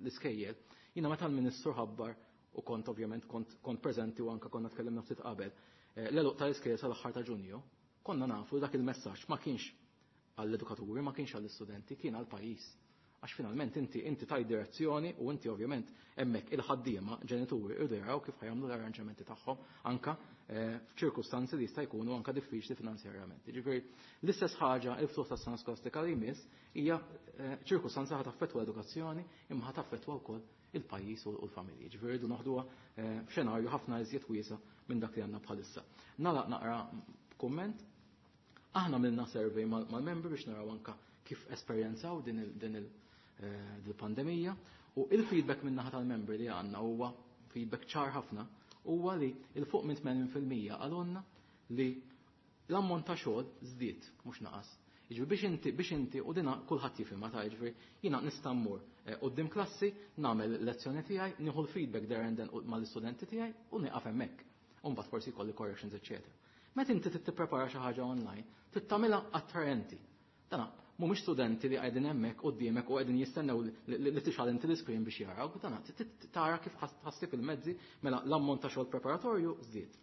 l-iskejjel, jiena meta l-Ministru ħabbar u kont ovvjament kont preżenti u anke konna tkellimna ftit qabel, l-għeluq tal-iskejjel sal-aħħar ta' Ġunju, konna nafu li dak il-messaġġ ma kienx għall-edukaturi, ma kienx għall-istudenti, kien għall-pajjiż. Għax finalment inti taj direzzjoni u inti ovvjament hemmhekk il-ħaddiema ġenituri irdu jaraw kif ħa jagħmlu l-arranġamenti tagħhom anka f'ċirkustanzi li jista' jkunu anka diffiċli finanzjarjament. Jiġifieri l-istess ħaġa il-ftuħ tas-sena skolastika li jmiss hija ċirkustanza ħa taffettwa l-edukazzjoni imma ħa taffettwa wkoll il-pajjiż u l-familji. Ġifieri rridu naħduha f'xenarju ħafna iżjed wiesa' minn dak li għandna bħalissa. Nagħlaq naqra kumment. Aħna għamilna survey mal-membri biex naraw anka kif esperjenzaw din il-pandemija u il-feedback minn naħa tal-membri li għandna huwa feedback ċar ħafna, huwa li 'il fuq minn 80% qalulna li l-ammont ta' xogħol żdied mhux naqas. Jiġifieri biex inti u dina kulħadd jifhimha ta' jiġifieri jiena nista' mmur quddiem klassi, nagħmel lezzjoni tiegħi, nieħu l-feedback there and then mal-istudenti tiegħi u nieqaf hemmhekk. U mbagħad forsi jkolli corrections, eċċetera. Meta inti trid tipprepara xi ħaġa online, trid tagħmilha attraenti. Dana mhumiex studenti li qegħdin hemmhekk quddiemek u qegħdin jistennew li tixgħal inti l-iscreen biex jaraw, dana tara kif ħassib il-mezzi, mela l-ammont ta' xogħol preparatorju żdied.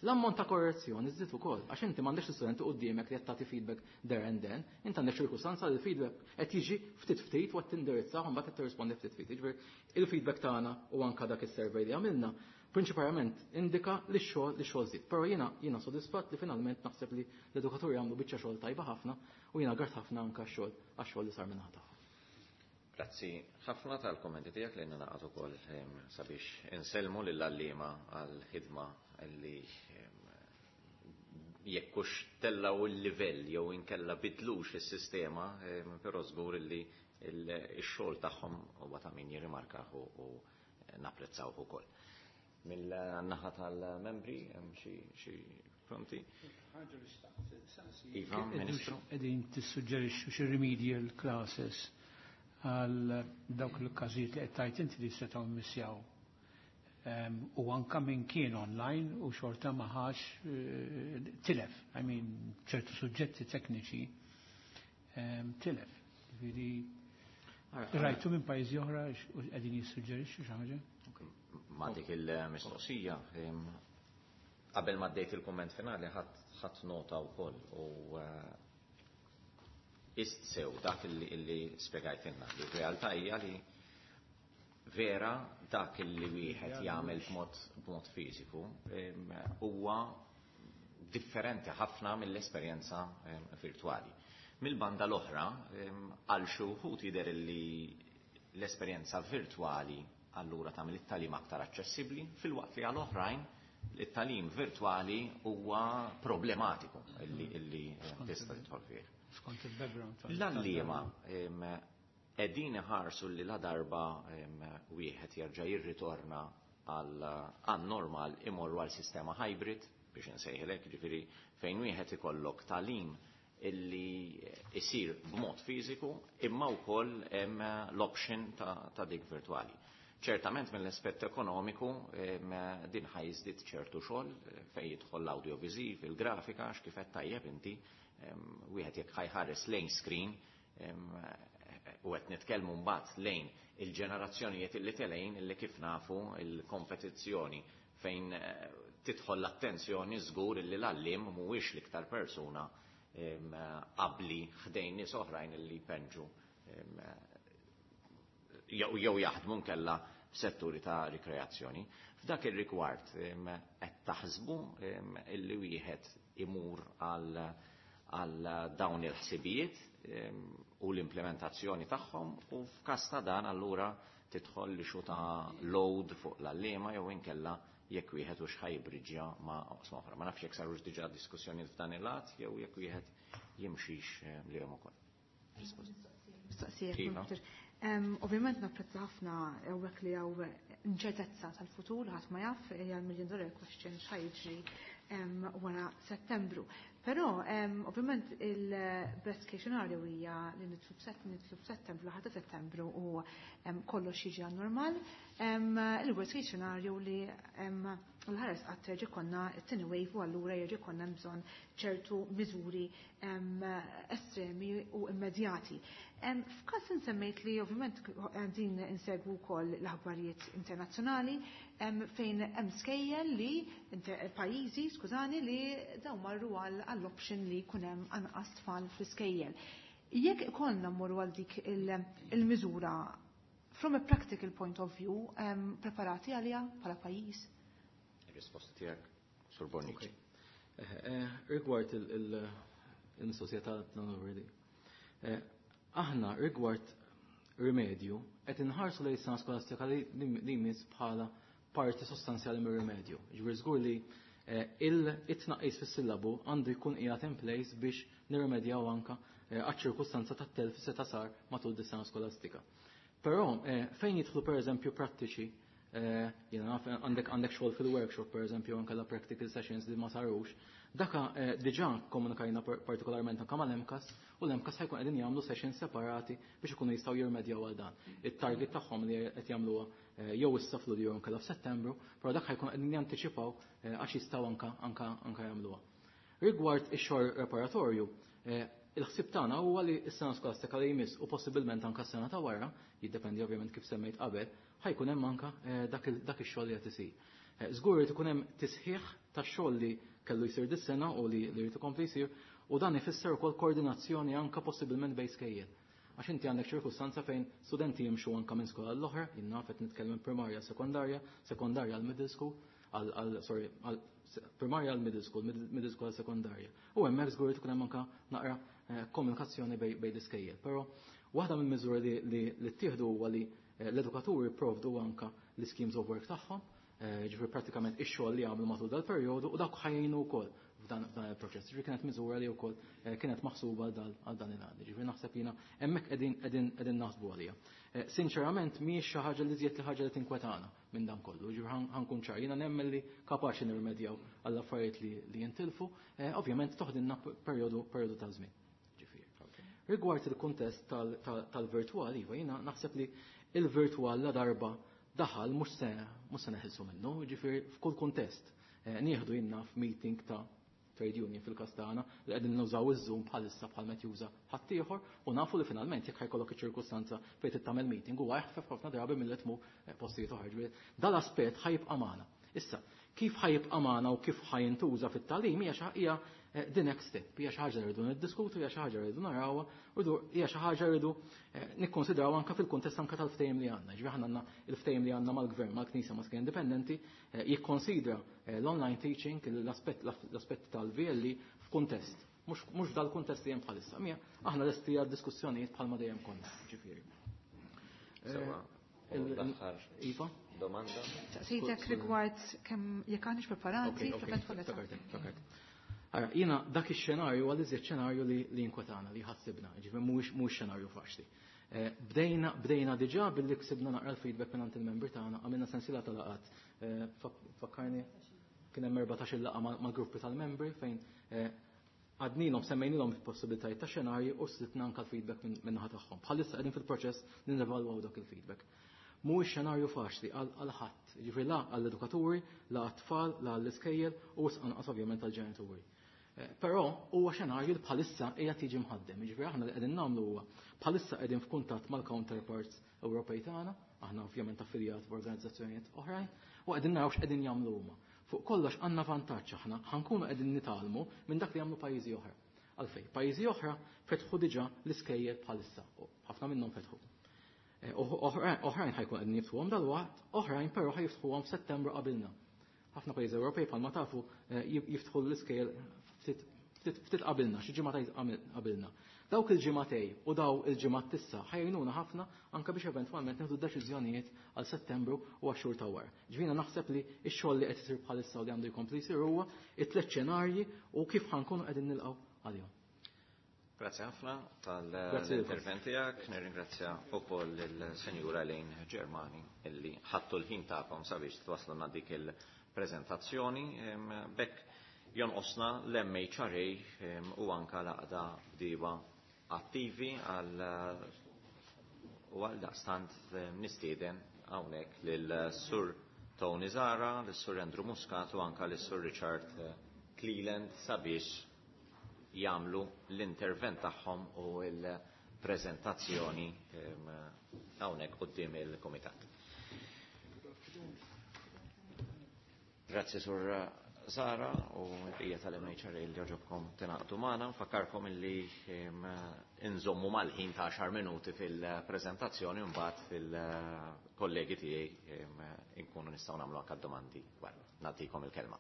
L-ammont ta' korrezzjoni żdied ukoll, għax inti m'għandekx l-istudenti quddiemek li qed tagħti feedback there and then, inti għandek ċirkustanza li l-feedback qed jiġi ftit ftit u qed tindirizza u mbagħad qed tirrispondi ftit ftit. Jiġifieri il-feedback tagħna u anka dak is-survey li għamilna prinċipalment indika li x-xogħol żdied. Però jiena sodisfatt li finalment naħseb li l-edukaturi għamlu biċċa xogħol tajba ħafna u jiena grat ħafna anka għax-xogħol li sar minn tagħhom. Grazzi ħafna tal-kommenti tiegħek li naqgħod ukoll sabiex insellmu lill-għalliema għall-ħidma li jekk hux tellgħu il-livell jew inkella bidlux is-sistema, però żgur li x-xogħol tagħhom huwa ta' min jirrimarkah u napprezzawh ukoll. Mill-naħa tal-membri hemm xi pronti? Iva, Ministru. Qegħdin tissuġġerixxu xi remedial classes għal dawk il-każijiet li qed tgħid inti li setgħu mmissjaw. U anka min kien online u xorta ma ħax tilef, I mean, ċertu suġġetti tekniċi tilef. Ġifieri rajtu minn pajjiżi oħra u qegħdin jissuġġerixxu xi ħaġa? Ma' dik il-mistoqsija, qabel ma ddejt il-kumment finali ħadd nota wkoll u ist sew dak illi spjegajtilna. Li r-realtà hija li vera dak illi wieħed jagħmel b'mod fiżiku huwa differenti ħafna mill-esperjenza virtwali. Mill-banda l-oħra, għal xi wħud jidher li l-esperjenza virtwali allura tagħmel it-tagħlim aktar aċċessibbli, filwaqt li għal oħrajn it-tagħlim virtwali huwa problematiku illi tista' tidħol fih. Skont il-background. L-għalliema qegħdin iħarsu li la darba wieħed jerġa' jirritorna għal normal imorru għal sistema hybrid biex insejħilek, ġifieri fejn wieħed ikollok tagħlim illi isir b'mod fiżiku imma wkoll hemm l-option ta' dik virtwali. Ċertament mill-aspett ekonomiku din ħa jiżdied ċertu xogħol fejn jidħol l-audiovisiv, il-grafika, għax kif qed tajjeb inti wieħed jekk ħajħares lejn screen u qed nitkellmu mbagħad lejn il-ġenerazzjonijiet illi telejn illi kif nafu il-kompetizzjoni fejn tidħol l-attenzjoni żgur illi l-għalliem mhuwiex l-iktar persuna qabli ħdejn nies oħrajn illi jpenġu jew jaħdmu nkella f'setturi ta' rikreazzjoni. F'dak ir-rigward qed taħsbu illi wieħed imur għal dawn il-ħsibijiet u l-implementazzjoni tagħhom u f'każ ta' dan allura tidħol li xu ta' load fuq l-għalliema jew inkella jekk wieħed hux ħa jibbriġġja ma' oqsma oħra. Ma nafx jekk sarux diġà diskussjonijiet f'dan il-lat jew jekk wieħed jimxix lihom ukoll. Mistoqsija. Iva. Ovvjament napprezza ħafna hawnhekk li hawn inċertezza tal-futur, ħadd ma jaf, hija l-million dollar question x'ħa jiġri wara Settembru. Però ovvjament il-best case scenario hija li nidħlu f'Settembru, ħadd Settembru u kollox jiġi għan normal. Il-worst case scenario li l-ħares qatt terġa' jkollna t-tieni wave u allura jerġa' jkollna bżonn ċertu miżuri estremi u immedjati. F'każ insemmejt li ovvjament din insegwu wkoll l-aħbarijiet internazzjonali fejn hemm skejjel li pajjiżi, skużani, li dawn marru għall-option li jkun hemm anqas tfal fl-iskejjel. Jekk ikollna mmorru għal dik il-miżura, from a practical point of view, preparati għalija bħala pajjiż? Ir-risposta tiegħek, Sur Bonnici. Rigward il-mistoqsija tal-already. Aħna rigward rimedju qed inħarsu lejn sena skolastika li jmiss bħala parti sostanzjali mir-rimedju. Ġifieri żgur li il-tnaqqis fis-sillabu għandu jkun qiegħed in place biex nirrimedjaw anka għaċ-ċirkustanza tat-telf se sar matul dis-sena skolastika. Però fejn jidħlu pereżempju prattiċi, jiena naf għandek xogħol fil-workshop pereżempju anke la practical sessions li ma sarux, daka diġà komunikajna partikolarment anke mal-MCAST u l-MCAST ħa jkun qegħdin jagħmlu sessions separati biex ikunu jistgħu jirmedjaw għal dan. It-target tagħhom li qed jagħmluha jew issa f'Lulju jew inkella f'Settembru, però dak ħa jkun qegħdin jantiċipaw għax jistgħu anka jagħmluha. Rigward ix-xogħol preparatorju, il-ħsieb tagħna huwa li s-sena skolastika li jmiss u possibilment anke s-sena ta' wara, jiddependi ovvjament kif semmejt qabel, ħa jkun hemm anke dak ix-xogħol li qed isir. Żgur irid ikun hemm tisħiħ tax-xogħol li kellu jsir dis-sena u li jrid ikompli jsir, u dan ifisser ukoll koordinazzjoni anke possibilment bejn skejjel. Għax inti għandek ċirkustanza fejn studenti jimxu anke minn skola l-oħra, jien naf qed nitkellem primarja, sekondarja, sekondarja għal middle school, għal, sorry, għal primarja għal middle school, middle school għal sekondarja. U hemmhekk żgur tkun hemm anke naqra komunikazzjoni bejn l-iskejjel. Però waħda mill-miżuri li ttieħdu huwa li l-edukaturi provdu anka l-schemes of work tagħhom, ġifieri prattikament ix-xogħol li għamlu matul dal-perjodu u dak ħa jgħinu wkoll f'dan il-proċess. Ġifieri kienet miżura li wkoll kienet maħsuba għal dan il-għan. Ġifieri naħseb jiena hemmhekk qegħdin naħsbu għaliha. Sinċerament mhijiex xi ħaġa li żjed li ħaġa li tinkwetana minn dan kollu. Ġifieri ħa nkun ċar, jiena nemmen li kapaċi nirrimedjaw għall affarijiet li jintilfu, ovvjament toħdilna perjodu ta' żmien. Rigward il-kuntest tal-virtual, iva, jiena naħseb li il-virtual la darba daħal mhux se neħilsu minnu, ġifieri f'kull kuntest. Nieħdu jiena f'meeting ta' trade union fil-każ tagħna li qegħdin nużaw iż-Zoom bħalissa bħal meta juża ħaddieħor u nafu li finalment jekk ħa jkollok iċ-ċirkustanza fejn tagħmel meeting huwa eħfef ħafna drabi milli tmur postijiet oħra. Ġifieri dal-aspett ħa jibqa' magħna. Issa, kif ħa jibqa' magħna u kif ħa jintuża fit-tagħlim hija the next step, hija xi ħaġa li rridu niddiskutu, hija xi ħaġa li rridu narawha, hija xi ħaġa rridu nikkonsidraw anke fil-kuntest anke tal-ftehim li għandna. Ġifieri aħna għandna il-ftehim li għandna mal-gvern, mal-Knisja, ma' Indipendenti, jikkonsidra l-online teaching, l-aspett tal-VLE f'kuntest. Mhux dal-kuntest li hemm bħalissa. Mija, aħna lesti għal diskussjonijiet bħalma dejjem konna, ġifieri. Sewwa. L-aħħar Iva? domanda. Saqsejtek rigward kemm jekk aħniex preparati fl-eventualità. Ftakart. Ara, jiena dak ix-xenarju għal iżjed xenarju li jinkwetana, li ħassibna, ġifieri mhuwiex xenarju faċli. Bdejna diġà billi ksibna naqra l-feedback minn il-membri tagħna, għamilna sensiela ta' laqgħat. Fakkarni kien hemm 14 laqgħa mal-gruppi tal-membri fejn għednielhom, semmejnilhom il-possibilitajiet ta' xenarji u sibna anke l-feedback minn naħa tagħhom. Bħalissa qegħdin fil-proċess li nevalwaw dak il-feedback. Mhuwiex xenarju faċli għal ħadd, ġifieri la għall-edukaturi, la għat-tfal, la għall-iskejjel u wisq anqas ovvjament għall-ġenituri. Però huwa xenarju li bħalissa qiegħed jiġi mħaddem, jiġifieri aħna li qegħdin nagħmlu huwa bħalissa qegħdin f'kuntatt mal-counterparts Ewropej tagħna, aħna ovvjament affiljat b'organizzazzjonijiet oħrajn, u qegħdin naraw x'qegħdin jagħmlu huma. Fuq kollox għandna vantaġġ aħna, ħa nkunu qegħdin nitgħallmu minn dak li jagħmlu pajjiżi oħra. Għalfejn, pajjiżi oħra fetħu diġà l-iskejjel bħalissa, u ħafna minnhom fetħu. Oħrajn ħa jkun qegħdin jiftħuhom dal-waqt, oħrajn però ħa jiftħuhom f'Settembru qabilna. Ħafna pajjiżi Ewropej bħalma tafu jiftħu l-iskejjel ftit qabilna, xi ġimgħatej qabilna. Dawk il-ġimgħatej u daw il-ġimgħat t'issa ħa jgħinuna ħafna anke biex eventwalment nieħdu deċiżjonijiet għal Settembru u għax-xhur ta' wara. Ġifieri naħseb li x-xogħol li qed isir bħalissa u li għandu jkompli jsir huwa it-tliet xenarji u kif ħa nkunu qegħdin nilqgħu għalihom. Grazie ħafna Grazie lilkom. tal-intervent tiegħek. Nirringrazzja wkoll il-Senjura Elaine Germani illi ħadtu l-ħin tagħkom sabiex twaslulna dik il-preżentazzjoni. Bekk jonqosna l-MHRA u anka l-għaqda bdiewa attivi għal u għal daqstant nistieden hawnhekk lil Sur Tony Zara, lil Sur Andrew Muscat u anka lil Sur Richard Cleland sabiex jagħmlu l-intervent tagħhom u l-preżentazzjoni hawnhekk quddiem il-kumitat. Grazzi Sur Zara u l-bqija tal-MHRA li għoġobkom tingħaqdu magħna. Nfakkarkom illi inżommu mal-ħin ta' 10 minuti fil-preżentazzjoni u mbagħad fil-kollegi tiegħi inkunu nistgħu nagħmlu anke domandi wara. Nagħtikom il-kelma.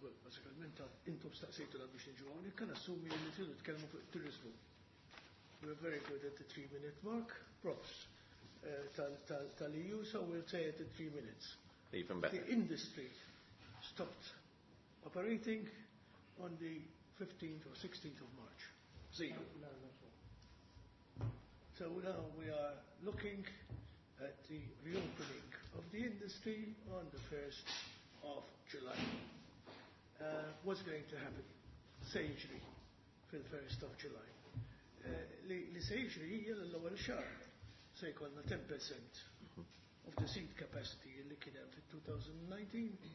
Basikament intom staqsejtu la biex niġu hawnhekk, kan assumi li tridu tkellmu fuq it-turiżmu. We're very good at the 3-minute mark, props tal-EU, so we'll say at the 3 minutes. Even better. The industry stopped operating on the 15th or 16th of March. Zero. So now we are looking at the reopening of the industry on the 1st of July. What's going to happen? Se jiġri fil-1st of July. Li se jiġri hija l-ewwel xahar se jkollna 10% of the seat capacity li kien hemm fit-2019,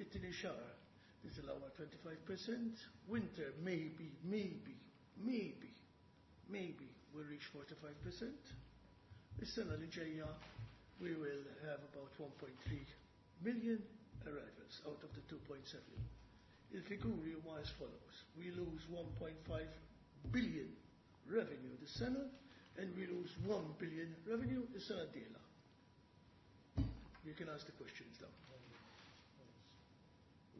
it-tieni xahar nitilgħu 25%, winter maybe, maybe, maybe, maybe we'll reach 45%. Is-sena li ġejja we will have about 1.3 million arrivals out of the 2.7. Il-figuri huma as follows. We lose 1.5 billion revenue this sena and we lose 1 billion revenue this sena d-dieħla. You can ask the questions now.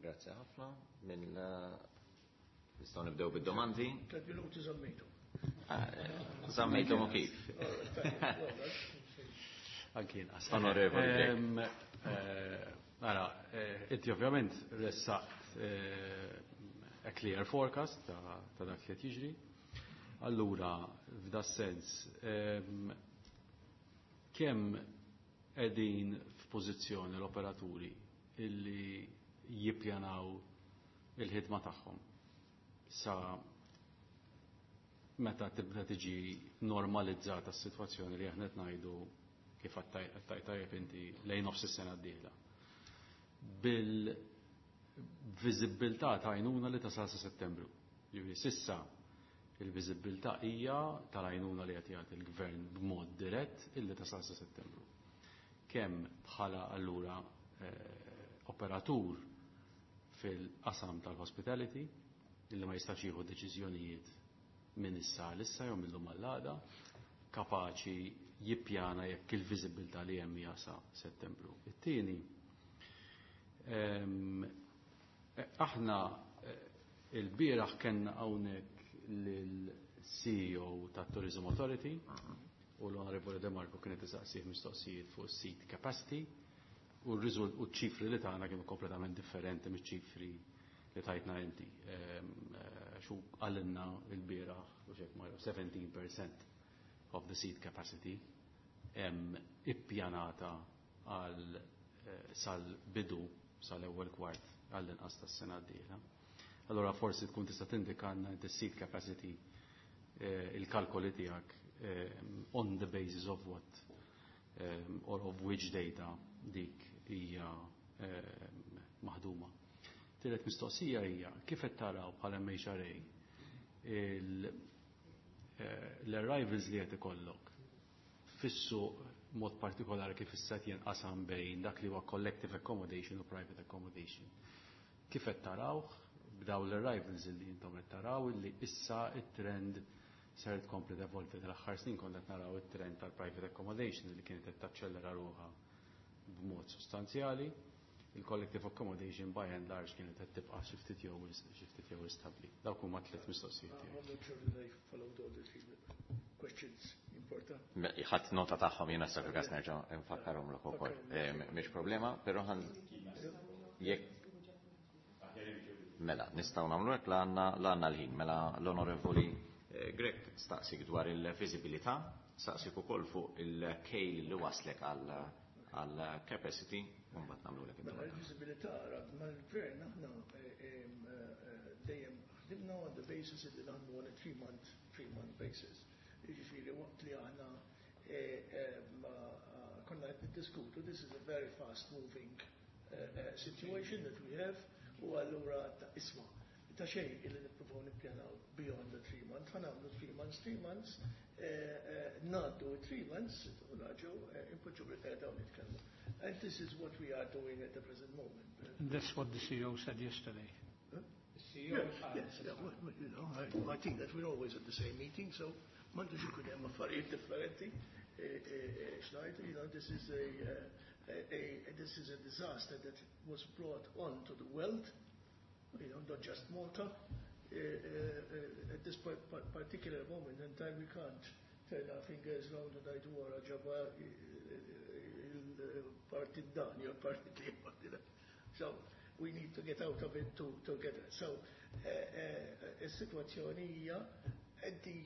Grazie ħafna. Nistgħu nibdew bid-domandi. 3 minuti żammejtu. Żammejtu u kif? Anki inqas. Onorevoli Grech. Ara, inti ovvjament ressaqt a clear forecast ta' dak li qed jiġri. Allura, f'da sens, kemm qegħdin f'pożizzjoni l-operaturi illi jippjanaw il-ħidma tagħhom sa meta tibda tiġi normalizzata s-sitwazzjoni li aħna qed ngħidu kif għedt tajjeb inti lejn nofs is-sena d-dieħla? Bil-viżibbiltà ta' għajnuna li tasal sa Settembru. Ġifieri s'issa il-viżibbiltà hija tal-għajnuna li qed jagħti il-gvern b'mod dirett illi tasal sa Settembru. Kemm bħala allura operatur fil-qasam tal-hospitality illi ma jistax jieħu deċiżjonijiet minn issa għal issa jew mill-lum għall-għada, kapaċi jippjana jekk il-viżibbiltà li hemm hija sa Settembru? It-tieni, aħna il-bieraħ kellna hawnhekk lill-CEO tat-Tourism Authority u l-Onorevole De Marco kienet isaqsih mistoqsijiet fuq seat capacity u r-riżult u ċifri li tagħna kienu kompletament differenti miċ-ċifri li tajtna inti. Xu qalilna il-bieraħ u xek ma 17% of the seat capacity hemm ippjanata għal sal-bidu sal-ewwel kwart għall-inqas tas-sena d-dieħla. Allora forsi tkun tista' tindikanna the seat capacity, il-kalkoli tiegħek, on the basis of what or of which data dik hija maħduma. Tielet mistoqsija hija kif qed taraw bħala MHRA l-arrivals li qed ikollok fis-suq, mod partikolari kif issa jinqasam bejn dak li huwa collective accommodation u private accommodation? Kif qed tarawh b'daw l-arrivals li intom qed taraw li issa it-trend ser tkompli tevolvi? Tal-aħħar snin konna qed naraw it-trend tal-private accommodation li kienet qed taċċellera ruħha b'mod sostanzjali. Il-collective accommodation by and large kienet qed tibqa' xi ftit jew stabbli. Dawk huma tliet mistoqsijiet tiegħi. I'm not sure that I followed all the three questions important. Ħadt nota tagħhom jiena, sa fil-każ nerġa' nfakkarhom ukoll. Mhix problema, però ħan jekk mela, nistgħu nagħmlu hekk la għandna l-ħin. Mela l-Onorevoli Grech staqsik dwar il-viżibilità, staqsik ukoll fuq il-kejl li waslek għal capacity, u mbagħad nagħmlu lek Mela il-viżibilità, mal-gvern aħna dejjem ħdimna on the basis li naħdmu on a 3-month basis. Jiġifieri waqt li aħna konna qed niddiskutu, this is a very fast moving situation that we have, u allura ta' isma' ta' xejn illi nippruvaw nippjanaw beyond the 3 months, ħa nagħmlu 3 months, 3 months, ngħaddu 3 months, u nerġgħu impoġġu bil-qiegħda u nitkellmu. And this is what we are doing at the present moment. And that's what the CEO said yesterday. Huh? The CEO Yes, yeah, well, I think that we're always at the same meeting, so m'għandux ikun hemm affarijiet differenti. Xnajt, this is a disaster that was brought on to the world, not just Malta. At this particular moment in time, we can't turn our fingers round and ngħidu wara ġaba il-partit dan, jew partit li. So, we need to get out of it together. So, is-sitwazzjoni hija at the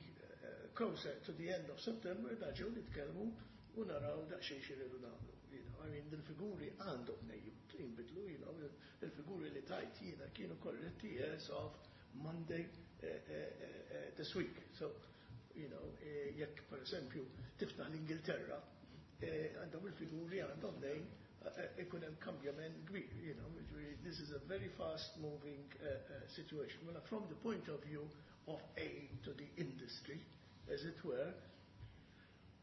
closer to the end of September nerġgħu nitkellmu u naraw daqsxejn x'iridu nagħmlu. I mean, il-figuri għandhom jinbidlu, il-figuri li tajt jiena kienu korretti as of Monday this week. So, jekk per esempio tiftaħ l-Ingilterra, għandhom il-figuri għandhom nejn ikun hemm kambjament kbir, this is a very fast moving situation. Well, from the point of view of aid to the industry, as it were,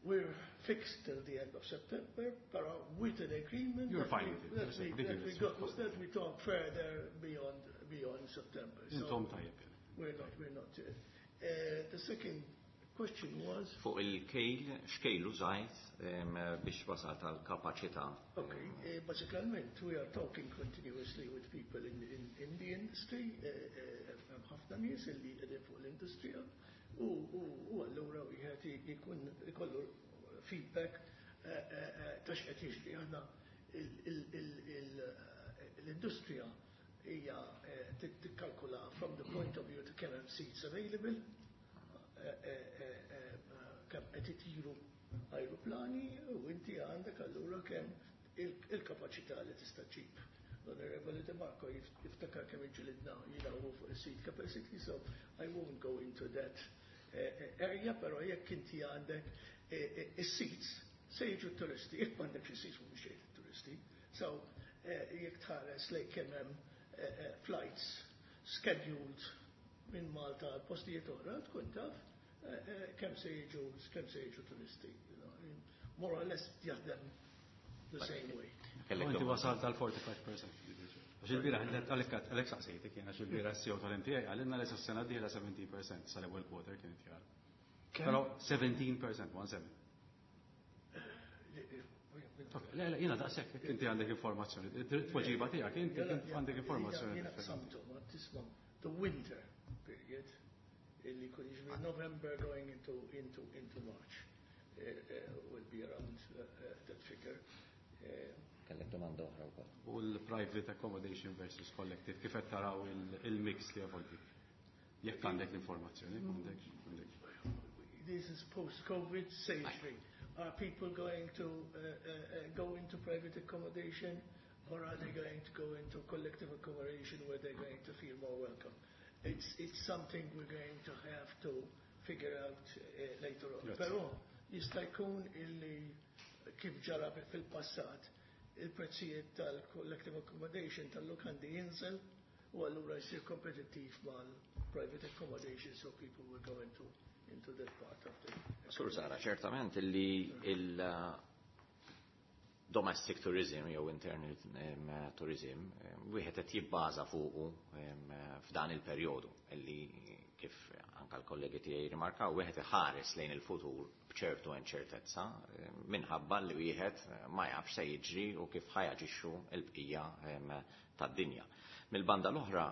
we're fixed till the end of September, but with an agreement You're that fine we, with it. that You're we, saying that this we, is got, possible. that we talk further beyond September. So Intom tajjeb. we're not. The second question was Fuq il-kejl, x'kejl użajt biex wasalt għal kapaċità? Okay, basikament we are talking continuously with people in the industry, hemm ħafna nies illi qegħdin fuq l-industrija u allura wieħed ikun ikollu feedback ta' x'qed jiġri. Aħna l-industrija Hija tikkalkula from the point of view ta' kemm hemm seats available, kemm qed itiru ajruplani u inti għandek allura kemm il-kapaċità li tista' ġib. L-Onorevoli De Marco jiftakar kemm iġġilidna jiena u fuq il-seat capacity, so I won't go into that area, però jekk inti għandek is-seats, se jiġu turisti, jekk m'għandekx is-seats mhumiex jgħid turisti. So jekk tħares lejn kemm hemm flights scheduled minn Malta għal postijiet oħra, tkun taf kemm se jiġu turisti. More or less jaħdem the same way. Inti wasalt għal 45%. Għax il-bieraħ, għalhekk saqsejtek jien, għax il-bieraħ CEO tal-MTA qalilna li sas-sena d-dieħla 17% sal-ewwel quarter kien jara. Però 17%, 1-7. Le, le, jiena daqshekk, inti għandek informazzjoni. Tweġiba tiegħek, inti għandek informazzjoni. Jiena qsamtu, ma tisma' the winter period, illi kun jiġri November going into March will be around that figure. Kellek domanda oħra wkoll. U l-private accommodation versus collective, kif qed taraw il-mix li jevolvi? Jekk għandek l-informazzjoni, m'għandekx. This is post-COVID safety. Are people going to go into private accommodation or are they going to go into collective accommodation where they're going to feel more welcome? It's something we're going to have to figure out later on. Yes. Però jista' jkun illi kif ġara fil-passat il-prezzijiet tal-collective accommodation tal-lukandi jinżel u allura jsir kompetittiv mal-private accommodation, so people will go into that part of the. Sur Zara, ċertament illi il domestic tourism jew internal tourism wieħed qed jibbaża fuqu f'dan il-perjodu illi, kif anka l-kollegi tiegħi rimarkaw, wieħed iħares lejn il-futur b'ċertu inċertezza minħabba li wieħed ma jafx se jiġri u kif ħa jaġixxu l-bqija tad-dinja. Mill-banda l-oħra,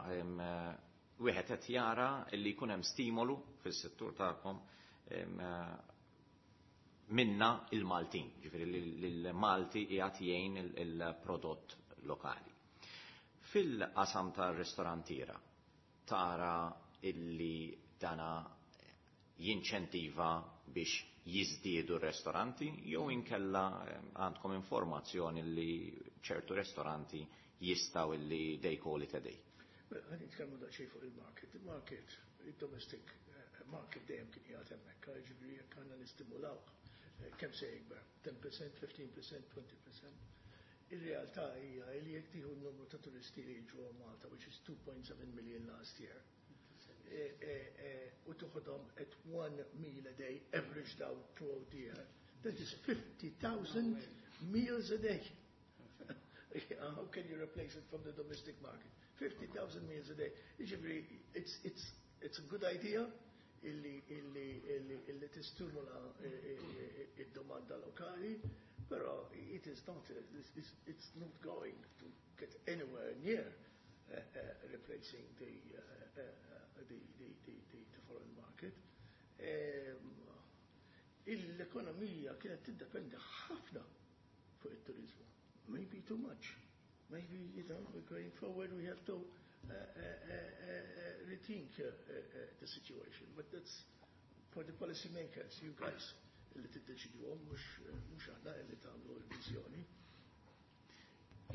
wieħed qed jara li jkun hemm stimolu fis-settur tagħkom minna il-Maltin, ġifieri l-Malti qiegħed jgħin il-prodott lokali. Fil-qasam tar-ristorantiera tara illi dana jinċentiva biex jiżdiedu r-restoranti jew inkella għandkom informazzjoni li ċertu restoranti jistgħu illi they call it a day? Ħa nitkellmu daqsxejn fuq il-market. Il-market, il-domestic market dejjem kien qiegħed hemmhekk, ġifieri jekk għandna nistimulaw kemm se jikber, 10%, 15%, 20%. Ir-realtà hija li jekk tieħu n-numru ta' turisti li jiġu Malta, which is 2.7 million last year, u toħodhom at one meal a day, averaged out throughout the year, that is 50,000 meals a day. How can you replace it from the domestic market? 50,000 meals a day. Jiġifieri, it's a good idea illi tistimula id-domanda lokali, però it is not, it's not going to get anywhere near replacing the foreign market. L-ekonomija kienet tiddependi ħafna fuq it-turizmu. Maybe too much. Maybe, going forward we have to rethink the situation. But that's for the policymakers, you guys, li tiddeċidu, mhux aħna li tagħmlu l-viżjoni.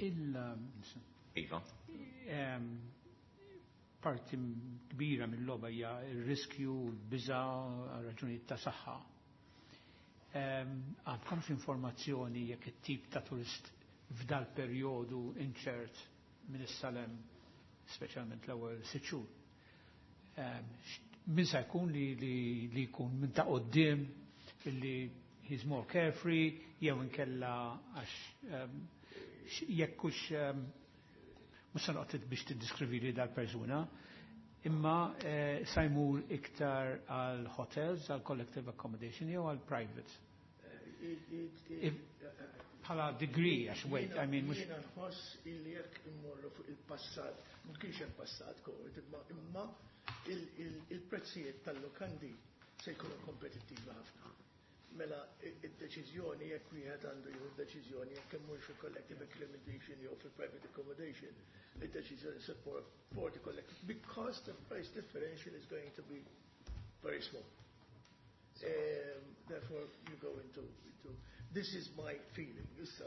Il Iva. Parti kbira mill-logħba hija r-riskju, l-biża, raġunijiet ta' saħħa. Għandkom informazzjoni jekk it-tip ta' turist f'dal perjodu inċert minn issa 'l hemm, speċjalment l-ewwel 6 xhur? Min sa jkun li jkun minn ta' quddiem illi he's more carefree jew inkella għax jekk hux, mhux se noqgħod biex tiddiskrivi li dal-persuna, imma sa jmur iktar għal hotels, għal collective accommodation jew għal private? Bħala degree, għax wait, I mean, mhux. Jiena nħoss illi jekk immorru fuq il-passat, ma kienx hemm passat COVID, imma il-prezzijiet tal-lokandi se jkunu kompetittivi ħafna. Mela id-deċiżjoni, jekk wieħed għandu jieħu deċiżjoni jekk immur fil-collective accommodation jew fil-private accommodation, id-deċiżjoni support for the collective because the price differential is going to be very small. Therefore, you go into this is my feeling. Issa,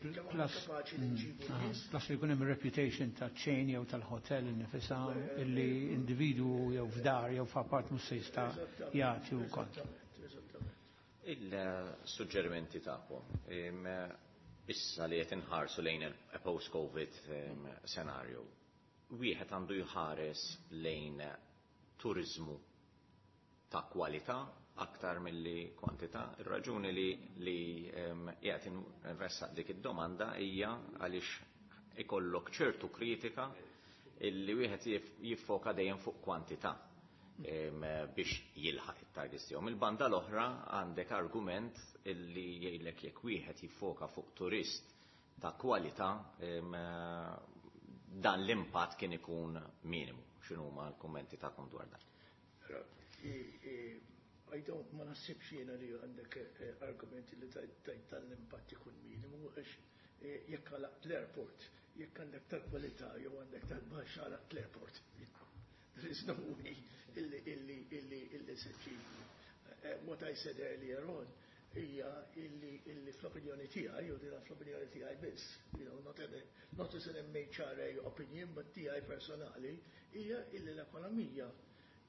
kemm aħna kapaċi li nġibu nies. Plus li jkun hemm reputation ta' chain jew tal-hotel innifisha illi individwu jew f'dar jew f'apart mhux se jista' jagħti wkoll. Eżattament. Il-suġġerimenti tagħkom issa li qed inħarsu lejn il-post-COVID scenario, wieħed għandu jħares lejn turizmu ta' kwalità aktar milli kwantità. Ir-raġuni li qiegħed inressaq dik id-domanda hija għaliex ikollok ċertu kritika illi wieħed jiffoka dejjem fuq kwantità biex jilħaq it-targets tiegħu. Mill-banda l-oħra għandek argument illi jgħidlek jekk wieħed jiffoka fuq turist ta' kwalità, dan l-impatt kien ikun minimu. X'inhuma l-kummenti tagħkom dwar dan? I don't, ma naħsibx jiena li għandek argumenti li tajt tal-impatt ikun minimu, għax jekk għalaqt l-airport, jekk għandek tal-kwalità jew għandek tal-baxx, għalaqt l-airport. There is no way illi se ġib. What I said earlier on hija illi fl-opinjoni tiegħi, u dina fl-opinjoni tiegħi biss, not as an MHRA opinion, but tiegħi personali, hija illi l-ekonomija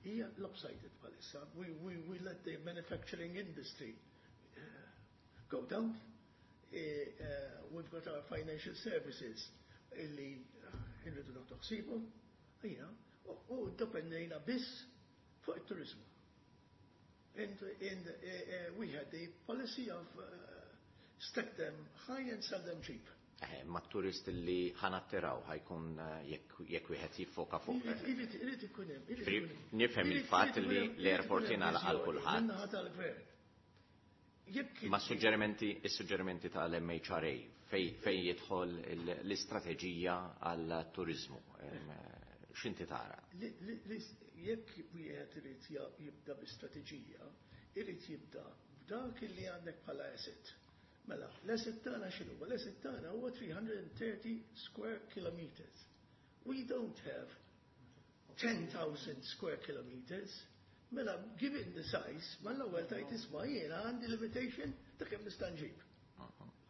hija lopsided bħalissa. We let the manufacturing industry go down. We've got our financial services illi irridu noħdu ħsiebhom, u dependejna biss fuq it-turizmu. And we had the policy of stack them high and sell them cheap. Ma turist li ħa nattiraw ħa jkun jekk wieħed jiffoka fuq. Irid ikun hemm. Irid ikun hemm. Nifhem il-fatt Irid li ikun hemm l-airport irid ikun hemm jingħalaq għal viżjoni kulħadd. min-naħa tal-gvern. Jekk Ma suġġerimenti, is-suġġerimenti tal-MHRA fej jidħol l-istrateġija għal turizmu. X'inti tara? Jekk wieħed irid jibda bi strateġija, irid jibda b'dak li għandek bħala asset. Mela, l-asset tagħna x'inhu? L-asset tagħna huwa 330 square kilometers. We don't have 10,000 square kilometers. Mela, given the size, mal-ewwel tajt isma' jiena għandi limitation ta' kemm nista' nġib.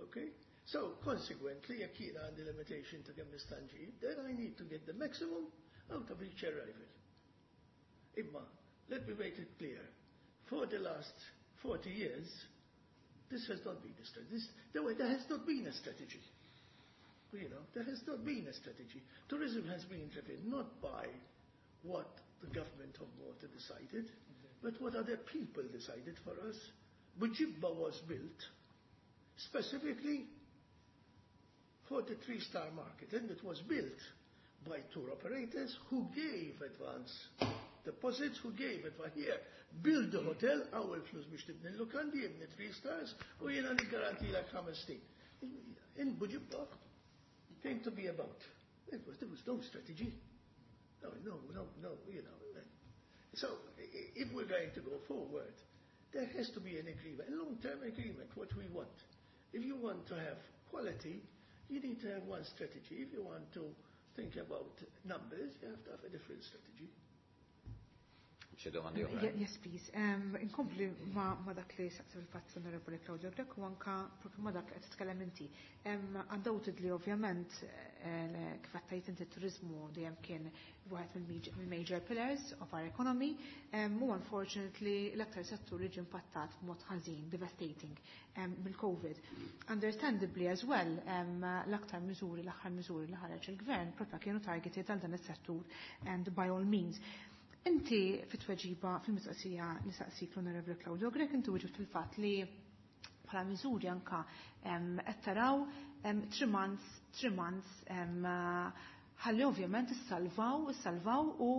Okay? So, consequently, jekk jiena għandi limitation ta' kemm nista' nġib, then I need to get the maximum out of each arrival. Imma, let me make it clear. For the last 40 years, this has not been a strategy. There has not been a strategy. There has not been a strategy. Tourism has been driven not by what the government of Malta decided, but what other people decided for us. Buġibba was built specifically for the three-star market, and it was built by tour operators who gave advance deposits, who gave advance. Here, build the hotel, hawn il-flus biex tibni l-lukandi, ibni three stars, u jiena niggarantilek 5 snin. In Buġibba came to be about. There was no strategy. No. So, if we're going to go forward, there has to be an agreement, a long-term agreement, what we want. If you want to have quality, you need to have one strategy. If you want to think about numbers, you have to have a different strategy. Xi domandi oħra? Yes, please. Inkompli ma dak li saqsa fil-fatt Onorevoli Claudio Grech u anka propju ma dak li qed titkellem inti. Undoubtedly, ovvjament, kif qed tgħid inti, turizmu dejjem kien wieħed mill-major pillars of our economy, u unfortunately l-aktar settur li ġie impattat b'mod ħażin, devastating, mill-COVID. Understandably as well, l-aktar miżuri, l-aħħar miżuri li ħareġ il-gvern propja kienu targeted għal dan is-settur and by all means. Inti fit-tweġiba fil-mistoqsija li saqsik l-Onorevoli Claudio Grech, inti wieġibt fil-fatt li bħala miżuri anka qed taraw 3 months, 3 months ħalli ovvjament issalvaw u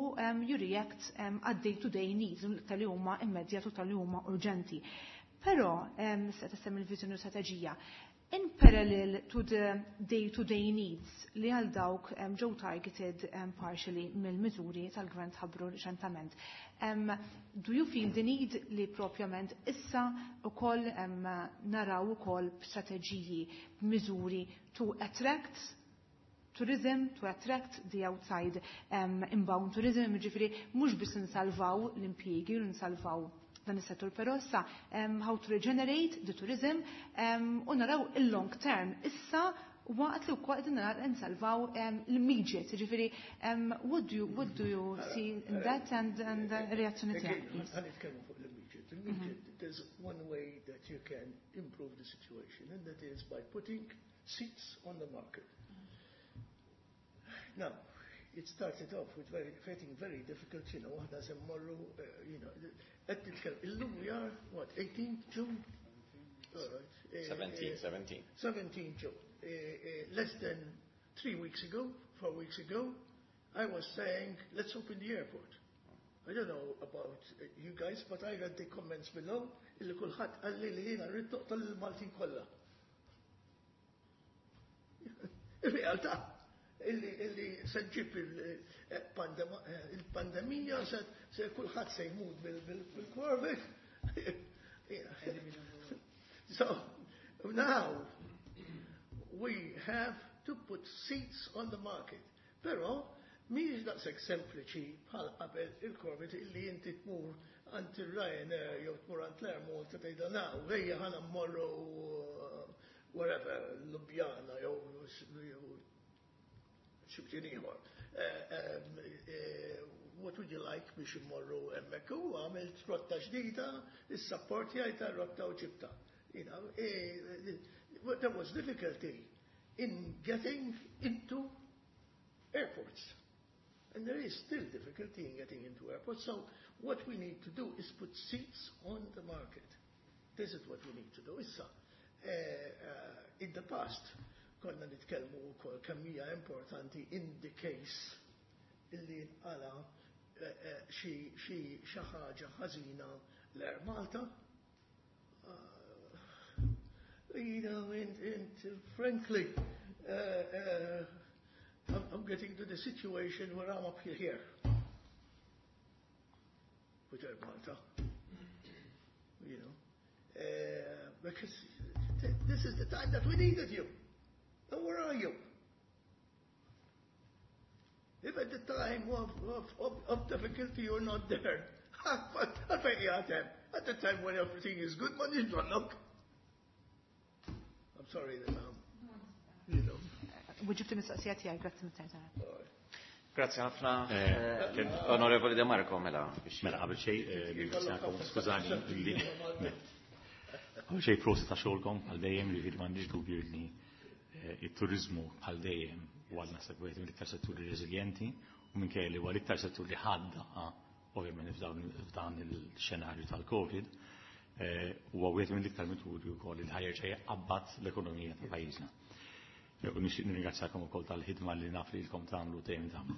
you react għad day to day needs tal-li huma immedjat u tal-li huma urġenti. Però se tissemmi il-viżjoni u strateġija. In parallel to the day-to-day needs li għal dawk ġew targeted partially mill-miżuri tal-gvern tħabbru reċentament. Do you feel the need li propjament issa ukoll naraw ukoll strateġiji, miżuri to attract tourism, to attract the outside inbound tourism, ġifieri mhux biss nsalvaw l-impjiegi u nsalvaw dan is-settur, però issa how to regenerate the tourism u naraw il-long term issa waqt li wkoll qegħdin naraw nsalvaw l-immediate, ġifieri what do you see in that and reazzjoni tiegħek, please? Ħa nitkellmu fuq l-immediate. Immediate, there's one way that you can improve the situation, and that is by putting seats on the market. Now, it started off with very, getting very difficult, aħna se mmorru, qed nitkellem, illum we are, what, 18 June? All right. 17, 17. 17 June. Less than 3 weeks ago, 4 weeks ago, I was saying, "Let's open the airport." I don't know about you guys, but I read the comments below, illi kulħadd qalli li jiena rrid noqtol il-Maltin kollha. Ir-realtà illi se ġġib il-pandemija, se kulħadd se jmut bil-Covid. So now we have to put seats on the market. Però mhijiex daqshekk sempliċi bħal qabel il-Covid illi inti tmur għand il-Ryanair jew tmur għand l-Air Malta, tgħidha, "Naw, ejja ħa mmorru wherever, Ljubljana jew x'imkien ieħor. What would you like biex immorru hemmhekk?" U għamilt rotta ġdida, is-support jgħid rotta u ġibta. There was difficulty in getting into airports. And there is still difficulty in getting into airports. So what we need to do is put seats on the market. This is what we need to do. Issa, in the past, konna nitkellmu wkoll kemm hija importanti in the case illi nqala xi ħaġa ħażina l-Air Malta. And frankly, I'm getting to the situation where I'm up here with Air Malta. Because this is the time that we needed you. And where are you? If at the time of difficulty you're not there, at the time when everything is good, money is look. I'm sorry that I'm. Weġibt il-mistoqsija tiegħi, grazzi mit-tajta. Grazzi ħafna. Onorevoli De Marco, mela. Mela, qabel xejn, ringrazzjakom, skużani, li qabel xejn prosit ta' xogħolkom bħal dejjem li m'għandix dubju li it-turizmu bħal dejjem huwa naħseb wieħed mill-iktar setturi reżiljenti u minkejja li huwa l-iktar settur li ħadda ovvjament f'dan il-xenarju tal-Covid, huwa wieħed mill-iktar mituri wkoll il ħa jerġa' jqabbad l-ekonomija ta' pajjiżna. U nixtieq nirringrazzjakom ukoll tal-ħidma li naf li lkom tagħmlu dejjem tagħmlu.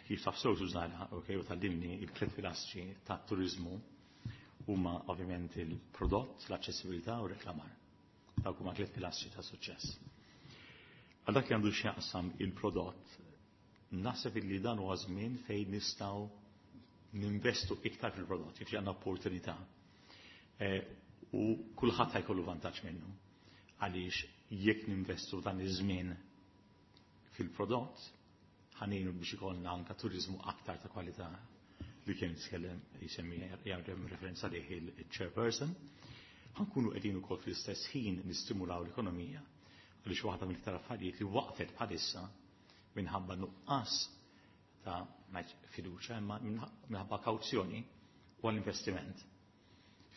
Kif taf sew Sużana, ok, u tgħallimni, il-tliet pilastri tat-turizmu huma ovvjament il-prodott, l-aċċessibilità u reklamar. Dawk huma tliet pilastri ta' suċċess. Għal dak li għandu x'jaqsam il-prodott, naħseb li dan huwa żmien fejn nistgħu ninvestu iktar fil-prodott, jiġifieri għandna opportunità. U kulħadd ħa jkollu vantaġġ minnu. Għaliex jekk ninvestu dan iż-żmien fil-prodott, ħa ngħinu biex ikollna anka turizmu aktar ta' kwalità li kien jitkellem, jisemmi, jagħmel referenza lih il-chairperson. Ħa nkunu qegħdin ukoll fl-istess ħin nistimulaw l-ekonomija, għaliex waħda mill-iktar affarijiet li waqfet bħalissa minħabba nuqqas ta' fiduċa imma minħabba kawzjoni u għall-investiment.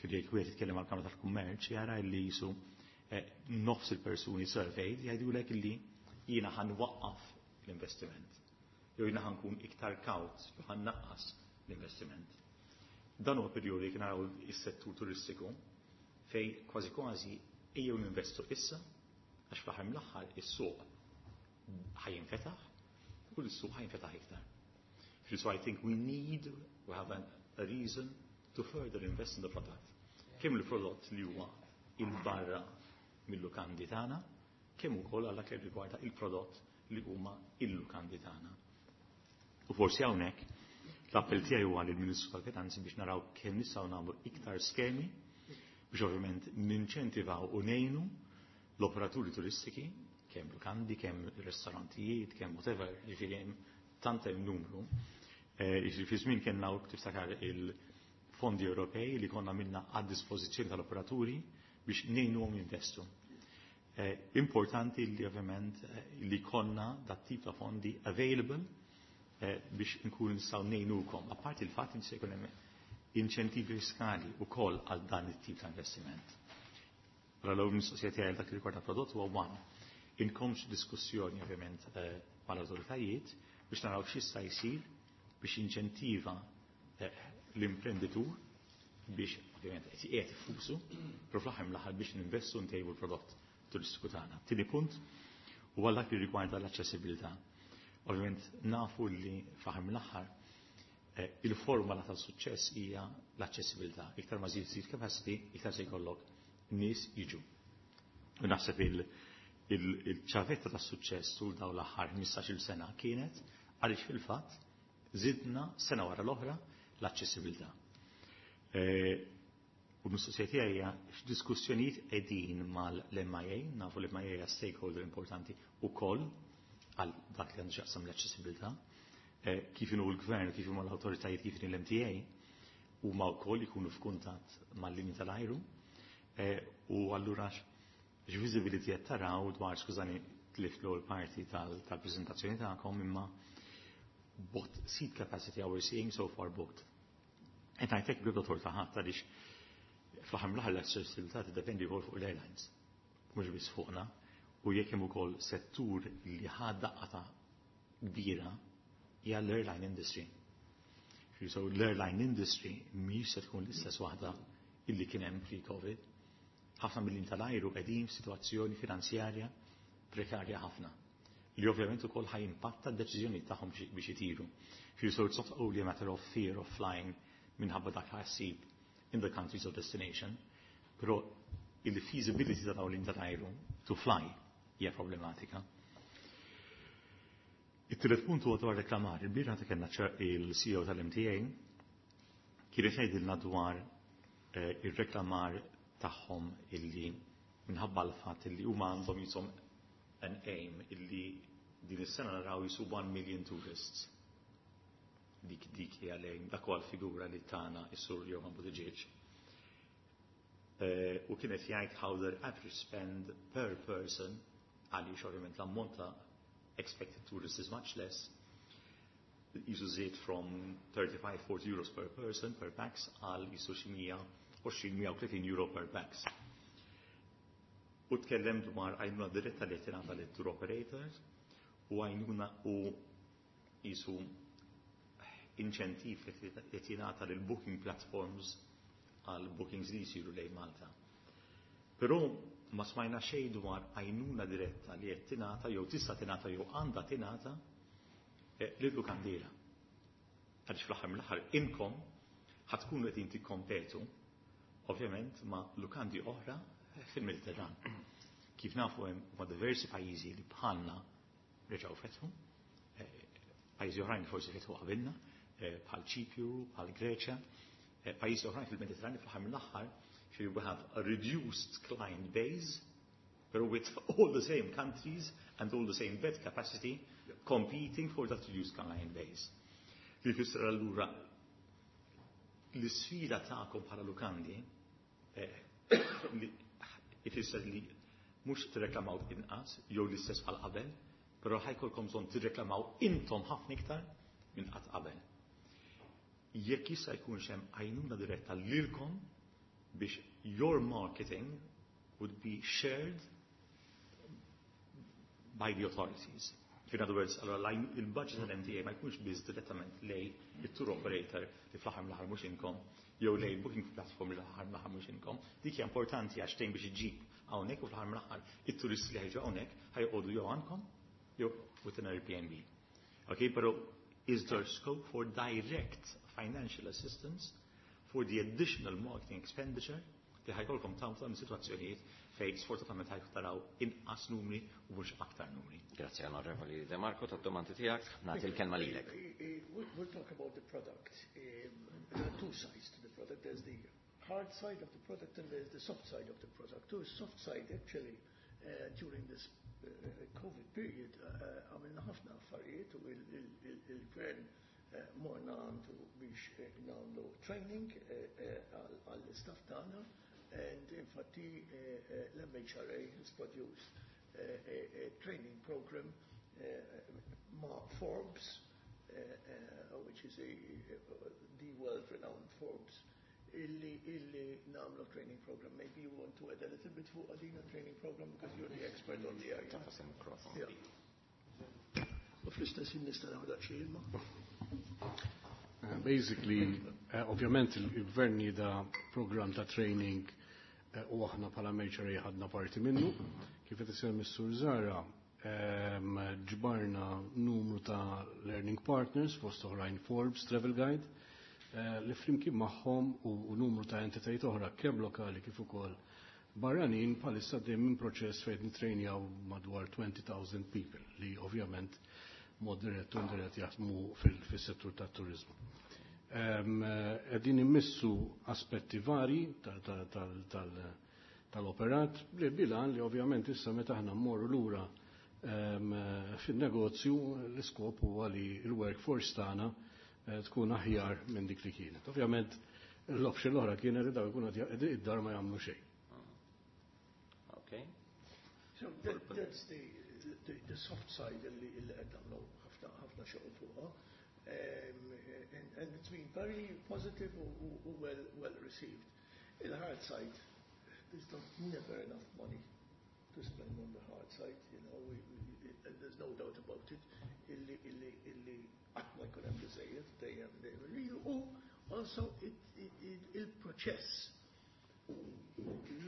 Fil-jek wieħed jitkellem għall-Kamra tal-Kummerċ jara li jisu nofs il-persuni surveyed jgħidulek li jiena ħa nwaqqaf l-investiment. Jew jiena ħa nkun iktar kawt, jew ħa nnaqqas l-investiment. Dan huwa perjodu li naraw is-settur turistiku fej kważi kważi ejjew ninvestu issa, għax fl-aħħar mill-aħħar is-suq ħa jinfetaħ u l-suq ħa jinfetaħ iktar. So I think we have a reason to further invest in the product. Kemm il-prodott li huwa il-barra mill-lukandi tagħna, kemm ukoll għal dak li rigwarda il-prodott li huma il-lukandi tagħna. U forsi hawnhekk l-appell tiegħi huwa lill-Ministru tal-Finanzi biex naraw kemm nistgħu nagħmlu iktar skemi biex ovvjament ninċentivaw u ngħinu l-operaturi turistiki, kemm lukandi, kemm ristorantijiet, kemm whatever, jiġifieri hemm tant hemm numru. Jiġifieri fi żmien kellna tiftakar il-fondi Ewropej li konna minna għad dispożizzjoni tal-operaturi biex ngħinuhom jinvestu. Importanti li ovvjament li konna dat tip ta' fondi available biex nkunu nistgħu ngħinukom. Apparti il-fatt li se jkun hemm inċentivi fiskali wkoll għal dan it-tip ta' investiment. Allora l-ewwel mistoqsija tiegħi dak li rigwarda prodott huwa one. Inkomx diskussjoni ovvjament mal-awtoritajiet biex naraw x'jista' jsir biex inċentiva l-imprenditur biex ovvjament qed qiegħed ifusu, però fl-aħħar mill-aħħar biex ninvestu ntejbu l-prodott turistiku tagħna. Tieni punt huwa dak li rigwarda l-aċċessibilità. Ovvjament nafu li fl-aħħar mill-aħħar il-formula ta' suċċess hija l-aċċessibilità. Iktar ma żid seat capacity, iktar se jkollok nies jiġu. U naħseb il-ċavetta ta' suċċess tul dawn l-aħħar 15-il sena kienet għaliex fil-fatt żidna sena wara l-oħra l-aċċessibilità. U l-mistoqsija tiegħi hija x'diskussjonijiet qegħdin mal-MIA, nafu l-MIA hija stakeholder importanti wkoll għal dak li għandu x'jaqsam l-aċċessibilità, kif inhu l-gvern, kif huma l-awtoritajiet, kif inhi l-MTA, huma wkoll ikunu f'kuntatt mal-linji tal-ajru. U allura x'viżibility qed taraw dwar, skużani, tlift l-ewwel parti tal-preżentazzjoni tagħkom, imma what seat capacity are we seeing so far booked? Qed ngħidlek bibda torta ħadd għaliex fl-aħħar mill-aħħar l-aċċessibilità tiddependi wkoll fuq l-airlines, mhux biss fuqna, u jekk hemm ukoll settur li ħa daqqa ta' kbira hija l-airline industry. So l-airline industry mhix se tkun l-istess waħda illi kien hemm pre-COVID. Ħafna mill tal-ajru qegħdin f'sitwazzjoni finanzjarja prekarja ħafna li ovvjament ukoll ħa jimpatta d-deċiżjoni tagħhom biex itiru. So it's not only a matter of fear of flying minħabba dak ħassib in the countries of destination, però il-feasibility ta' dawn tal-ajru to fly hija problematika. It-tielet punt huwa dwar reklamar. Il-bieraħ ta' kellna il-CEO tal-MTA kien jgħidilna dwar ir-reklamar tagħhom illi minħabba l-fatt illi huma għandhom jisom an aim illi din is-sena naraw jisu 1 million tourists. Dik hija l-aim, dak huwa l-figura li tana is-Sur Johan Buttigieg. U kienet jgħid how their average spend per person, għaliex ovvjament l-ammont ta' expected tourists is much less, jisu żied from 35-40 euros per person per pax għal jisu xi 120-130 euro per pax. U tkellem dwar għajnuna diretta li tingħata lit tour operators u għajnuna u jisu inċentiv li tingħata lil booking platforms għal bookings li jisiru lejn Malta. Però ma smajna xejn dwar għajnuna diretta li qed tingħata jew tista' tingħata jew għandha tingħata lil lukandira. Għaliex fl-aħħar mill-aħħar inkom ħa tkunu qegħdin tikkompetu ovvjament ma' lukandi oħra fil-Mediterran. Kif nafu hemm ma' diversi pajjiżi li bħalna reġgħu fetħu, pajjiżi oħrajn forsi fetħu qabilna, bħal Ċipju, bħal Greċja, pajjiżi oħrajn fil-Mediterran fl-aħħar mill-aħħar we have a reduced client base, but with all the same countries and all the same bed capacity competing for that reduced client base. Li fisser allura l-sfida tagħkom bħala lukandi li ifisser li mhux tirreklamaw inqas jew l-istess bħal qabel, però ħa jkollkom bżonn tirreklamaw intom ħafna iktar minn qatt qabel. Jekk jista' jkun hemm għajnuna diretta lilkom biex your marketing would be shared by the authorities. In other words, allora il-budget tal-MTA ma jkunx biss direttament lej il-tour operator li fl-aħħar mill-aħħar mhux inkom, jew lej booking platform li fl-aħħar mill-aħħar mhux inkom. Dik hija importanti għax tgħin biex iġib hawnhekk u fl-aħħar mill-aħħar it-turisti li ħa jiġu hawnhekk ħa joqogħdu jew għandkom jew with an Airbnb. Okay, però is there scope for direct financial assistance for the additional marketing expenditure li ħa jkollkom tagħmlu ta' situazzjonijiet Fejn sfortunatament ħa taraw inqas numri u mhux aktar numri. Grazzi, Onorevoli De Marco, tad-domandi tiegħek, nagħti l-kelma lilek. We'll talk about the product. There are two sides to the product. There's the hard side of the product and there's the soft side of the product. The soft side, actually, during this COVID period, għamilna ħafna affarijiet u il-gvern morna għandu biex nagħmlu training għall-istaff tagħna, and infatti l-MHRA has produced a training program ma' Forbes, which is the world-renowned Forbes, illi nagħmlu training program. Maybe you want to add a little bit fuq għadina training program because you're the expert on the area. Tagħfas il-mikrofon. Yeah. U fl-istess ħin nista' nieħu daqsxejn ilma. Basically, ovvjament il-gvern nieda program ta' training u aħna bħala MHRA ħadna parti minnu. Kif qed issemmi s-Sur Zara, ġbarna numru ta' learning partners fost oħrajn Forbes, Travel Guide, li flimkien magħhom u numru ta' entitajiet oħra kemm lokali kif ukoll barranin bħalissa dejjem minn proċess fejn nitrejnjaw madwar 20,000 people li ovvjament mod dirett u indirett jaħdmu fil-settur tat-turizmu. Qegħdin immissu aspetti vari tal-operat li bilan li ovvjament issa meta aħna mmorru lura fin-negozju, l-iskop huwa li l-workforce tagħna tkun aħjar minn dik li kienet. Ovvjament l-option l-oħra kienet li daw ikunu id-dar ma jagħmlu xejn. Okay. So that's the soft side li qed nagħmlu ħafna ħafna xogħol fuqha. And it's been very positive u well received. Il-hard side, there's not never enough money to spend on the hard side, and there's no doubt about it, illi qatt ma jkun hemm biżejjed, dejjem dejjem irridu, u also il-proċess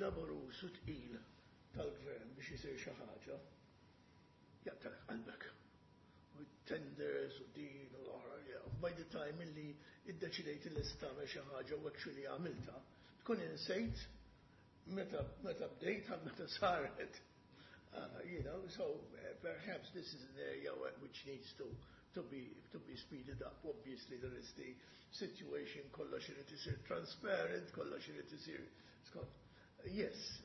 laboruż u tqil tal-gvern biex isir xi ħaġa jaqtalek qalbek. U tenders u din u l-oħra, by the time illi iddeċidejt li se tagħmel xi ħaġa u actually għamilta, tkun insejt meta bdejt għal meta saret. So perhaps this is an area which needs to be speeded up. Obviously there is the situation, kollox irid isir transparent, kollox irid isir skont. Yes,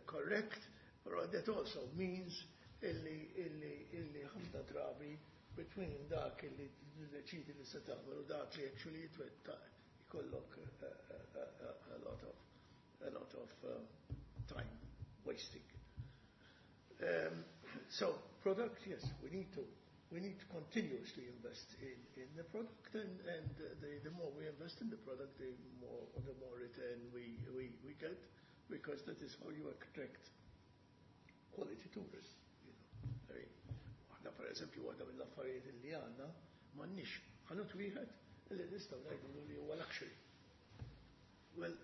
correct, but that also means illi ħafna drabi between dak illi tiddeċidi li se tagħmel u dak li actually jitwettaq ikollok a lot of time wasting. So product, yes, we need to continuously invest in the product, and the more we invest in the product, the more return we get, because that is how you attract quality tourists. I mean, aħna per eżempju waħda mill-affarijiet li għandna, m'għandniex ħanut wieħed li nistgħu ngħidu li huwa luxury. Well,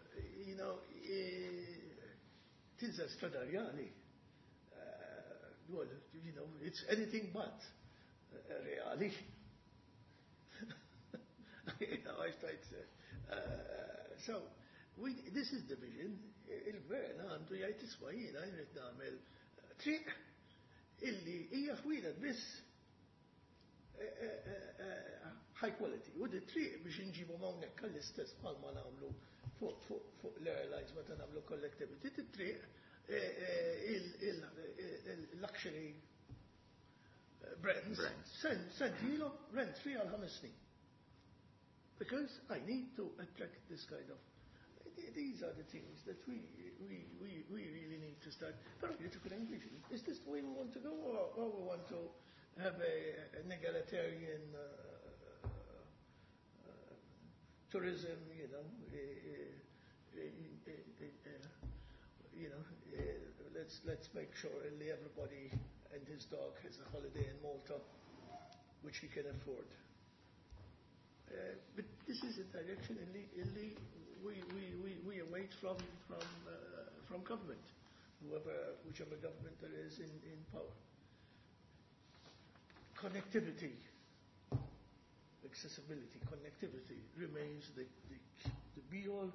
tinżel Strada Rjali, well, it's anything but reali. I tried to, so, this is the vision. Il-gvern għandu jgħid, "Isma', jiena jrid nagħmel triq illi hija ħwienet biss high quality." U di triq biex nġibu hawnhekk għall-istess bħalma nagħmlu fuq l-airlines meta nagħmlu connectivity, triq il-luxury brands, send rent free għal 5 snin. Because I need to attract this kind of, these are the things that we really need to start. But you took an vision. Is this the way we want to go, or we want to have an egalitarian tourism, let's make sure everybody and his dog has a holiday in Malta, which he can afford. But this is a direction illi we await from government, whichever government there is in power. Connectivity, accessibility, connectivity remains the be-all,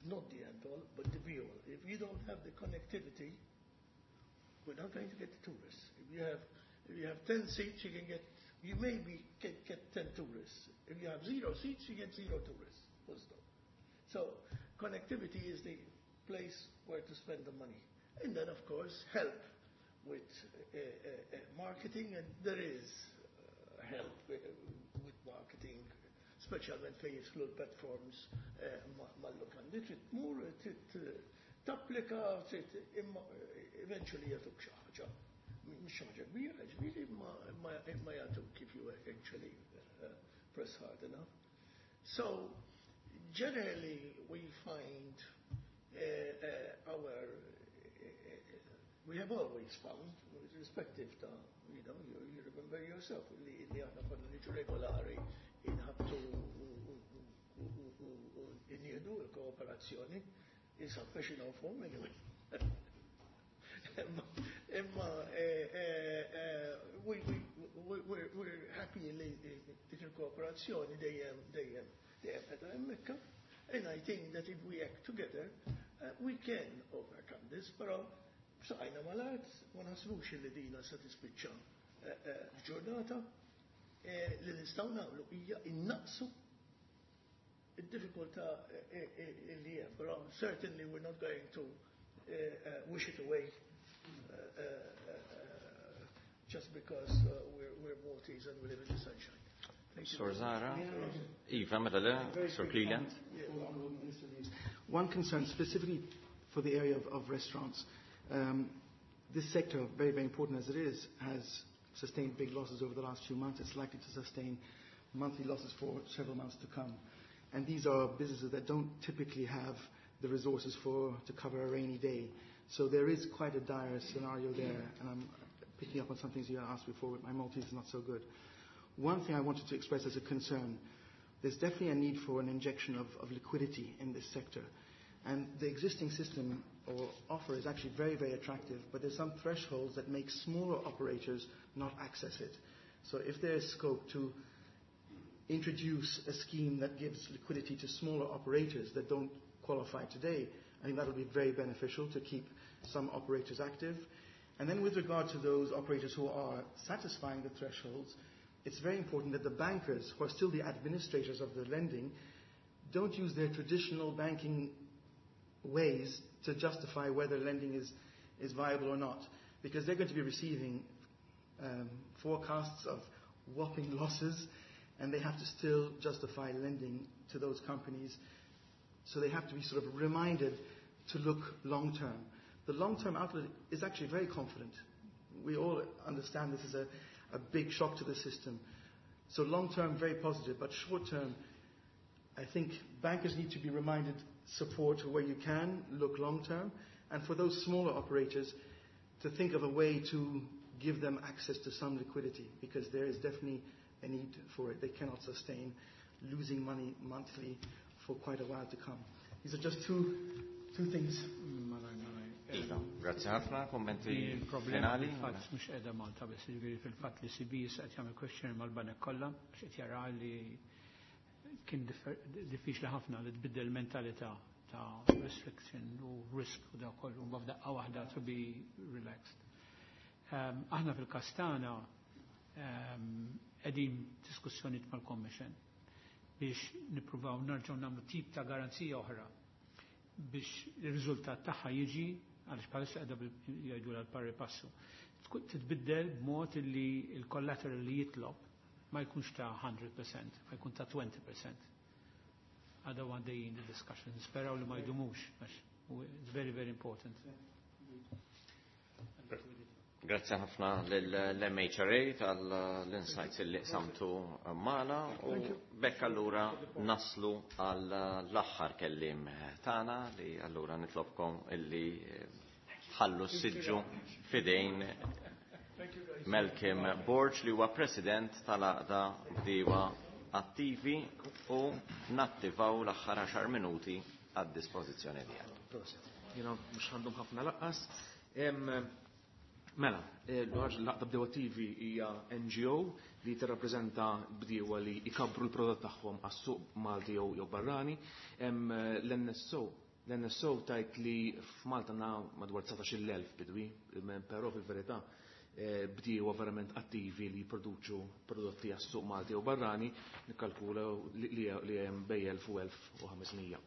Not the end all, but the be all. If you don't have the connectivity, we're not going to get the tourists. If you have, if you have 10 seats, you can get, you maybe get, get 10 tourists. If you have zero seats, you get zero tourists. Full stop. So connectivity is the place where to spend the money. And then, of course, help with uh, uh, uh, marketing, and there is uh, help with, with marketing, speċjalment fejn jidħlu l-platforms eh, mal-lukandi, trid tmur, trid eh, tapplika, trid imma eh, eventually jagħtuk xi ħaġa. Mhux xi ħaġa kbira, ġifieri, imma jagħtuk if you actually press hard enough. So, generally we find uh, our uh, we have always found, irrespective ta' you know, you, you remember yourself, li, li aħna konna niġu regolari inħabtu u inniedu l-kooperazzjoni, is a professional form anyway. Imma eh, eh, eh, we're happy li dik il-kooperazzjoni dejjem dejjem dejjem qed hemmhekk. And I think that if we act together, uh, we can overcome this, però b'saqajna mal-art, ma naħsbux li dina se tispiċċa f'ġurnata, li nistgħu nagħmlu hija innaqsu id-diffikultà li hemm, però certainly we're not going to uh, wish it away uh, uh, just because uh, we're, we're Maltese and we live in the sunshine. Thank you. Sor Zara, Iva, mela le, Sir Cleland. One concern specifically for the area of, of restaurants. Um, this sector, very, very important as it is, has sustained big losses over the last few months. It's likely to sustain monthly losses for several months to come. And these are businesses that don't typically have the resources for to cover a rainy day. So there is quite a dire scenario there, and I'm picking up on some things you asked before, but my Maltese is not so good. One thing I wanted to express as a concern, there's definitely a need for an injection of, of liquidity in this sector. And the existing system or offer is actually very, very attractive, but there's some thresholds that make smaller operators not access it. So if there is scope to introduce a scheme that gives liquidity to smaller operators that don't qualify today, I think that will be very beneficial to keep some operators active. And then with regard to those operators who are satisfying the thresholds, it's very important that the bankers, who are still the administrators of the lending, don't use their traditional banking ways to justify whether lending is, is viable or not, because they're going to be receiving um, forecasts of whopping losses, and they have to still justify lending to those companies. So they have to be sort of reminded to look long term. The long term outlook is actually very confident. We all understand this is a, a big shock to the system. So long term, very positive, but short term, I think bankers need to be reminded support where you can, look long term, and for those smaller operators to think of a way to give them access to some liquidity because there is definitely a need for it. They cannot sustain losing money monthly for quite a while to come. These are just two, two things. Iva, grazzi ħafna, kommenti Il-problema finali. fil-fatt mhux qiegħda Malta biss, jiġifieri fil-fatt li CB qed jagħmel questionnaire mal-banek kollha biex qed jara li kien diffiċli ħafna li tbiddel mentalità ta' restriction u risk u da kollu mbagħad f'daqqa waħda to be relaxed. Um, aħna fil-każ tagħna um, qegħdin diskussjonijiet mal-Commission biex nippruvaw nerġgħu nagħmlu tip ta' garanzija oħra biex ir-riżultat tagħha jiġi għaliex bħalissa qiegħda jgħidu l pari passu. Titbiddel b'mod li l-collateral li jitlob ma jkunx ta' 100%, ma jkun ta' 20%. Għada għaddejjin the discussion, nisperaw li ma jdumux, għax it's very, very important. Grazzi ħafna l-MHRA tal-insights li qsamtu magħna u bekk allura naslu għal l-aħħar kelliem tagħna li allura nitlobkom illi tħallu s-siġġu fidejn Malcolm Borg li huwa President tal-Għaqda Bdiewa Attivi u nattivaw l-aħħar 10 minuti għad-dispożizzjoni tiegħek. Prosit. Jiena mhux għandhom ħafna laqqas. Mela, l-Għaqda Bdiewa Attivi hija NGO li tirrappreżenta bdiewa li jkabbru l-prodott tagħhom għas-suq Malti jew jew barrani. L-NSO L-NSO tajt li f'Malta għandna madwar 19,000 bidwi, però fil-verità bdiewa verament attivi li jipproduċu prodotti għas-suq Malti u barrani nikkalkula li hemm bejn 1000 u 1500.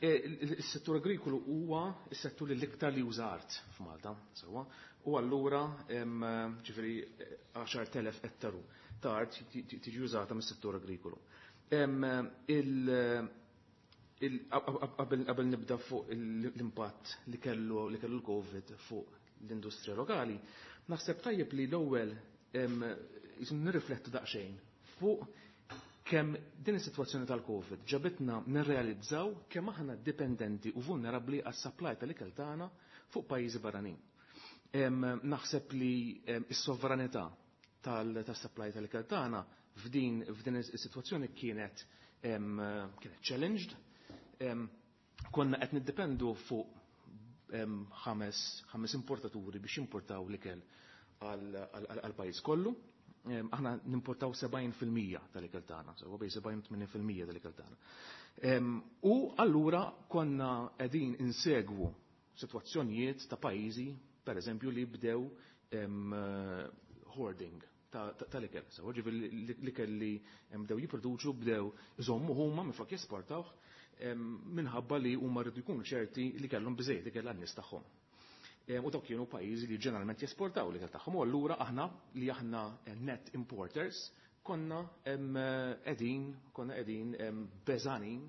Is-settur agrikolu huwa s-settur li l-iktar li juża art f'Malta, sewwa, u allura ġifieri 10,000 ettaru ta' art tiġi użata mis-settur agrikolu. Qabel nibda fuq l-impatt li kellu l-Covid fuq l-industrija lokali, naħseb tajjeb li l-ewwel nirriflettu daqsxejn fuq kemm din is-sitwazzjoni tal-Covid ġabitna nirrealizzaw kemm aħna dipendenti u vulnerabbli għas-supply tal-ikel tagħna fuq pajjiżi barranin. Naħseb li s-sovranità tas-supply tal-ikel tagħna f'din is-sitwazzjoni kienet challenged. Konna qed niddependu fuq ħames importaturi biex jimportaw l-ikel għall-pajjiż kollu. Aħna nimportaw 70% tal-ikel tagħna, sewwa bejn 70-80% tal-ikel tagħna. U allura konna qegħdin insegwu sitwazzjonijiet ta' pajjiżi, pereżempju, li bdew hoarding tal-ikel. Sewwa, ġifieri l-ikel li bdew jipproduċu bdew iżommu huma minflok jesportawh minħabba li huma rridu jkunu ċerti li kellhom biżejjed ikel għan-nies tagħhom. U dawk kienu pajjiżi li ġeneralment jesportaw l-ikel tagħhom. U allura aħna li aħna net importers konna qegħdin beżanin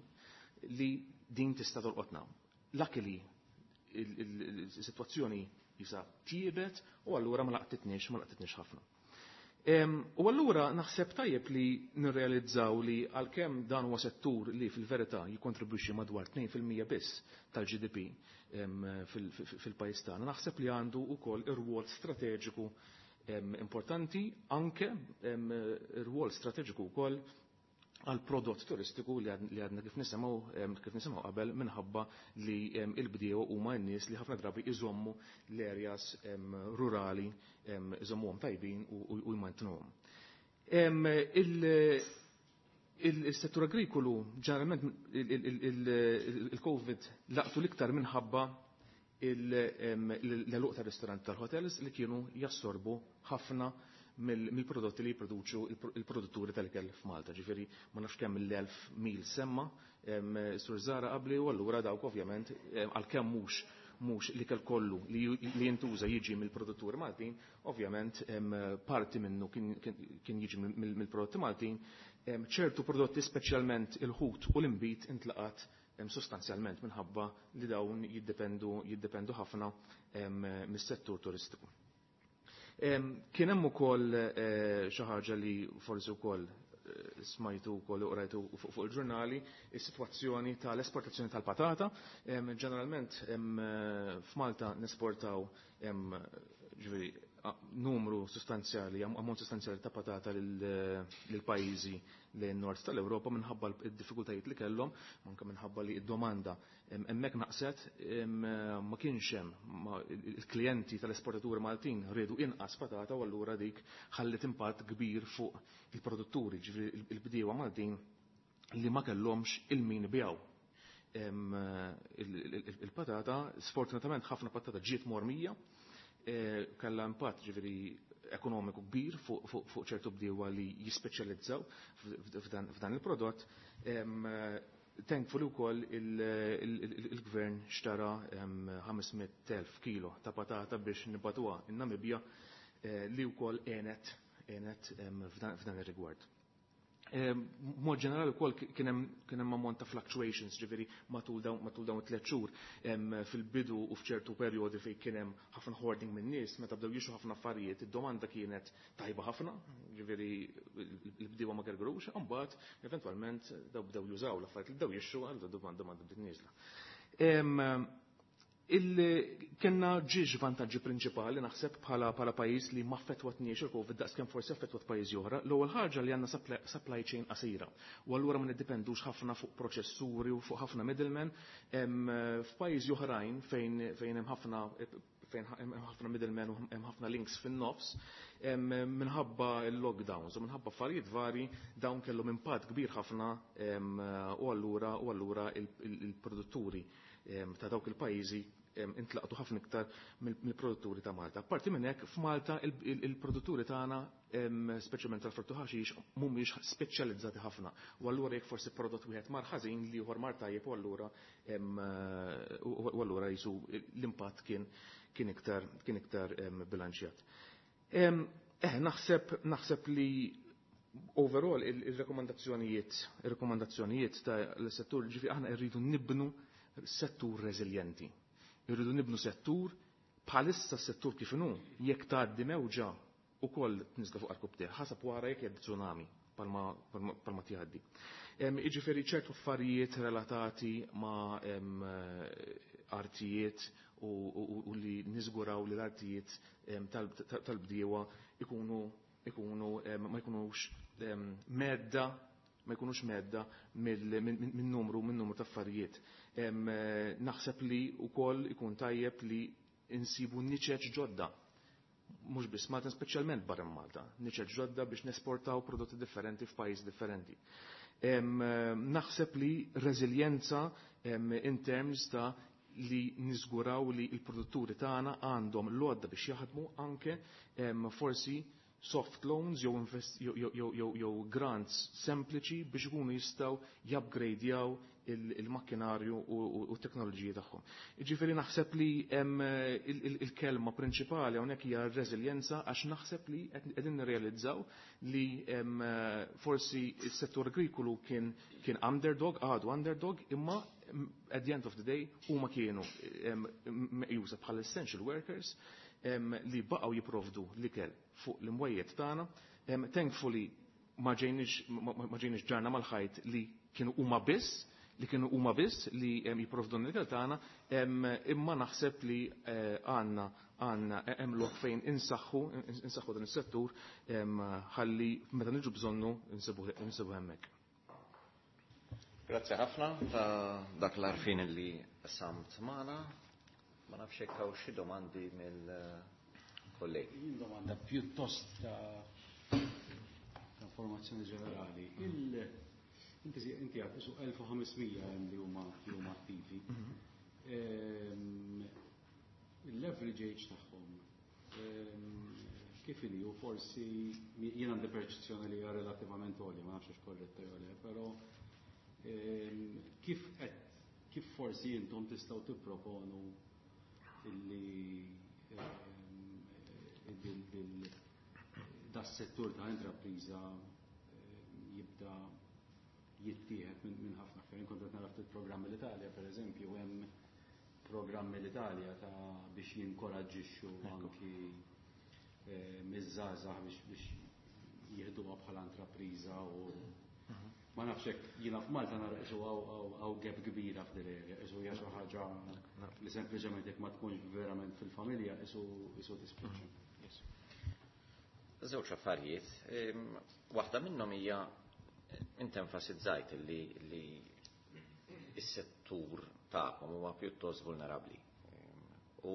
li din tista' tolqotna. Luckily il-sitwazzjoni jisa tjiebet u allura ma laqtitniex ħafna. U allura naħseb tajjeb li nirrealizzaw li għalkemm dan huwa settur li fil-verità jikkontribwixxi madwar 2% biss tal-GDP fil-pajjiż tagħna, naħseb li għandu wkoll ir-rwol strateġiku importanti, anke ir-rwol strateġiku wkoll għal prodott turistiku li għadna kif nisimgħu qabel, minħabba li il-bdiewa huma n-nies li ħafna drabi iżommu l-areas rurali, iżommuhom tajbin u jmantnuhom. Il-settur agrikolu ġeneralment il-Covid laqtu l-iktar minħabba l-għeluq tar-ristorant tal-hotels li kienu jassorbu ħafna mill-prodotti li jipproduċu il-produtturi tal-ikel f'Malta. Ġifieri ma nafx kemm l-1000 mil semma Sur Zara qabli, u allura dawk ovvjament, għalkemm mhux l-ikel kollu li jintuża jiġi mill-produtturi Maltin, ovvjament parti minnu kien jiġi mill-prodotti Maltin, ċertu prodotti, speċjalment il-ħut u l-inbid, intlaqat sostanzjalment minħabba li dawn jiddependu ħafna mis-settur turistiku. Kien hemm ukoll xi ħaġa li forsi wkoll smajtu wkoll u qrajtu fuq il-ġurnali, is-sitwazzjoni tal-esportazzjoni tal-patata. Ġeneralment f'Malta nesportaw, ġifieri, numru sostanzjali, ammont sostanzjali ta' patata lil pajjiżi lejn nord tal-Ewropa. Minħabba d-diffikultajiet li kellhom, anke minħabba li d-domanda hemmhekk naqset, ma kienx hemm il-klijenti tal-esportaturi Maltin riedu inqas patata, u allura dik ħallet impatt kbir fuq il-produtturi, ġifieri il-bdiewa Maltin li ma kellhomx 'il min ibigħu il-patata. Sfortunatament ħafna patata ġiet mormija, kellha impatt, ġifieri, ekonomiku kbir fuq ċertu bdiewa li jispeċjalizzaw f'dan il-prodott. Thankfully wkoll il-gvern xtara 500,000 kilo ta' patata biex nibagħtuha in-Namibja, li wkoll għenet f'dan ir-rigward. Mod ġenerali wkoll kien hemm ammont ta' fluctuations, ġifieri matul dawn it-3 xhur, fil-bidu u f'ċertu perjodi fejn kien hemm ħafna hoarding minn nies meta bdew jixtru ħafna affarijiet, id-domanda kienet tajba ħafna, ġifieri l-bdiewa ma gergrux, imbagħad eventwalment daw bdew jużaw l-affarijiet li bdew jixtru, għal domanda bdiet nieżla. Kenna ġiex vantaġġi prinċipali naħseb bħala pajjiż li ma affettwatniex il-Covid daqs kemm forsi affettwat pajjiżi oħra. L-ewwel ħaġa li għandna supply chain qasira. U allura ma niddependux ħafna fuq proċessuri u fuq ħafna middlemen. F'pajjiżi oħrajn fejn hemm ħafna middlemen u hemm ħafna links fin-nofs, minħabba il-lockdowns u minħabba affarijiet vari, dawn kellhom impatt kbir ħafna u allura il-produtturi ta' dawk il-pajjiżi intlaqtu ħafna iktar mill-produtturi ta' Malta. Parti minn hekk, f'Malta il-produtturi tagħna, speċjalment tal-frott u ħaxix, mhumiex speċjalizzati ħafna. U allura jekk forsi prodott wieħed mar ħażin, li ieħor mar tajjeb, u allura jisu l-impatt kien iktar bilanċjat. Naħseb li overall il-rekomandazzjonijiet ta' l-settur, ġifi aħna rridu nibnu settur reżiljenti. Irridu nibnu settur. Bħalissa s-settur kif inhu, jekk tgħaddi mewġa ukoll tniżla fuq għarkupptejh, ħasab wara jekk jgħaddi tsunami palma tgħaddi. Jiġifieri ċertu affarijiet relatati ma' artijiet u li niżguraw li l-artijiet tal-bdiewa ikunu ma jkunux mhedda minn numru ta' affarijiet. Naħseb li wkoll ikun tajjeb li insibu niċeċ ġodda, mhux biss Malta, speċjalment barra Malta, niċeċ ġodda biex nesportaw prodotti differenti f'pajjiż differenti. Naħseb li reżiljenza in terms ta' li niżguraw li il-produtturi tagħna għandhom l-għodda biex jaħdmu, anke forsi soft loans jew grants sempliċi biex ikunu jistgħu jupgradejaw il-makkinarju u t-teknoloġiji tagħhom. Jiġifieri naħseb li il-kelma prinċipali hawnhekk hija r-reżiljenza, għax naħseb li qegħdin nirrealizzaw li forsi s-settur agrikolu kien underdog, għadu underdog, imma at the end of the day huma kienu meqjusa bħala essential workers li baqgħu jipprovdu l-ikel fuq l-imwejjed tagħna. Thankfully ma ġejniex ġarna mal-ħajt li kienu huma biss li jipprovdu l-ikel tagħna, imma naħseb li għandna hemm lok fejn insaħħu dan is-settur ħalli meta niġu bżonnu insibu hemmhekk. Grazzi ħafna ta' dak l-għarfien li qsamt magħna. Ma nafx hekk hawn xi domandi mill-kollegi. Jien domanda pjuttost ta' informazzjoni ġenerali. Inti għad isu 1500 hemm li huma attivi. Il-average age tagħhom kif inhi? U forsi jien għandi perċezzjoni li hija relattivament għolja, ma nafx korretta jew le, però kif forsi intom tistgħu tipproponu illi das-settur ta' intrapriża jibda jittieħed minn ħafna aktar? Kont qed nara ftit programmi l-Italja, per eżempju, hemm programmi l-Italja ta' biex jinkoraġġixxu anki miż-żgħażagħ biex jieħduha bħala intrapriża, u ma nafx hekk jiena f'Malta nara qisu hawn gap kbira f'dil area, qisu hija xi ħaġa li sempliċement jekk ma tkunx verament fil-familja qisu tispiċċa. Żewġ affarijiet. Waħda minnhom hija, inti enfasizzajt li s-settur tagħkom huwa pjuttost vulnerabbli. U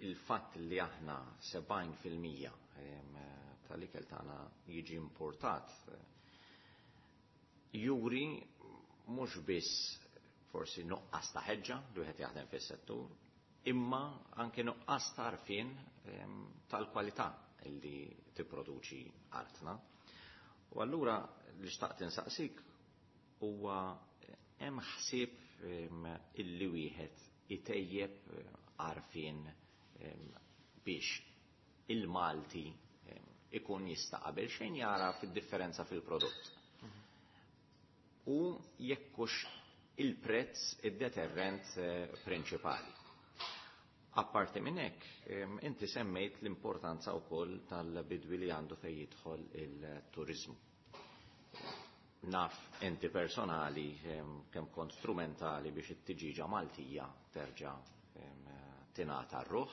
il-fatt li aħna 70% tal-ikel tagħna jiġi importat juri mhux biss forsi nuqqas ta' ħeġġa li wieħed jaħdem fis-settur, imma anke nuqqas ta' għarfien tal-kwalità illi tipproduċi artna. U allura li xtaqt insaqsik huwa, hemm ħsieb illi wieħed itejjeb għarfien biex il-Malti ikun jista' qabel xejn jara fid-differenza fil-prodott? U jekk hux il-prezz id-deterrent prinċipali. Apparti minn hekk, inti semmejt l-importanza wkoll tal-bidwi li għandu fejn jidħol il-turizmu. Naf inti personali kemm kont strumentali biex it-tiġiġa Maltija terġa' Tingħata r-ruħ,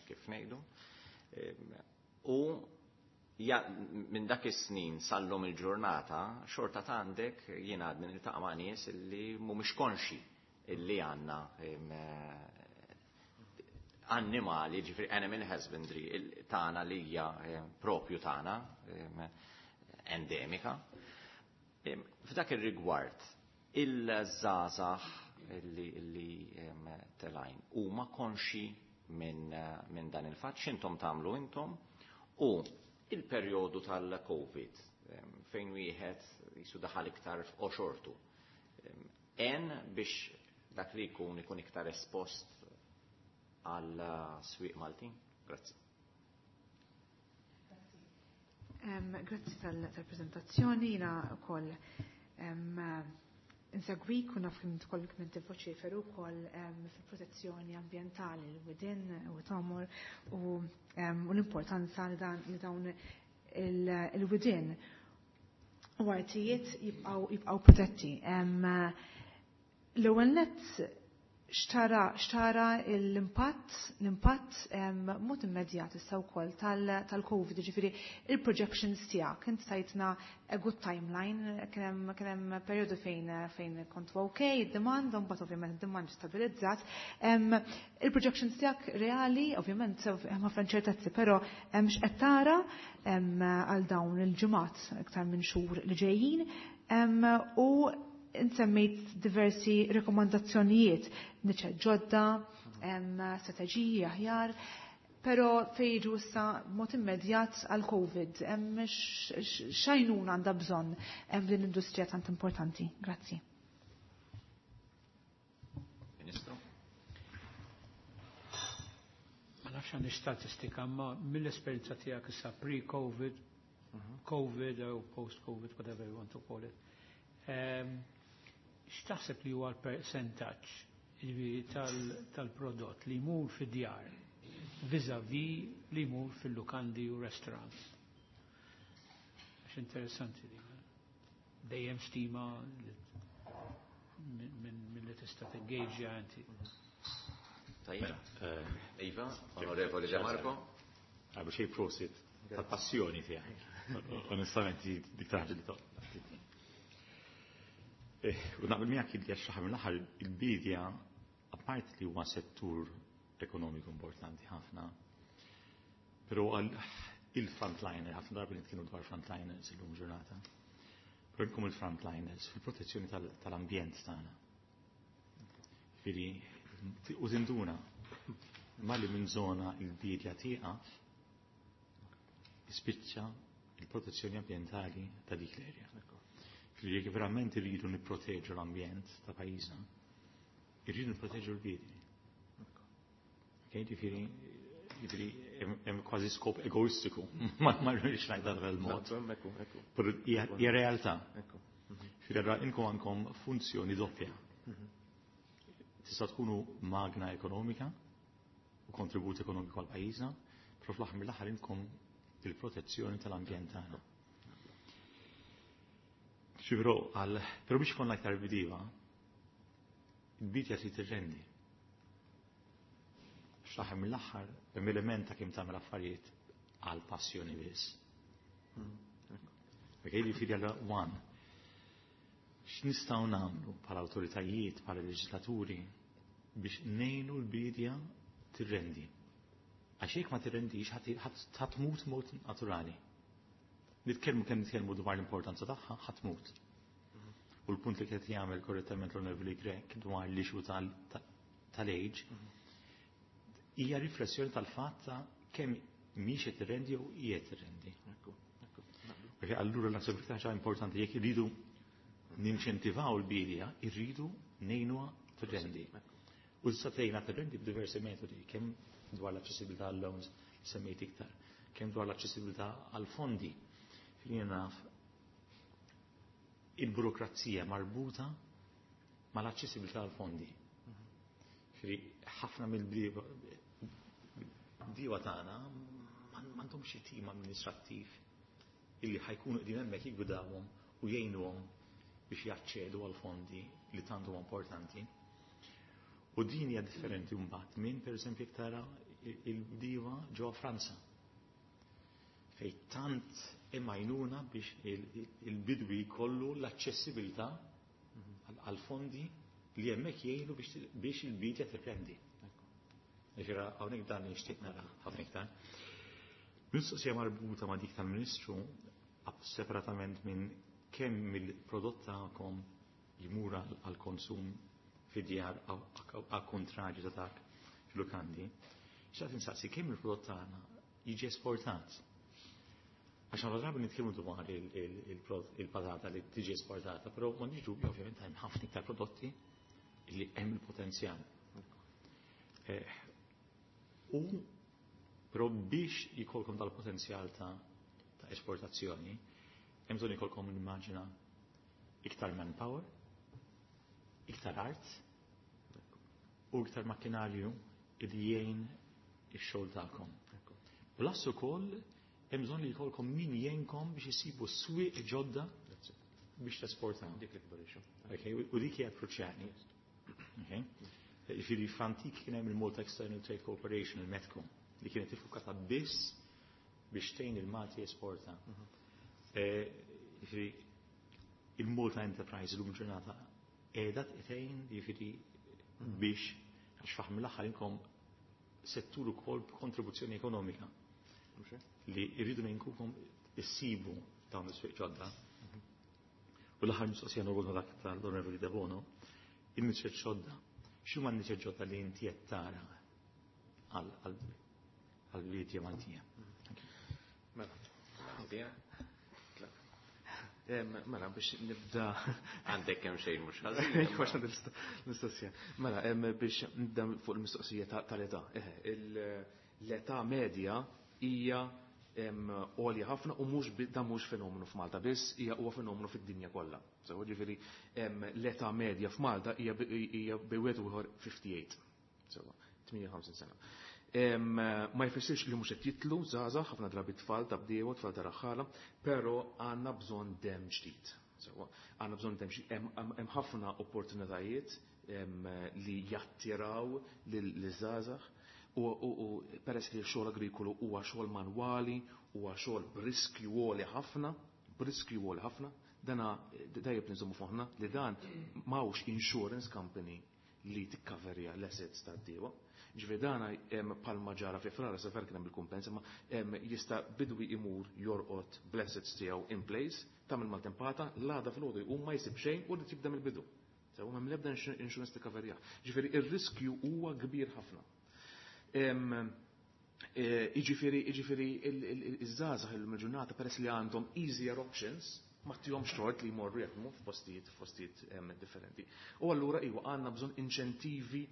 kif ngħidu. U minn dak is-snin sal-lum il-ġurnata, xorta ta' għandek jien għadni niltaqa' ma' nies illi mhumiex konxi illi għandna annimali, ġifieri animal husbandry tagħna li hija propju tagħna, endemika. F'dak ir-rigward, il-żgħażagħ illi telgħin huma konxi minn dan il-fatt, x'intom tagħmlu intom u il-perjodu tal-Covid fejn wieħed jisu daħal iktar f'qoxortu. En biex dak li jkun ikun iktar espost għal swieq Maltin? Grazzi. Grazzi tal-prezentazzjoni, jiena wkoll insegwik u naf kemm tkoll kemm inti voċiferu wkoll fil-protezzjoni ambjentali l-widien u tomor u l-importanza li dawn il-widien u artijiet jibqgħu protetti. L-ewwel nett xtara l-impatt mod immedjat issa wkoll tal-Covid, ġifieri il-projections tiegħek, int tajtna a good timeline, kien hemm perjodu fejn kontu okay, id-demand, mbagħad ovvjament id-demand stabilizzat. Il-projections tiegħek reali, ovvjament hemm ħafna inċertezzi, però x'qed tara għal dawn il-ġimgħat iktar minn xhur li ġejjin u insemmejt diversi rekomandazzjonijiet, niċe ġodda, strateġiji aħjar, pero fejġu issa mod immedjat għal Covid, x'għajnuna għandha bżonn din l-industrija tant importanti. Grazzi. Ministru? Ma nafx għandi statistika, ma mill-esperjenza tiegħek issa pre-Covid, Covid u post-Covid, whatever you want to call it. X'taħseb li huwa l-percentaġġ tal-prodott li jmur fid-djar vis-a-vis li jmur fil-lukandi u restaurants? Għax interessanti di. Dejjem stima minn li tista' tingaġġja inti. Tajjeb. Iva, Onorevoli De Marco. Għabu xej prosit tal-passjoni tiegħek. Onestament, dik taħġa li toqgħod. U naqbel miegħek li għax l mill-aħħar il-bidja apart li huwa settur ekonomiku importanti ħafna, però għal il-frontliner, ħafna darba nitkellmu dwar frontliners illum ġurnata. Però inkom il-frontliners fil-protezzjoni tal-ambjent tagħna. Ġifieri, u tinduna malli minn żona il-bidja tieqaf, ispiċċa il-protezzjoni ambjentali ta' dik l-erja. Ġifieri jekk verament irridu nipproteġu l-ambjent ta' pajjiżna, irridu nipproteġu l-bidja. Okay, ġifieri hemm kważi skop egoistiku, ma rridx ngħid dan il-mod. Però hija realtà. Ġifieri allura inkom għandkom funzjoni doppja. Tista' tkunu magna ekonomika u kontribut ekonomiku għal pajjiżna, però fl-aħħar mill-aħħar inkom il-protezzjoni tal-ambjent tagħna. Ġifieri għal, però biex ikollna aktar bdiewa, il-bidja trid tirrendi. Fl-aħħar mill-aħħar hemm element ta' kemm tagħmel affarijiet għal passjoni biss. Perché jiġifieri għal one. X'nistgħu nagħmlu bħala awtoritajiet, bħala leġislaturi biex ngħinu l-bidja tirrendi. Għax jekk ma tirrendix ħa tmut mod naturali. Nitkellmu kemm nitkellmu dwar l-importanza tagħha, ħa tmut. U l-punt li qed jagħmel korrettament l-Onorevoli Grech dwar l-issue tal-age hija riflessjoni tal-fatt ta' kemm mhix qed tirrendi u qiegħed tirrendi. Perché allura naħseb li ħaġa importanti jekk irridu ninċentivaw l-bidja, irridu ngħinuha tirrendi. U tista' tgħinha tirrendi b'diversi metodi, kemm dwar l-aċċessibilità għal loans semmejt iktar, kemm dwar l-aċċessibilità għal fondi. Jien naf il-burokrazija marbuta mal-aċċessibilità għal fondi. Ġifieri ħafna mill-bdiewa tagħna m'għandhomx xi tim amministrattiv illi ħa jkunu qegħdin hemmhekk jiggwidawhom u jgħinuhom biex jaċċedu għal fondi li tant huma importanti. U din hija differenti mbagħad minn pereżempju jekk tara il-bdiewa ġewwa Franza. Fejn tant hemm għajnuna biex il-bidwi jkollu l-aċċessibilità għal fondi li hemmhekk jgħinu biex il-bidja tirrendi. Ġifieri hawnhekk dan nixtieq nara ħafna iktar. Mistoqsija marbuta ma' dik tal-Ministru separatament minn kemm il-prodott tagħkom jmur għal konsum fid-djar għal kontrarju ta' dak fil-lukandi. Xtaqt insaqsi kemm il-prodott tagħna jiġi esportat. Għax ħafna drabi nitkellmu dwar il-patata li tiġi esportata, però m'għandix dubju ovvjament hemm ħafna iktar prodotti li hemm il-potenzjal. U però biex jkollkom dal-potenzjal ta' esportazzjoni, hemm bżonn jkollkom nimmaġina iktar manpower, iktar art u iktar makkinarju li jgħin ix-xogħol tagħkom. Plus ukoll hemm bżonn li jkollkom min jgħinkom biex isibu swieq ġodda biex tesportaw. Dik l-ikbar issue. Okay, u dik hija kruċjali. Okay? Ġifieri f'antik kien hemm il-Malta External Trade Corporation, il-METCO, li kienet iffukata biss biex tgħin il-Malti jesporta. Ġifieri il-Malta Enterprise illum ġurnata qiegħda tgħin ġifieri biex għax faħ mill-aħħar inkom settur ukoll b'kontribuzzjoni ekonomika li jridu ngħinkukom issibu dawn is-swieq ġodda. U l-aħħar mistoqsija norbot ma' dak tal-Onorevoli Debono, in-niċeċ ġodda. X'huma n-niċeċ ġodda li inti qed tara għall-bidja Maltija? Mela. Mela, biex nibda. Għandek kemm xejn mhux ħażin. Għax mistoqsija. Mela, biex nibda fuq il-mistoqsija tal-età. L-età medja hija għolja ħafna u mhux dan mhux fenomenu f'Malta biss, hija huwa fenomenu fid-dinja kollha. So, ġifieri l-età medja f'Malta hija bejn wieħed u ieħor 58. So, 58 sena. Ma jfissirx li mhux qed jitlu żgħażagħ, ħafna drabi tfal ta' bdiewa, tfal ta' raħħala, però għandna bżonn dem ġdid. Sewwa, għandna bżonn dem ġdid. Hemm ħafna opportunitajiet li jattiraw liż-żgħażagħ u peress li x-xogħol agrikolu huwa xogħol manwali, huwa xogħol b'riskju għoli ħafna, b'riskju għoli ħafna, dana dajjeb nżommu foħna li dan m'hawnx insurance company li tikkaverja l-assets tad-diewa. Ġifieri dana palma ġara fi Frar sa kien hemm il-kumpens, imma jista' bidwi imur jorqod bl-assets tiegħu in place, tagħmel maltempata, l-għada filgħodu jqum ma jsib xejn u jrid jibda mill-bidu. Sew m'hemm l-ebda insurance tikkaverjah. Ġifieri ir-riskju huwa kbir ħafna. Jiġifieri iż-żgħażagħ illum il-ġurnata peress li għandhom easier options ma tihomx tort li jmorru jaħdmu f'postijiet differenti. U allura iwa għandna bżonn inċentivi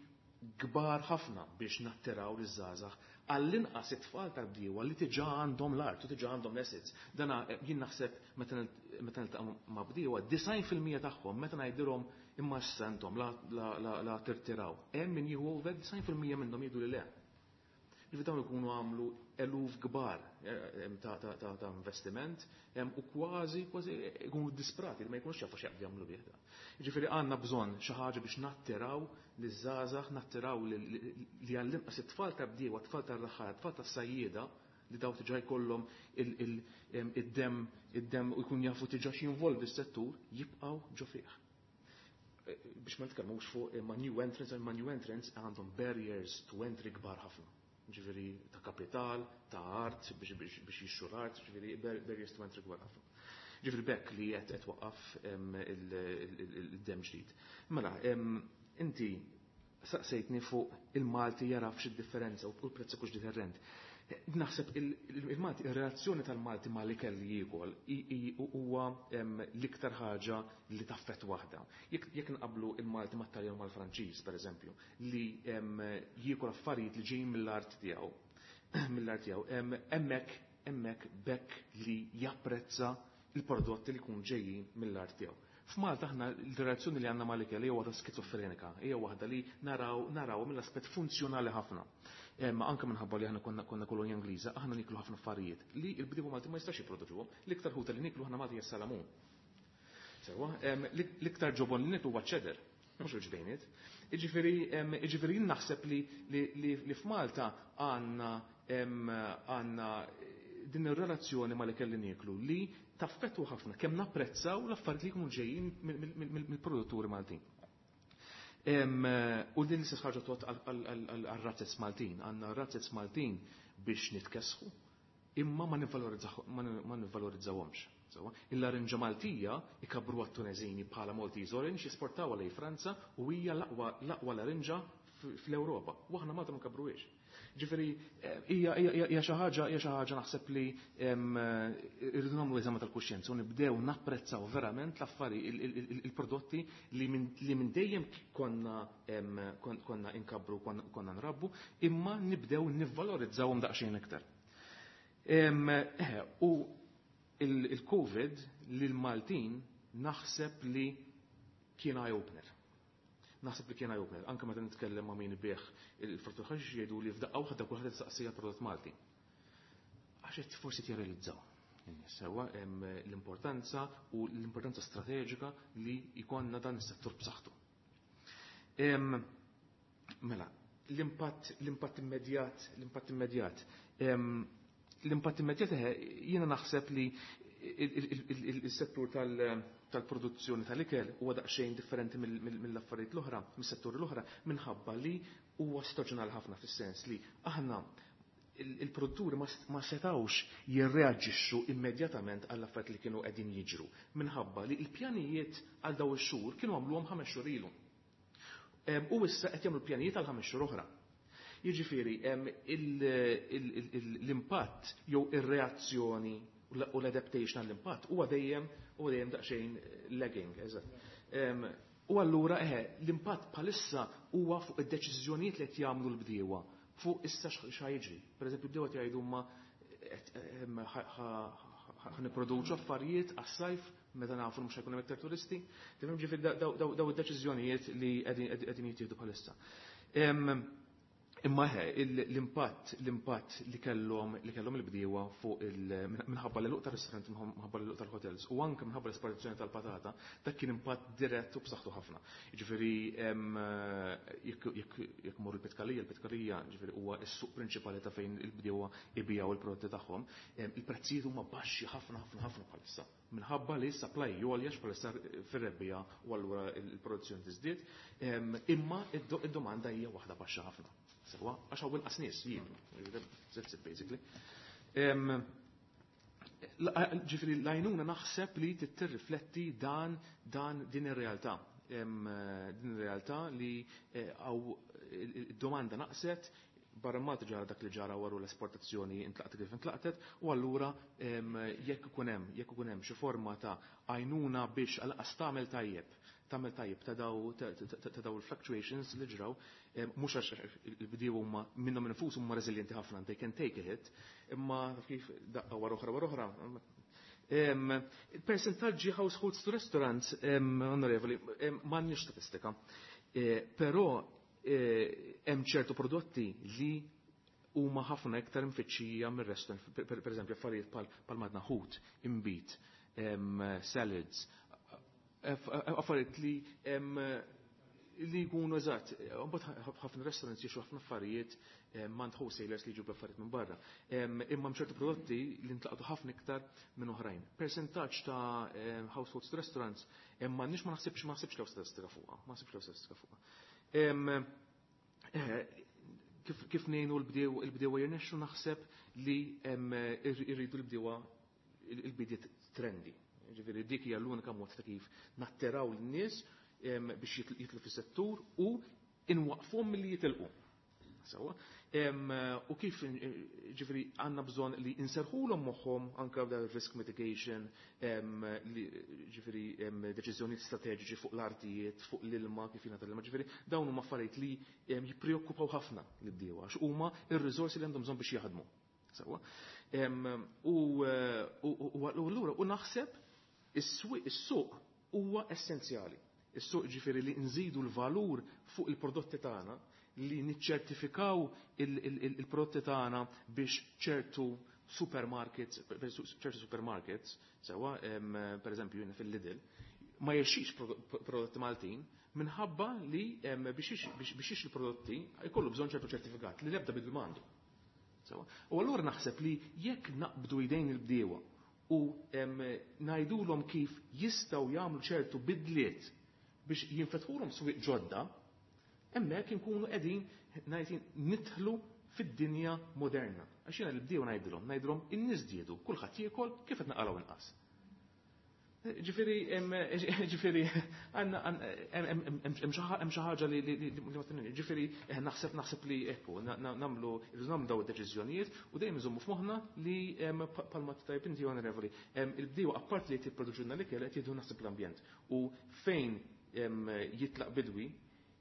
kbar ħafna biex nattiraw liż-żgħażagħ għall-inqas it-tfal tal-bdiewa li diġà għandhom l-art u diġà għandhom l-assets. Dana jien naħseb meta niltaqa' ma' bdiewa, 90% tagħhom meta ngħidilhom imma issa intom la tirtiraw. Hemm min jieħu over 90% minnhom jgħidu li le. Ġifieri dawn ikunu għamlu eluf kbar ta' investiment u kważi kważi ikunu disprati li ma jkunux jafu x'jaqbdu jagħmlu bih da. Ġifieri għandna bżonn xi ħaġa biex nattiraw liż-żgħażagħ, nattiraw li għall-inqas it-tfal ta' bdiewa, tfal tar-raħħala, tfal tas-sajjieda li daw diġà jkollhom id-dem u jkun jafu diġà x'jinvolvi s-settur, jibqgħu ġo fih. Biex ma nitkellmux fuq ma' new entrants, ma' new entrants għandhom barriers to entry kbar ħafna. Ġifieri ta' kapital, ta' art, biex jixtru l-art, ġifieri barriers to entry kbar ħafna. Ġifieri bekk li qed waqqaf il-dem ġdid. Mela, inti saqsejtni fuq il-Malti jaraf x'id-differenza u l-prezz ikux different. Naħseb il-Malti, il-relazzjoni tal-Malti ma' l-ikel li jiekol huwa l-iktar ħaġa li taffet waħda. Jekk nqablu il-Malti mat-Taljan mal-Franċiż, per eżempju, li jiekol affarijiet li ġejjin mill-art tiegħu, mill-art tiegħu, hemmhekk bekk li japprezza il-prodotti li jkunu ġejjin mill-art tiegħu. F'Malta aħna l-relazzjoni li għandna mal-ikel hija waħda skizofrenika, hija waħda li naraw mill-aspett funzjonali ħafna. Ma anke minħabba li aħna konna kolonja Ingliża, aħna niklu ħafna affarijiet li l-bdiewa Malti ma jistax jipproduċuhom. L-iktar ħuta li niklu aħna Malti hija salamun. Sewwa, l-iktar ġobon li niklu huwa cheddar. Mhux żewġ bejniet. Jiġifieri jien naħseb li f'Malta għandna din ir-relazzjoni mal-ikel li nieklu li taffettwa ħafna kemm napprezzaw l-affarijiet li jkunu ġejjin mill-produtturi Maltin. U din l-istess ħaġa tgħodd għal-razzez Maltin. Għandna razzez Maltin biex nitkessħu, imma ma nivvalorizzawhomx. Il-larinġa Maltija ikabru għat-Tunezini bħala Maltese Orange, jesportawha lejn Franza u hija l-aqwa larinġa fl-Ewropa. U aħna Malta ma nkabruhiex. Ġifieri hija xi ħaġa naħseb li irridu nagħmlu eżami tal-kuxjenza u nibdew napprezzaw verament l-affari il-prodotti li minn dejjem konna inkabru, konna nrabbu, imma nibdew nivvalorizzawhom daqsxejn iktar. U il-Covid lil-Maltin naħseb li kien eye-opener. Naħseb li kien eye-opener. Anke meta nitkellem ma' min ibigħ il-frott ħaxix, jgħidu li f'daqqa waħda kulħadd saqsija prodott Malti. Għax qed forsi tirrealizzaw sewwa l-importanza u l-importanza strateġika li jkollna dan is-settur b'saħħtu. Mela, l-impatt immedjat. L-impatt immedjat, jiena naħseb li il-settur tal-produzzjoni tal-ikel huwa daqsxejn differenti mill-affarijiet l-oħra, mis-setturi l-oħra, minħabba li huwa staġjonali ħafna, fis-sens li aħna il-produtturi ma setawx jirreaġixxu immedjatament għall affarijiet li kienu qegħdin jiġru minħabba li l-pjanijiet għal daw ix-xhur kienu għamluhom 5 xhur ilu. U issa qed jagħmlu pjanijiet għal 5 xhur oħra. Jiġifieri l-impatt jew ir-reazzjoni u l-adaptation għall-impatt huwa dejjem daqsxejn lagging, eżatt. U allura l-impatt bħalissa huwa fuq id-deċiżjonijiet li qed jagħmlu l-bdiewa fuq issa x'ħa jiġri. Per eżempju, bdiewa jgħidu ma ħa nipproduċu affarijiet għas-sajf meta nafu mhux ħa jkun hemm iktar turisti. Tifhem, ġifieri daw id-deċiżjonijiet li qegħdin jittieħdu bħalissa. Imma l-impatt li kellhom il-bdiewa fuq minħabba l-għeluq tar-restaurant, minħabba l-għeluq tal-hotels u anke minħabba l-esportazzjoni tal-patata, dak kien impatt dirett u b'saħħtu ħafna. Jiġifieri jekk mur il-Pitkalija, il-Pitkalija ġifieri huwa s-suq prinċipali ta' fejn il-bdiewa ibijaw il-prodotti tagħhom, il-prezzijiet huma baxxi ħafna ħafna ħafna bħalissa minħabba li supply joljax bħalissa fir-rebbiegħa u allura il-produzzjoni tiżdied, imma id-domanda hija waħda baxxa ħafna. Sewwa, għax hawn inqas nies jieklu. That's it, basically. Ġifieri l-għajnuna naħseb li tirrifletti dan dan din ir-realtà. Din ir-realtà li għaw id-domanda naqset barra Malta, ġara dak li ġara waru l-esportazzjoni intlaqtet kif intlaqtet, u allura jekk ikun hemm xi forma ta' għajnuna biex għal tagħmel tajjeb ta' daw il-fluctuations li ġraw, mhux għax il-bdiewa huma minnhom infushom huma reżiljenti ħafna, they can take a hit, imma kif daqqa wara oħra wara oħra. Percentaġġi households to restaurants, onorevoli, m'għandniex statistika. Però hemm ċertu prodotti li huma ħafna iktar mfittxija mir-restaurant, per eżempju affarijiet pal madna ħut, inbid, salads, affarijiet li jkunu, eżatt, mbagħad ħafna restaurants jixtru ħafna affarijiet mingħand wholesalers li jġibu affarijiet minn barra. Imma ċertu prodotti li ntlaqtu ħafna iktar minn oħrajn. Percentaġġ ta' households to restaurants, m'għandniex, ma naħsibx lew statistika fuqha, ma naħsibx lew statistika fuqha. Kif ngħinu l-bdiewa jirnexxu, naħseb li irridu l-bdiewa il-bidiet trendy. Ġifieri dik hija l-unika mod ta' kif nattiraw l-nies biex jitlu fis-settur u inwaqfhom milli jitilqu. Sewwa. U kif ġifieri għandna bżonn li inserħulhom moħħhom anke b'dan risk mitigation, li ġifieri deċiżjonijiet strateġiċi fuq l-artijiet, fuq l-ilma, kif jingħata l-ilma, ġifieri dawn huma affarijiet li jippreokkupaw ħafna l-bdiewa għax huma ir-riżorsi li għandhom bżonn biex jaħdmu. Sewwa. U allura u naħseb is-suq huwa essenzjali. Is-suq, ġifieri li nżidu l-valur fuq il-prodotti tagħna, li niċċertifikaw il-prodotti tagħna biex ċertu supermarkets, sewwa, per eżempju fil-Lidl, ma jixtrix prodotti Maltin. minħabba li biex jixtri prodotti jkollu bżonn ċertu ċertifikat li l-ebda bidwi m'għandu. U allura naħseb li jekk naqbdu idejn il-bdiewa u ngħidulhom kif jistgħu jagħmlu ċertu bidliet biex jinfetħulhom swieq ġodda, hemmhekk inkunu qegħdin ngħid nidħlu fid-dinja moderna. Għax jiena l-bdiewa ngħidilhom, ngħidilhom in-nies żdiedu, kulħadd jiekol kif qed naqalgħu inqas. Ġifieri ġifieri għandna hemm xi ħaġa li ma tinni. Ġifieri naħseb naħseb li ekku nagħmlu irridu nagħmlu daw id-deċiżjonijiet u dejjem iżommu f'moħħna li bħalma tajb inti onorevoli, il-bdiewa apparti li jipproduċulna l-ikel qed jieħdu naħseb l-ambjent. U fejn jitlaq bidwi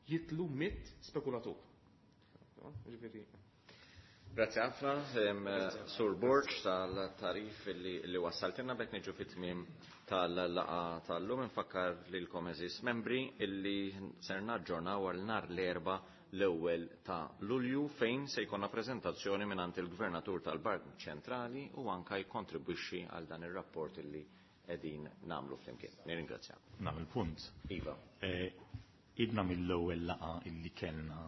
jitlu mit spekulatur. Ġifieri Grazie ħafna, Sur Borg, tal-tarif li wassaltilna bek niġu fit-tmiem tal-laqa tal-lum. Nfakkar lilkom eżis membri illi ser naġġornaw għal nhar l-Erbgħa l-ewwel ta' Lulju fejn se jkollna preżentazzjoni mingħand il-Gvernatur tal-Bank Ċentrali u anka jikkontribwixxi għal dan ir-rapport illi qegħdin nagħmlu flimkien. Nirringrazzjakom. Nagħmel punt. Iva. Idna mill-ewwel laqa illi kellna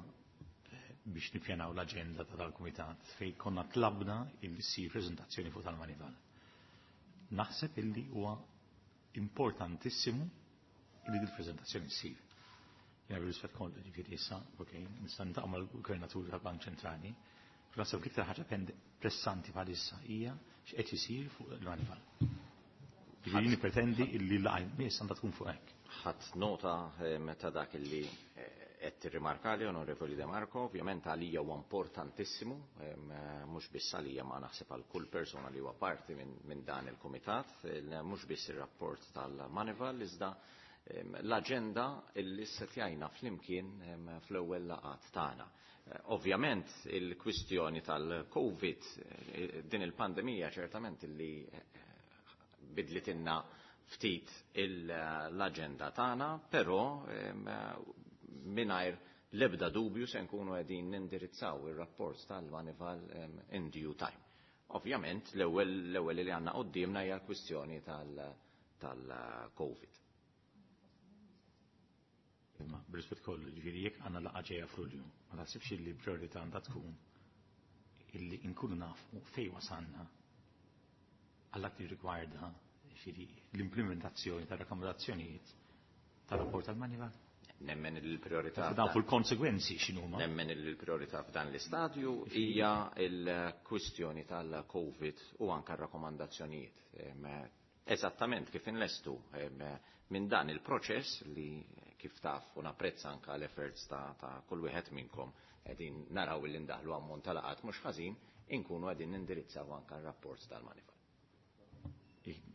biex nippjanaw l-aġenda ta' tal-Kumitat fejn konna tlabna illi ssir preżentazzjoni fuq tal-Manival. Naħseb illi huwa importantissimu illi dil-preżentazzjoni ssir. Jena bil-rispett kollu ġifieri issa, ok, nista' niltaqa' mal-Gvernatur tal-Bank Ċentrali, però naħseb l-iktar ħaġa pressanti bħalissa hija x'qed isir fuq il-Manival. Ġifieri nippretendi illi l-laqgħa jmiss għandha tkun fuq hekk. Ħadd nota ta' dak illi qed tirrimarkali, Onorevoli De Marco, ovvjament għalija huwa importantissimu, mhux biss għalija ma naħseb għal kull persuna li huwa parti minn dan il-kumitat, mhux biss ir-rapport tal-Manival, iżda l-aġenda illi setjajna flimkien fl-ewwel laqgħat tagħna. Ovvjament il-kwistjoni tal-Covid, din il-pandemija ċertament illi bidlitilna ftit l-aġenda tagħna, però mingħajr l-ebda dubju se nkunu qegħdin nindirizzaw ir-rapport tal-Manival in due time. Ovvjament l-ewwel li għandna quddiemna hija l-kwistjoni tal-Covid. Imma b'rispett kollu, ġifieri jekk għandna laqgħa ġejja f'Lulju, ma taħsibx li priorità għandha tkun illi nkunu nafu fejn wasalna għal dak li rigwarda ġifieri l-implementazzjoni tar-rakkomandazzjonijiet tar-rapport tal-Manival? Nemmen il-priorità. Dan fuq il-konsegwenzi x'inhuma. Nemmen il-priorità f'dan l-istadju hija l-kwistjoni tal-Covid u anke r-rakkomandazzjonijiet. Eżattament kif inlestu minn dan il-proċess li kif taf u napprezza anke l-efforts ta' kull wieħed minnkom qegħdin naraw li ndaħlu ammont ta' laqat mhux ħażin, inkunu qegħdin nindirizzaw anke r-rapport tal-Manival.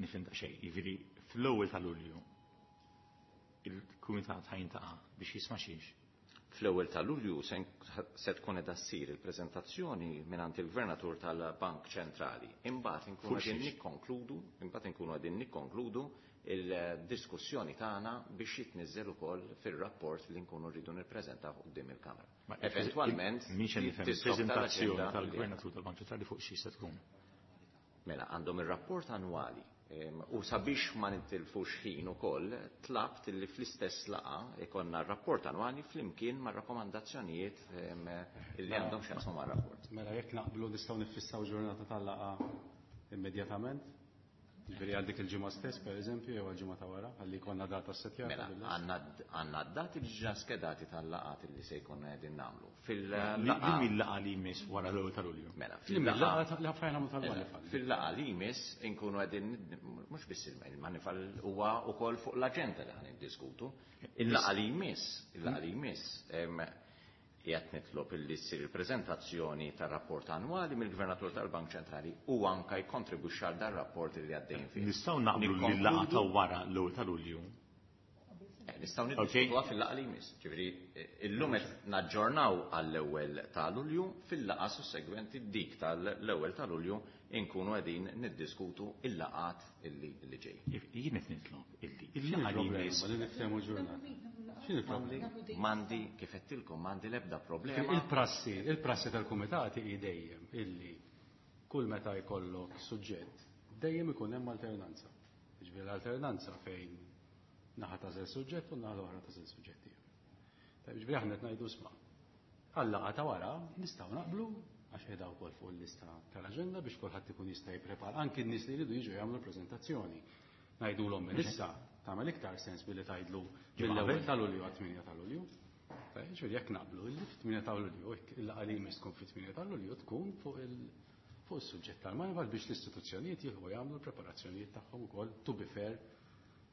Nifhem xejn, jiġifieri fl-ewwel ta' Lulju il-Kumitat ħajntaqa' biex jisma' xiex. Fl-ewwel ta' Lulju se tkun qiegħda ssir il-preżentazzjoni mingħand il-Gvernatur tal-Bank Ċentrali. Imbagħad inkunu qegħdin nikkonkludu, imbagħad inkunu qegħdin nikkonkludu il-diskussjoni tagħna biex jitniżżel ukoll fir-rapport li nkunu rridu nippreżentaw quddiem il-Kamra. Eventwalment Mhix qed nifhem il-preżentazzjoni tal-Gvernatur tal-Bank Ċentrali fuq xi se tkun. Mela għandhom ir-rapport annwali u sabiex ma nitilfux ħin ukoll tlabt li fl-istess laqa ikonna r-rapport annwali flimkien ma' rakkomandazzjonijiet illi għandhom x'jaqsmu mar-rapport. Mela jekk naqblu nistgħu niffissaw ġurnata tal-laqa immedjatament? Ġifieri għal dik il-ġimgħa stess pereżempju jew għall-ġimgħa ta' wara ħalli jkollna data ssettjata. Mela għandna d-dati diġà skedati tal-laqgħat illi se jkollna qegħdin nagħmlu. Fil-laqgħa laqgħa li jmiss wara l-ewwel ta' Lulju. Mela, fil-laqgħa li ħafna nagħmlu tal-Manifal. Fil-laqgħa li jmiss inkunu qegħdin mhux biss il-Manifal huwa wkoll fuq l-aġenda li ħan niddiskutu. Il-laqgħa li jmiss, il-laqgħa li jmiss qiegħed nitlob illi ssir il-preżentazzjoni tar-rapport annwali mill-Gvernatur tal-Bank Ċentrali u anke jkontribwixxi għal dan rapport li għaddejjin fih. Nistgħu naqblu li l-laqgħa ta' wara l-ewwel ta' Lulju. Nistgħu niddiskutuha fil-laqgħa li jmiss. Ġifieri illum qed naġġornaw għall-ewwel ta' Lulju, fil-laqgħa sussegwenti dik tal-ewwel ta' Lulju inkunu qegħdin niddiskutu il-laqgħat illi ġej. Jien qed nitlob illi il-laqgħa li jmiss. Li niftehmu ġurnata. X'inhi l-problema? M'għandi kif għedtilkom m'għandi l-ebda problema. Il-prassi, il-prassi tal-kumitati hi dejjem illi kull meta jkollok suġġett dejjem ikun hemm alternanza. Jiġifieri l-alternanza fejn naħa tażel suġġett u naħa l-oħra tażel suġġett ieħor. Tajjeb, ġifieri aħna qed ngħidu isma' għal-laqgħa ta' wara nistgħu naqblu għax qiegħda wkoll fuq il-lista tal-aġenda biex kulħadd ikun jista' jipprepara anki n-nies li jridu jiġu jagħmlu l-preżentazzjoni. Ngħidulhom minn issa tagħmel iktar sens billi tgħidlu mill-ewwel ta' Lulju għat-8 ta' Lulju. Ġifieri jekk naqblu illi fit-8 ta' Lulju, il-laqgħa li jmiss tkun fit-8 ta' Lulju tkun fuq il fuq is-suġġett tal-Moneyval biex l-istituzzjonijiet jieħu jagħmlu l-preparazzjonijiet tagħhom ukoll to be fair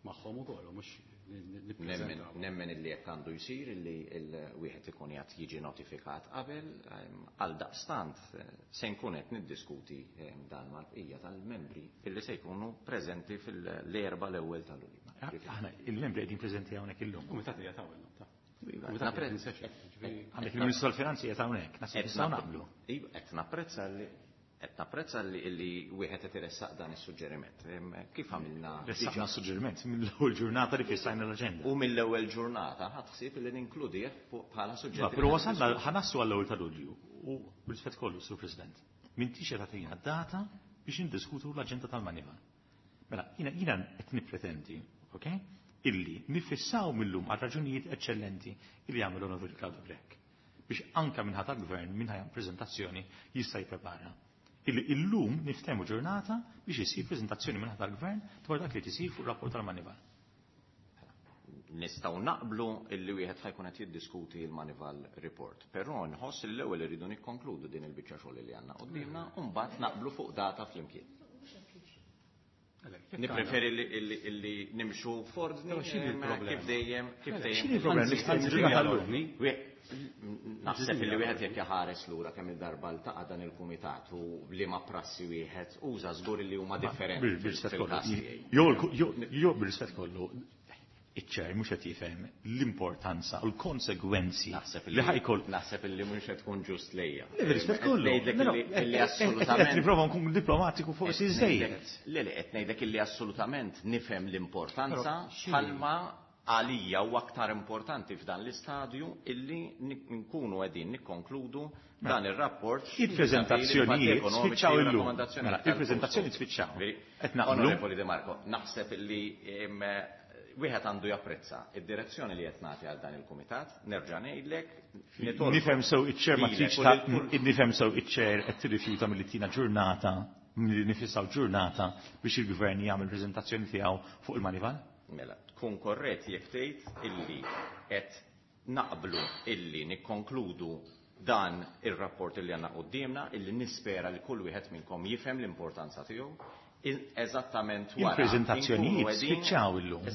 magħhom ukoll u mhux nippreżentaw. Nemmen illi hekk għandu jsir illi wieħed ikun qiegħed jiġi notifikat qabel, għaldaqstant se nkun qed niddiskuti dan mal-bqija tal-membri illi se jkunu preżenti fil-Erbgħa l-ewwel ta' Lulju. Aħna il-membri qegħdin preżenti hawnhekk illum. Kumitat qiegħed hawn illum, ta. Għandek il-Ministru tal-Finanzi qiegħed hawnhekk, naħseb nistgħu naqblu. Iva, qed napprezza li qed napprezza li wieħed qed iressaq dan is-suġġeriment. Kif għamilna? Ressaqna suġġeriment mill-ewwel ġurnata li fissajna l-aġenda. U mill-ewwel ġurnata ħadd ħsieb li ninkludih bħala suġġett. Però wasalna ħanassu għall-ewwel ta' Lulju u bil-rispett kollu, Sur President, m'intix qed tagħtina data biex indiskutu l-aġenda tal-Manival. Mela, jiena qed nippretendi, ok, illi nifissaw millum għal raġunijiet eċċellenti illi jagħmel l-Onorevoli Claudio Grech biex anka minn ħadd gvern minn ħajam preżentazzjoni jista' jipprepara. Illi illum niftehmu ġurnata biex isir preżentazzjoni minn ħadd gvern dwar dak li tisir fuq rapport tal-Manival. Nistgħu naqblu illi wieħed ħajkun qed jiddiskuti l-Manival report, però nħoss li l-ewwel irridu nikkonkludu din il-biċċa xogħol li għandna quddiemna u mbagħad naqblu fuq data flimkien. Nippreferi li nimxu f'ordni kif dejjem kif dejjem. X'inhi l-problema? Naħseb li wieħed jekk jaħares lura kemm il-darba ltaqa' dan il-kumitat u liema prassi wieħed uża żgur li huma differenti. Jew bir-rispett kollu, iċ-ċer mhux qed jifhem l-importanza u l-konsegwenzi li ħajkol. Naħseb li mhux qed tkun ġust lejja. Rispett kollu. Illi assolutament. Qed nipprova nkun diplomatiku forsi żejjed. Le le qed ngħidlek illi assolutament nifhem l-importanza bħalma għalija u aktar importanti f'dan l-istadju illi nkunu qegħdin nikkonkludu dan ir-rapport. Il-preżentazzjonijiet spiċċaw illum. Mela, il-preżentazzjoni spiċċaw. Qed naqblu. Onorevoli De Marco, naħseb illi wieħed għandu japprezza id-direzzjoni li qed nagħti għal dan il-kumitat, nerġa' ngħidlek. Nifhem sew iċ-ċer ma tridx nifhem sew iċ-ċer qed tirrifjuta milli tina ġurnata milli nifissaw ġurnata biex il-gvern jagħmel preżentazzjoni tiegħu fuq il-Manival? Mela, tkun korrett jekk tgħid illi qed naqblu illi nikkonkludu dan ir-rapport illi għandna quddiemna, illi nispera li kull wieħed minnkom jifhem l-importanza tiegħu. Eżattament wara. Il-preżentazzjonijiet spiċċaw illum.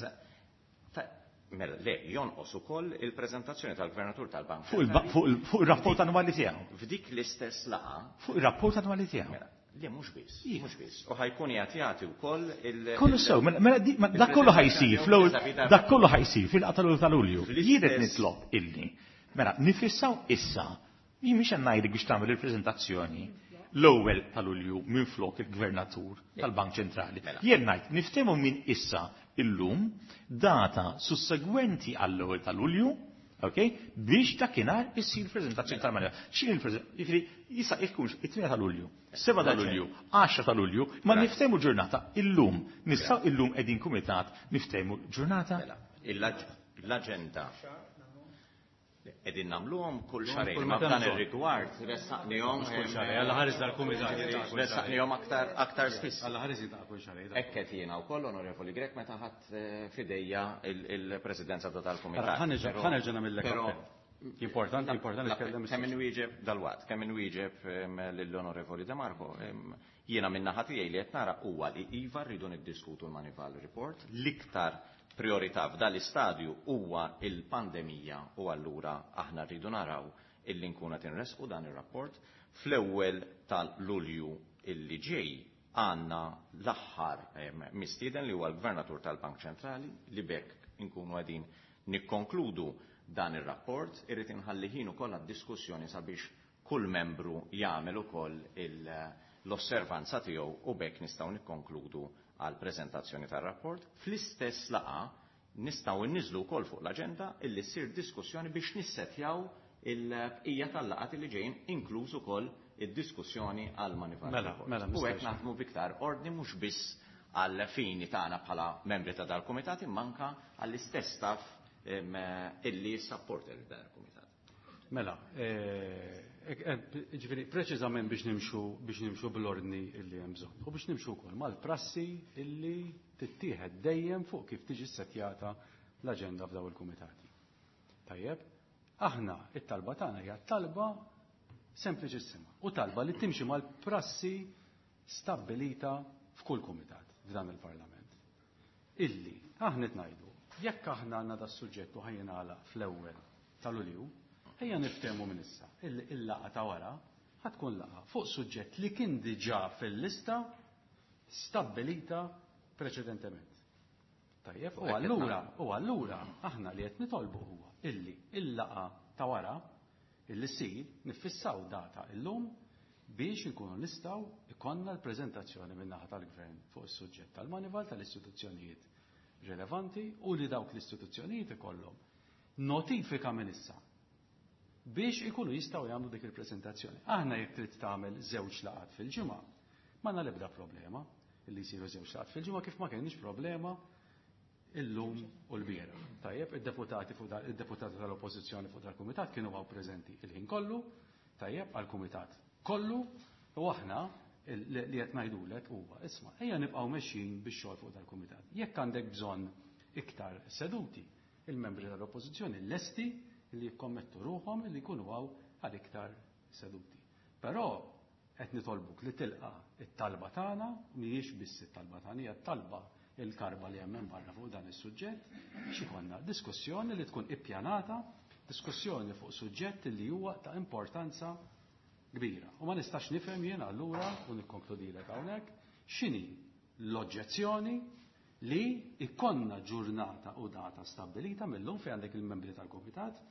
Mela, le, jonqos ukoll il-preżentazzjoni tal-Gvernatur tal-Bank. Fuq ir-rapport annwali tiegħu. F'dik l-istess laqgħa. Fuq ir-rapport annwali tiegħu. Mela, le mhux biss, mhux biss. U ħajkun qiegħed jagħti wkoll il- Kollu sew, mela dak kollu ħajsir fl-ewwel dak kollu ħajsir fil-qata ta' Lulju. Jien qed nitlob illi. Mela, nifissaw issa. Jien mhix qed ngħidlek biex tagħmel il-preżentazzjoni l-ewwel ta' Lulju minflok il-Gvernatur tal-Bank Ċentrali. Jien ngħid niftehmu minn issa illum data sussegwenti għall-ewwel ta' Lulju, ok, biex dakinhar issir preżentazzjoni tal-Manila. X'inhi l-preżentazzjoni? Jiġifieri issa jkunx it-8 ta' Lulju, 7 ta' Lulju, 10 ta' Lulju, ma niftehmu ġurnata illum. Nistgħu illum qegħdin kumitat niftehmu ġurnata. L-aġenda qegħdin nagħmluhom kull xahrejn. Ma f'dan ir-rigward ressaqnihom kull xahrejn, Alla ħares dal-kumitat. Ressaqnihom aktar aktar spiss. Alla ħares jiltaqa' kull xahrejn. Hekk qed jiena wkoll Onorevoli Grech meta ħadd f'idejja il-presidenza ta' tal-kumitat. Ħa nerġa' nagħmillek appell. Importanti, importanti nitkellem. Kemm inwieġeb dalwaqt, kemm inwieġeb lill-Onorevoli De Marco, jiena min-naħa tiegħi li qed nara huwa li iva rridu niddiskutu l-Manival Report, l-iktar priorità f'dan l-istadju huwa il-pandemija u allura aħna rridu naraw illi nkunu qed inresqu dan ir-rapport. Fl-ewwel tal-Lulju illi ġej għandna l-aħħar mistieden li huwa l-Gvernatur tal-Bank Ċentrali li bekk inkunu qegħdin nikkonkludu dan ir-rapport. Irrid inħalli ħin ukoll għad-diskussjoni sabiex kull membru jagħmel ukoll l-osservanza tiegħu u bekk nistgħu nikkonkludu għal preżentazzjoni tar-rapport. Fl-istess laqgħa nistgħu nniżlu wkoll fuq l-aġenda illi ssir diskussjoni biex nissetjaw il-bqija tal-laqgħat li ġejjin, inkluż ukoll id-diskussjoni għal Manival Report. U hekk naħdmu b'iktar ordni mhux biss għal fini tagħna bħala membri ta' dal-kumitat imma anke għall-istess staff illi jissapporta lil dan il-kumitat. Mela, ġifieri preċiżament biex nimxu bl-ordni illi hemm bżonn. U biex nimxu wkoll mal-prassi illi tittieħed dejjem fuq kif tiġi ssettjata l-aġenda f'daw il-kumitati. Tajjeb, aħna it-talba tagħna hija talba sempliċissima u talba li timxi mal-prassi stabbilita f'kull kumitat f'dan il-Parlament. Illi aħna qed ngħidu, jekk aħna għandna da suġġett u ħa jingħalaq fl-ewwel ta' Lulju, ejja niftehmu minn issa illi il-laqgħa ta' wara ħa tkun laqgħa fuq suġġett li kien diġà fil-lista stabbilita preċedentement. Tajjeb, u allura aħna li qed nitolbu huwa illi il-laqgħa ta' wara illi ssir niffissaw data illum biex inkunu nistgħu ikollna l-preżentazzjoni min-naħa tal-Gvern fuq is-suġġett tal-Moneyval tal-istituzzjonijiet rilevanti u li dawk l-istituzzjonijiet ikollhom notifika minn issa biex ikunu jistgħu jagħmlu dik il-preżentazzjoni. Aħna jekk trid tagħmel żewġ laqgħat fil-ġimgħa, m'għandna l-ebda problema illi jsiru żewġ laqgħat fil-ġimgħa, kif ma kienx problema illum u l-bieraħ. Tajjeb, id-deputati tal-Oppożizzjoni fuq dal-kumitat kienu hawn preżenti il-ħin kollu, tajjeb, għal-kumitat kollu, u aħna li qed ngħidulek huwa, isma', ejja nibqgħu mexjin bix-xogħol fuq dal-kumitat. Jekk għandek bżonn iktar seduti, il-membri tal-Oppożizzjoni lesti li jikkommettu ruħhom li jkunu hawn għal iktar seduti. Però qed nitolbuk li tilqa' it-talba tagħna, mhijiex biss it-talba tagħna, hija talba il-karba li hemm barra fuq dan is-suġġett, biex ikollna diskussjoni li tkun ippjanata, diskussjoni fuq suġġett li huwa ta' importanza kbira. U ma nistax nifhem jien allura, u nikkonkludilek hawnhekk, x'inhi l-oġġezzjoni li ikollna ġurnata u data stabbilita mill-lum fejn għandek il-membri tal-komitat,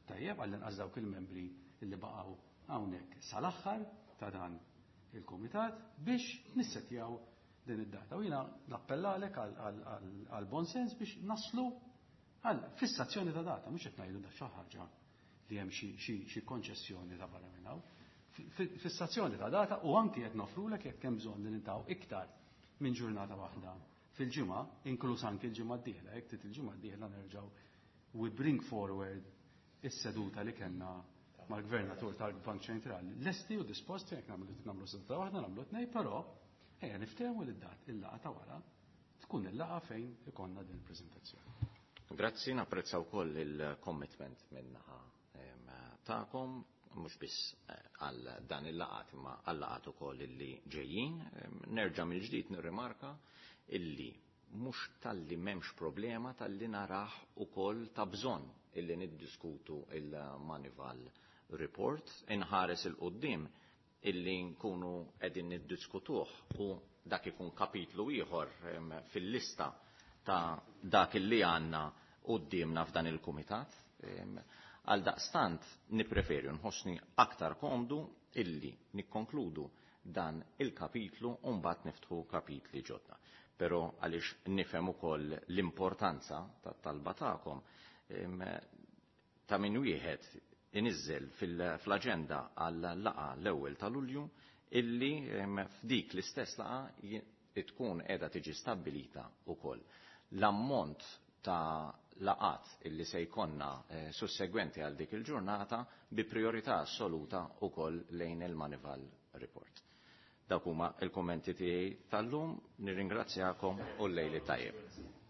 tajjeb, għall-inqas dawk il-membri li baqgħu hawnhekk sal-aħħar ta' dan il-komitat biex nissetjaw din id-data. U jiena nappellalek għal bon sens biex naslu għal fissazzjoni ta' data, mhux qed ngħidu da xi ħaġa li hemm xi konċessjoni ta' barra minn hawn. Fissazzjoni ta' data u anki qed nofrulek jekk hemm bżonn li nintaw iktar minn ġurnata waħda fil-ġimgħa, inkluż anki l-ġimgħa d-dieħla, jekk trid il-ġimgħa d-dieħla nerġgħu we bring forward is-seduta li kellna mal-gvernatur tal-Bank Ċentrali. Lesti u disposti jekk nagħmlu seduta waħda, nagħmlu tnej, però ejja niftehmu li dat il-laqgħa ta' wara tkun il-laqgħa fejn ikollna din il-preżentazzjoni. Grazzi, napprezza wkoll il-commitment min-naħa tagħkom, mhux biss għal dan il-laqgħat imma għal laqgħat ukoll illi ġejjin. Nerġa' mill-ġdid nirrimarka illi mhux talli m'hemmx problema, talli narah ukoll ta' bżonn illi niddiskutu il-Moneyval report, inħares il-qoddim illi nkunu qegħdin niddiskutuh u dak ikun kapitlu ieħor fil-lista ta' dak illi għandna qudiemna f'dan il-kumitat. Għal daqstant nipreferi nħossni aktar komdu illi nikkonkludu dan il-kapitlu u mbagħad niftħu kapitli ġodda. Però għaliex nifhem ukoll l-importanza tat-talba tagħkom, ta' min wieħed iniżżel fl-aġenda għal laqgħa l-ewwel ta' Lulju illi f'dik l-istess laqgħa tkun qiegħda tiġi stabbilita wkoll l-ammont ta' laqgħat illi se jkollna sussegwenti għal dik il-ġurnata, bi priorità assoluta wkoll lejn il-Moneyval Report. Dawk huma il-kommenti tiegħi tal-lum, nirringrazzjakom u lejl it-tajjeb.